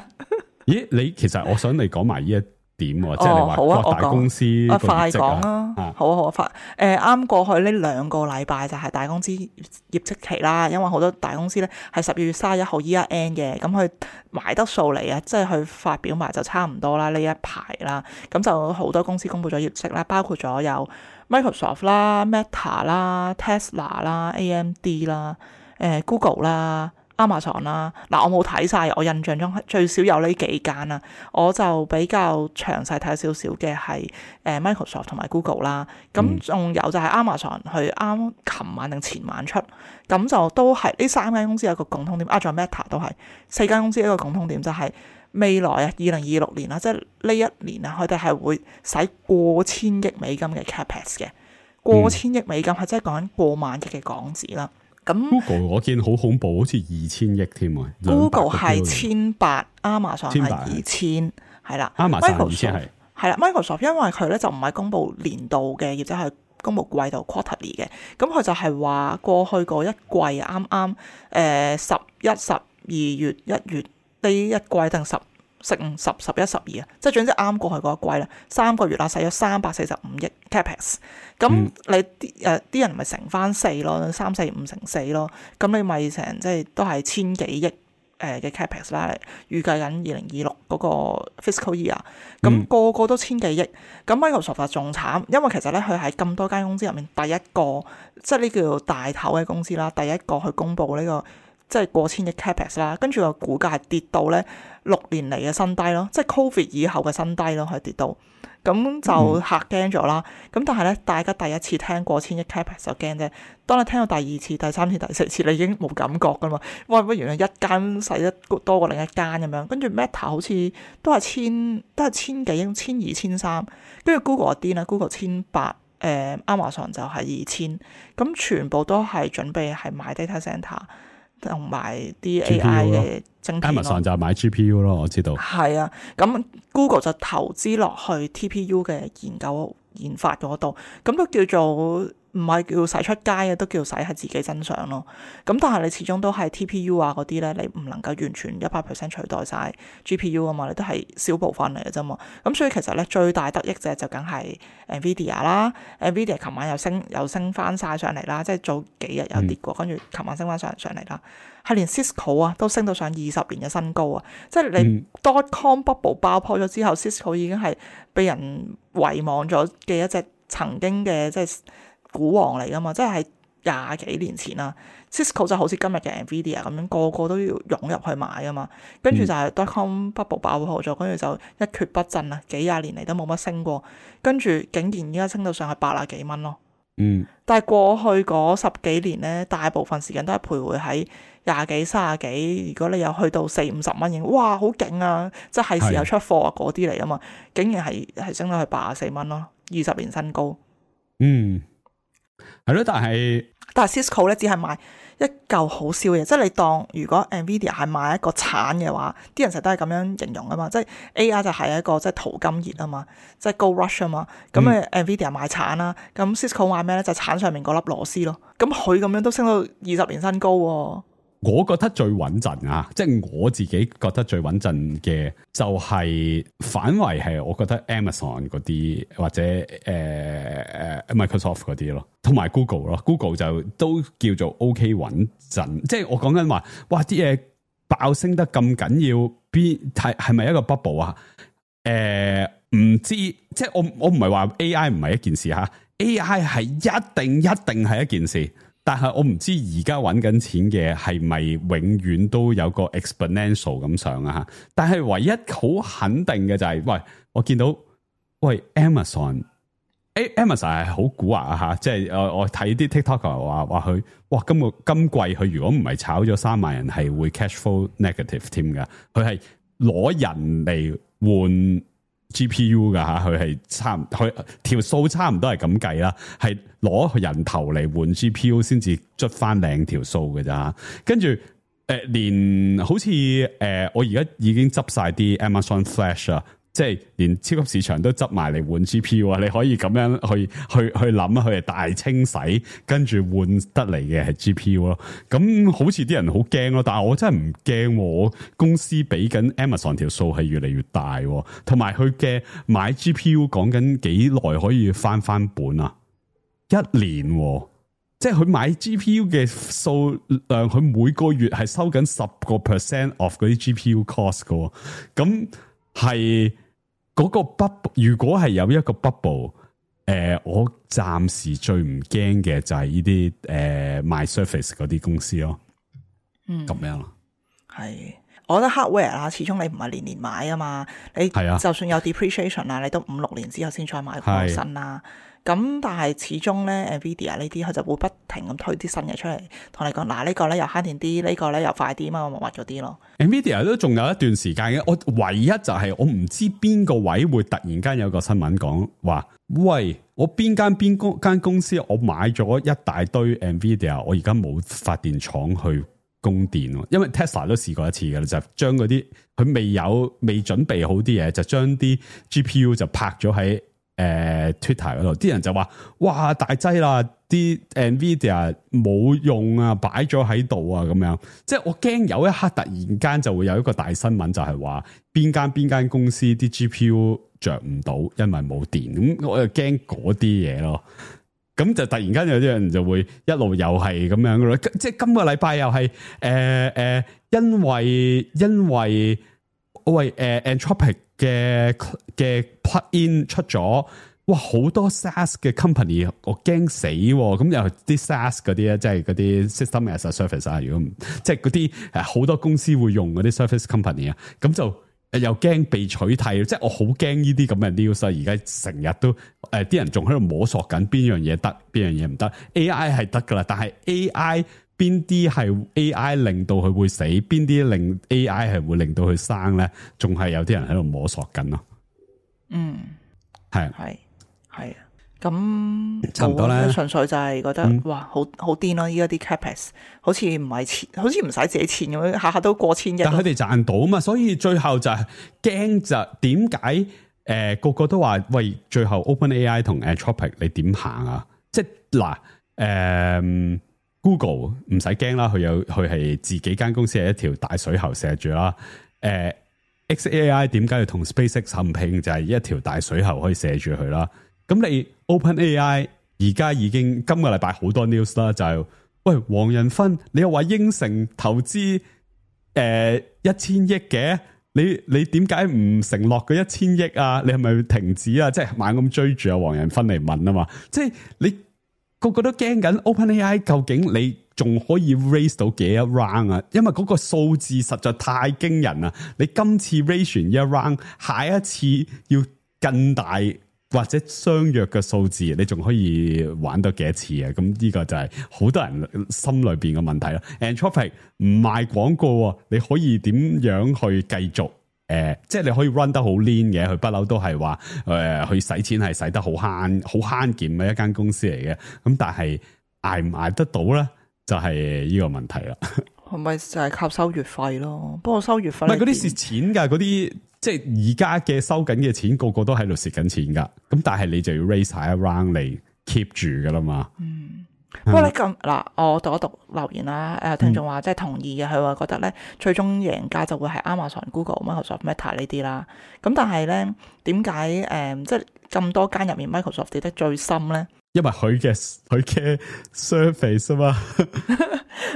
咦，你其實我想你講埋呢一點，即係你話各大公司個業績啊，快講啦，好啊好啊，快誒啱過去呢兩個禮拜就係大公司業績期啦，因為好多大公司咧係十二月三十一號 year end 嘅，咁佢埋得數嚟啊，即係佢發表埋就差唔多啦呢一排啦，咁就好多公司公布咗業績啦，包括咗有 Microsoft 啦、Meta 啦、Tesla 啦、A M D 啦、誒 Google 啦。Amazon 啦，嗱我冇睇晒，我印象中最少有呢幾間啦，我就比較詳細睇少少嘅係誒 Microsoft 同埋 Google 啦，咁仲有就係 Amazon 佢啱琴晚定前晚出，咁就都係呢三間公司有一個共通點，啊仲有 Meta 都係四間公司一個共通點就係、是、未來啊二零二六年啦，即係呢一年啊，佢哋係會使過千億美金嘅 capex 嘅，過千億美金係真係講緊過萬億嘅港紙啦。咁 Google 我見好恐怖，好似二千億添啊 ！Google 係千八，Amazon 係二千，係啦。Amazon 二千係係啦 ，Microsoft 因為佢咧就唔係公布年度嘅，亦即係公布季度 quarterly 嘅，咁佢就係話過去嗰一季啱啱誒十一、十二月、一月呢一季定十。十五、十、十一、十二啊，即係總之啱過去嗰一季啦，三個月啦，使咗三百四十五億 capex， 咁你啲誒啲人咪乘翻四咯，三四五乘四咯，咁你咪成即係都係千幾億誒嘅 capex 啦，預計緊二零二六嗰個 fiscal year，咁、嗯、個個都千幾億，咁 Microsoft 仲慘，因為其實咧佢係咁多間公司入面第一個，即係呢叫做大頭嘅公司啦，第一個去公布呢、這個。即係過千億 capex 啦，跟住個股價係跌到咧六年嚟嘅新低咯，即係 Covid 以後嘅新低咯，係跌到，咁就嚇驚咗啦。咁、嗯、但係咧，大家第一次聽過千億 capex 就驚啫。當你聽到第二次、第三次、第四次，你已經冇感覺噶嘛。哇！乜原來一間使得多過另一間咁樣，跟住 Meta 好似都係千，都係千幾億、千二、千三，跟住 Google 癲啦 ，Google 千八，誒 Amazon 就係二千，咁全部都係準備係買 data center。同埋啲 A I 嘅晶片 Amazon 就買 G P U 咯，我知道。係啊，咁 Google 就投資落去 T P U 嘅研究研發嗰度，咁都叫做唔係叫使出街嘅，都叫使喺自己身上咯。咁但係你始終都係 T P U 啊嗰啲咧，你唔能夠完全一百 percent 取代晒 G P U 啊嘛，你都係小部分嚟嘅啫嘛。咁所以其實咧最大得益者就梗係 Nvidia 啦 ，Nvidia 琴晚又升又升翻晒上嚟啦，即係早幾日有跌過，跟住琴晚升翻上上嚟啦。係連 Cisco 啊都升到上二十年嘅新高啊！即係你 dot-com bubble 爆破咗之後、嗯、Cisco 已經係被人遺忘咗嘅一隻曾經嘅即係股王嚟噶嘛，即係廿幾年前啦。Cisco 就好似今日嘅 Nvidia 咁樣，個個都要湧入去買噶嘛。跟住就係 dot-com bubble 爆破咗，跟住就一蹶不振啊！幾廿年嚟都冇乜升過，跟住竟然而家升到上去八啊幾蚊咯。嗯，但係過去嗰十幾年咧，大部分時間都係徘徊喺廿幾、三十幾。如果你有去到四五十蚊嘅，哇，好勁啊！即係時候出貨啊，嗰啲嚟啊嘛，竟然係係升到去八十四蚊咯，二十年新高。嗯，係咯，但係但係 Cisco 咧只係賣一嚿好少嘅嘢，即係你當如果 Nvidia 係賣一個橙嘅話，啲人成日都係咁樣形容啊嘛，即係 A I 就係一個即係淘金熱啊嘛，即係 Gold Rush 啊嘛，咁誒、嗯、Nvidia 賣橙啦，咁 Cisco 賣咩咧？就係、橙上面嗰粒螺絲咯，咁佢咁樣都升到二十年新高喎、啊。我覺得最穩陣啊，即係我自己覺得最穩陣嘅就係反為係我覺得 Amazon 嗰啲或者誒誒、呃、Microsoft 嗰啲咯，同埋 Google 咯 ，Google 就都叫做 OK 穩陣。即係我講緊話，哇啲嘢爆升得咁緊要，邊係係咪一個 bubble 啊？誒、呃、唔知，即係我我唔係話 A I 唔係一件事吓 ，A I 係一定一定係一件事。但係我唔知而家揾緊錢嘅係咪永遠都有個 exponential 咁上啊？但係唯一好肯定嘅就係、是，喂，我見到喂 Amazon，誒 Amazon 係好蠱惑啊吓，即係我我睇啲 TikToker 話話佢，哇今個今季佢如果唔係炒咗三萬人係會 cash flow negative 添噶，佢係攞人嚟換 G P U 噶吓，佢係差唔佢條數差唔多係咁計啦，係攞人頭嚟換 G P U 先至捽翻靚條數嘅咋，跟住誒連好似誒、呃、我而家已經執晒啲 Amazon Flash 啊。即係連超級市場都執埋嚟換 G P U 啊！你可以咁樣去去去諗，佢係大清洗，跟住換得嚟嘅係 G P U 咯。咁好似啲人好驚咯，但係我真係唔驚。我公司俾緊 Amazon 條數係越嚟越大，同埋佢嘅買 G P U 講緊幾耐可以翻翻本啊？一年，即係佢買 G P U 嘅數量，佢每個月係收緊十個 percent of 嗰啲 G P U cost 嘅。咁係。嗰個 bubble 如果係有一個 bubble，誒、呃，我暫時最唔驚嘅就係呢啲誒賣 Surface 嗰啲公司咯，嗯，咁樣咯，係，我覺得 hardware 啦，始終你唔係年年買啊嘛，你就算有 depreciation 啊，你都五六年之後先再買個新啦。咁但係始終咧 Nvidia 呢啲佢就會不停咁推啲新嘢出嚟，同你講嗱呢個咧又慳電啲，呢、呢個咧又快啲，乜乜乜嗰啲咯。Nvidia 都仲有一段時間嘅，我唯一就係我唔知邊個位會突然間有個新聞講話，喂，我邊間邊公間公司我買咗一大堆 Nvidia， 我而家冇發電廠去供電，因為 Tesla 都試過一次嘅啦，就將嗰啲佢未有未準備好啲嘢，就將啲 G P U 就拍咗喺。誒、呃、Twitter 嗰度，啲人就話：哇，大劑啦！啲 Nvidia 冇用啊，擺咗喺度啊，咁樣。即係我驚有一刻突然間就會有一個大新聞，就係話邊間邊間公司啲 G P U 着唔到，因為冇電。咁我就驚嗰啲嘢咯。咁就突然間有啲人就會一路又係咁樣嘅咯。即係今個禮拜又係誒誒，因為因為喂誒、呃、Anthropic 嘅嘅 plug-in 出咗，哇好多 SaaS 嘅 company， 我驚死，咁又啲 SaaS 嗰啲咧，即係嗰啲 system as a service 啊，如果唔即係嗰啲誒好多公司會用嗰啲 service company 啊，咁就又驚被取替，即係我好驚呢啲咁嘅 news，而家成日都誒啲、呃、人仲喺度摸索緊邊樣嘢得，邊樣嘢唔得 ，A I 係得噶啦，但係 A I 邊啲係 A I 令到佢會死，邊啲令 A I 係會令到佢生咧？仲係有啲人喺度摸索緊咯。嗯，係係係，咁差唔多咧。純粹就係覺得、嗯、哇，好好癲咯！依家啲 capex 好似唔係錢，好似唔使自己錢咁樣，下下都過千億。但佢哋賺到啊嘛，所以最後就係驚就點解誒個個都話喂，最後 OpenAI 同 Anthropic 你點行啊？即係嗱，誒、呃、Google 唔使驚啦，佢有佢係自己間公司係一條大水喉射住啦。誒、呃、X A I 點解要同 SpaceX 合併？就係、是、一條大水喉可以射住佢啦。咁你 OpenAI 而家已經今個禮拜好多 news 啦，就係、是、喂黃仁勳，你又話應承投資誒一千億嘅？你你點解唔承諾嗰一千億啊？你係咪停止啊？即係猛咁追住阿黃仁勳嚟問啊嘛！即係你個個都驚緊 OpenAI 究竟你仲可以 raise 到幾多 round 啊？因為嗰個數字實在太驚人啦！你今次 raise 完一 round， 下一次要更大或者相約嘅數字，你仲可以玩到幾多次啊？咁呢個就係好多人心裏邊嘅問題啦。Anthropic 唔賣廣告，你可以點樣去繼續？誒、呃，即係你可以 run 得好 lean 嘅，佢不嬲都係話誒，去使錢係使得好慳、好慳儉嘅一間公司嚟嘅。咁但係捱唔捱得到咧，就係呢個問題啦。係咪就係靠收月費咯？不過收月費唔係嗰啲蝕錢㗎，嗰啲。即係而家嘅收緊嘅錢，個個都喺度蝕緊錢噶。咁但係你就要 raise 下一 round 嚟 keep 住噶啦嘛。嗯，不過咧咁嗱，我讀一讀留言啦。誒，聽眾話即係同意嘅，佢話覺得咧最終贏家就會係 Amazon、Google、Microsoft、Meta 呢啲啦。咁但係咧點解誒即係咁多間入面 Microsoft 跌得最深咧？因為佢嘅佢嘅 surface 啊嘛，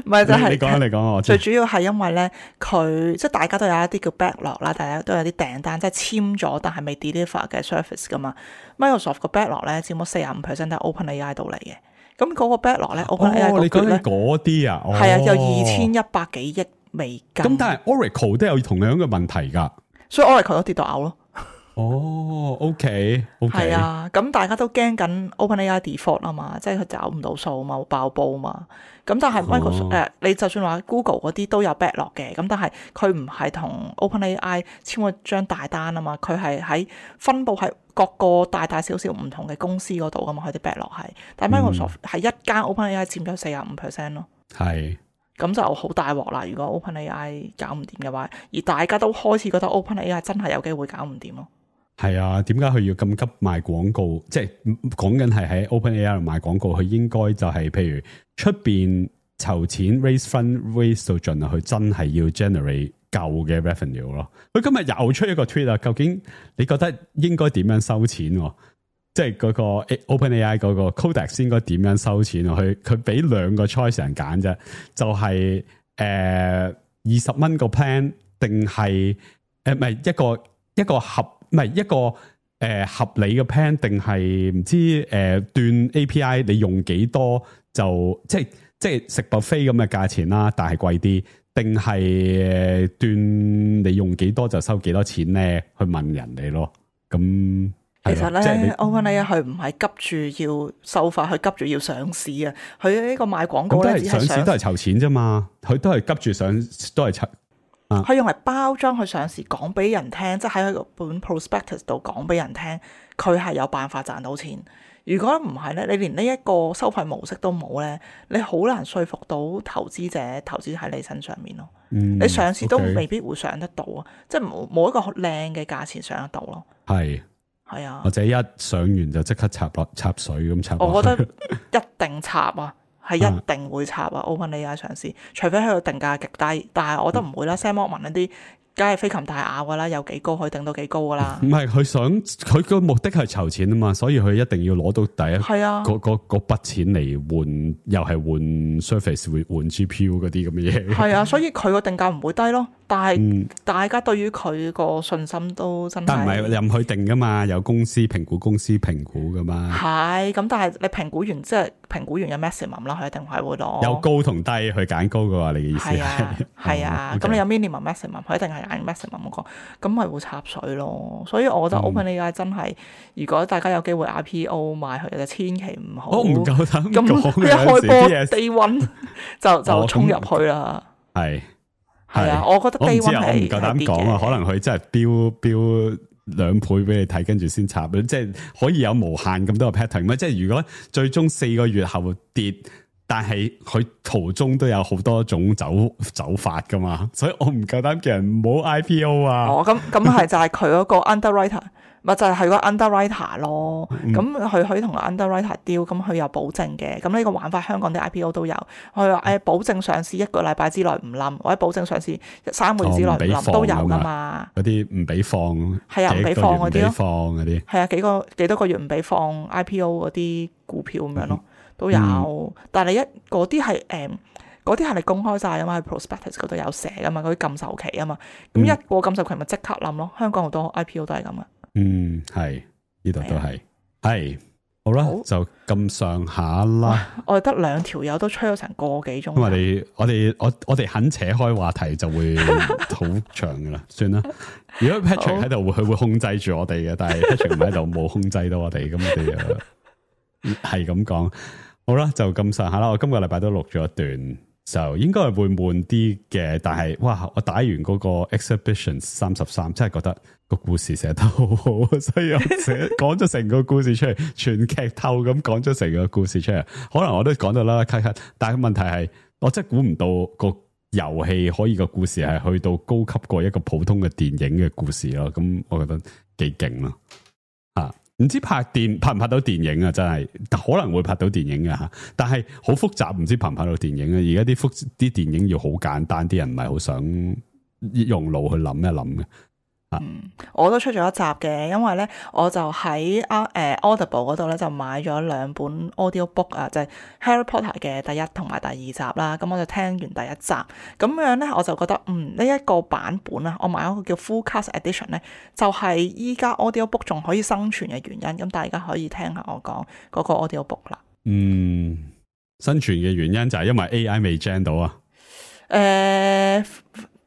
唔係就係你講你講我最主要係因為咧佢即係大家都有一啲叫 backlog 啦，大家都有啲訂單即係簽咗但係未 deliver 嘅 surface 噶嘛。Microsoft 個 backlog 咧佔咗四十五 percent 都係 OpenAI 度嚟嘅。咁嗰個 backlog 咧 ，OpenAI 你講緊嗰啲啊，係啊，有二千一百幾億美金。咁但係 Oracle 都有同樣嘅問題噶，所以 Oracle 都跌到嘔咯。哦 ，OK，OK，係啊，咁大家都驚緊 OpenAI default 啊嘛，即係佢找唔到數嘛，爆煲嘛。咁但係 Microsoft 誒、哦呃，你就算話 Google 嗰啲都有 backlog 嘅，咁但係佢唔係同 OpenAI 簽咗張大單啊嘛，佢係喺分佈喺各個大大小小唔同嘅公司嗰度噶嘛，佢啲 backlog 係。但係 Microsoft 係、嗯、一間 OpenAI 佔咗四十五 percent 咯。係。咁就好大鑊啦！如果 OpenAI 搞唔掂嘅話，而大家都開始覺得 OpenAI 真係有機會搞唔掂咯。係啊，點解佢要咁急賣廣告？即係講緊係喺 OpenAI 度賣廣告，佢應該就係、是、譬如出邊籌錢 raise fund raise 到盡啊，佢真係要 generate 夠嘅 revenue 咯。佢今日又出一個 tweet 啊，究竟你覺得應該點樣收錢？即係嗰個 OpenAI 嗰個 Codex 應該點樣收錢？佢佢俾兩個 choice 人揀啫，就係誒二十蚊個 plan 定係誒唔係一個一個合唔係一個誒、呃、合理嘅 plan 定係唔知誒、呃、斷 A P I 你用幾多就即係即係食 buffet 咁嘅價錢啦，但係貴啲，定係斷你用幾多就收幾多錢咧？去問人哋咯，咁。其實咧 ，OpenAI 佢唔係急住要收發，佢急住要上市啊！佢呢個賣廣告咧，只係上市都係籌錢啫嘛，佢都係急住上，都係籌。佢、啊、用嚟包裝佢上市，講俾人聽，即係喺個本 prospectus 度講俾人聽，佢係有辦法賺到錢。如果唔係咧，你連呢一個收費模式都冇咧，你好難說服到投資者投資喺你身上面咯。嗯、你上市都未必會上得到啊，嗯 okay. 即係冇冇一個靚嘅價錢上得到咯。係。係啊，或者一上完就即刻插落插水咁插。我覺得一定插啊，係一定會插啊。OpenAI 上市，除非佢個定價極低，但係我覺得唔會啦。Sam Altman 嗰啲，梗係飛擒大咬噶啦，有幾高可以定到幾高噶啦。唔係佢想佢個目的係籌錢啊嘛，所以佢一定要攞到第一係啊嗰嗰嗰筆錢嚟換，又係換 Surface 換換 G P U 嗰啲咁嘅嘢。係啊，所以佢個定價唔會低咯。但係大家對於佢個信心都真係，但唔係任佢定噶嘛，有公司評估公司評估噶嘛。係咁，但係你評估完即係評估完有 maximum 啦，佢一定係會攞有高同低去揀高嘅話，你嘅意思係啊？係啊，咁你有 minimum maximum，佢一定係揀 maximum 嗰個，咁咪會插水咯。所以我覺得 OpenAI 真係，如果大家有機會 I P O 買佢，就千祈唔好。我唔夠膽咁一開波 day one 就就衝入去啦。係。係啊，我覺得低溫係我唔夠膽講啊，可能佢真係標標兩倍俾你睇，跟住先插，即係可以有無限咁多個 pattern。即係如果最終四個月後跌，但係佢途中都有好多種走走法噶嘛，所以我唔夠膽叫人唔好 I P O 啊。哦，咁咁係就係佢嗰個 underwriter 咪就係佢個 underwriter 咯，嗯咁佢可以同個 underwriter deal，咁佢有保證嘅，咁呢個玩法香港啲 I P O 都有，佢話誒保證上市一個禮拜之內唔冧，或者保證上市三個月之內唔冧、哦、都有噶嘛。嗰啲唔俾放，係啊，唔俾放嗰啲咯，放嗰啲係啊，幾個幾多個月唔俾放 I P O 嗰啲股票咁樣咯，都有。嗯、但係你一嗰啲係誒嗰啲係你公開晒啊嘛，喺 prospectus 嗰度有寫噶嘛，嗰啲禁售期啊嘛，咁一過禁售期咪即刻冧咯。香港好多 I P O 都係咁噶。嗯，係呢度都係，係好啦，好就咁上下啦。我哋得兩條友都吹咗成個幾鐘。因為我哋我哋我我哋肯扯開話題就會好長噶啦，算啦。如果 Patrick 喺度，佢會控制住我哋嘅，但係 Patrick 唔喺度，冇控制到我哋，咁我哋就係咁講。好啦，就咁上下啦。我今個禮拜都錄咗一段。就應該係會悶啲嘅，但係哇！我打完嗰個 exhibition 三十三，真係覺得個故事寫得好好，所以我寫講咗成個故事出嚟，全劇透咁講咗成個故事出嚟。可能我都講到啦，咳咳，但係問題係，我真係估唔到個遊戲可以個故事係去到高級過一個普通嘅電影嘅故事咯。咁我覺得幾勁咯，啊！唔知拍電拍唔拍到電影啊？真係可能會拍到電影嘅吓，但係好複雜，唔知拍唔拍到電影啊？而家啲複啲電影要好簡單，啲人唔係好想用腦去諗一諗嘅。嗯，我都出咗一集嘅，因為咧我就喺啊誒 Audible 嗰度咧就買咗兩本 audio book 啊，就係 Harry Potter 嘅第一同埋第二集啦。咁我就聽完第一集，咁樣咧我就覺得嗯呢一個版本啊，我買一個叫 Full Cast Edition 咧，就係依家 audio book 仲可以生存嘅原因。咁大家可以聽下我講嗰個 audio book 啦。嗯，生存嘅原因就係因為 A I 未 gen 到啊。誒、呃。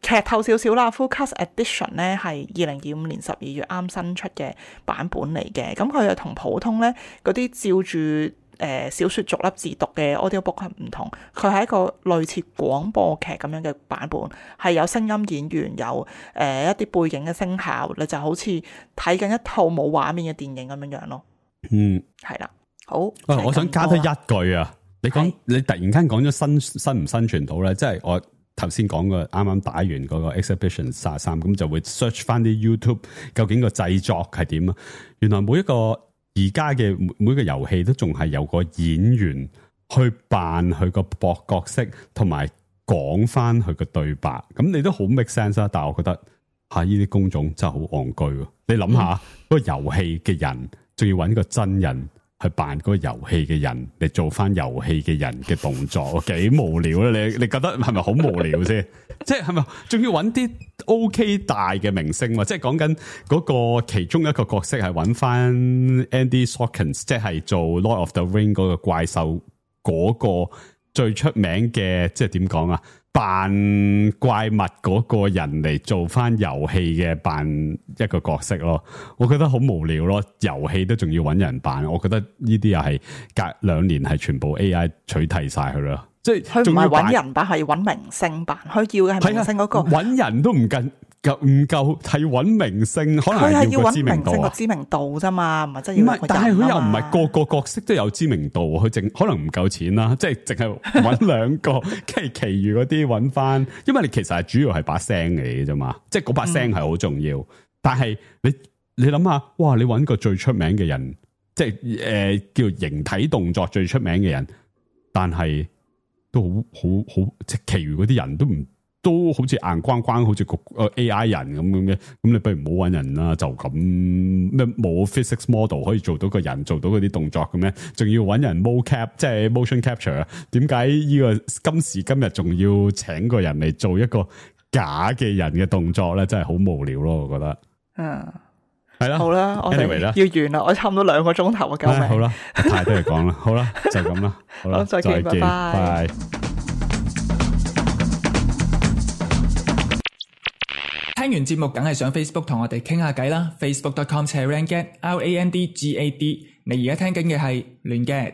劇透少少啦 ，Full Cast Edition 咧係二零二五年十二月啱新出嘅版本嚟嘅，咁佢又同普通咧嗰啲照住誒、呃、小説逐粒字讀嘅 audio book 係唔同，佢係一個類似廣播劇咁樣嘅版本，係有聲音演員，有誒、呃、一啲背景嘅聲效，你就好似睇緊一套冇畫面嘅電影咁樣樣咯。嗯，係啦，好。啊、我想加多一句啊，你講你突然間講咗生生唔生存到咧，即係我。頭先講過啱啱打完嗰個 exhibition 三十三，咁就會 search 翻啲 YouTube 究竟個製作係點啊？原來每一個而家嘅每一個遊戲都仲係有個演員去扮佢個博角色，同埋講翻佢個對白。咁你都好 make sense 啦，但係我覺得吓呢啲工種真係好戇居。你諗下，嗰、嗯、個遊戲嘅人仲要揾個真人去扮嗰個遊戲嘅人嚟做翻遊戲嘅人嘅動作，幾無聊咧？你你覺得係咪好無聊先？即係係咪仲要揾啲 OK 大嘅明星？即係講緊嗰個其中一個角色係揾翻 Andy Serkis，即係做 Lord of the Ring 嗰個怪獸嗰個最出名嘅，即係點講啊？扮怪物嗰個人嚟做翻遊戲嘅扮一個角色咯，我覺得好無聊咯。遊戲都仲要揾人扮，我覺得呢啲又係隔兩年係全部 A I 取替晒佢咯。即係佢唔係揾人扮，係揾明星扮。佢要嘅係明星嗰、那個揾人都唔夠唔夠，係揾明星，可能係要個知名度啊。個知名度啫嘛，唔係真係要個人啊嘛。但係佢又唔係個個角色都有知名度，佢淨可能唔夠錢啦，即係淨係揾兩個，跟住其餘嗰啲揾翻。因為你其實係主要係把聲嚟嘅啫嘛，即係嗰把聲係好重要。嗯、但係你你諗下，哇！你揾個最出名嘅人，即係誒、呃、叫形體動作最出名嘅人，但係都好好好，即係其餘嗰啲人都唔。都好似硬光光，好似個 A I 人咁樣嘅，咁你不如唔好揾人啦，就咁咩冇 physics model 可以做到個人做到嗰啲動作嘅咩？仲要揾人 mocap， 即係 motion capture 啊？點解呢個今時今日仲要請個人嚟做一個假嘅人嘅動作咧？真係好無聊咯，我覺得。嗯，係啦，好啦，我哋 anyway 啦，要完啦，我差唔多兩個鐘頭啊，救命！好啦，太多嘢講啦，好啦，就咁啦，好啦，再見，拜拜。拜。聽完節目梗係上 Facebook 同我哋傾下偈啦 ，facebook dot com slash randgad R A N D G A D。你而家聽緊嘅係亂 gad。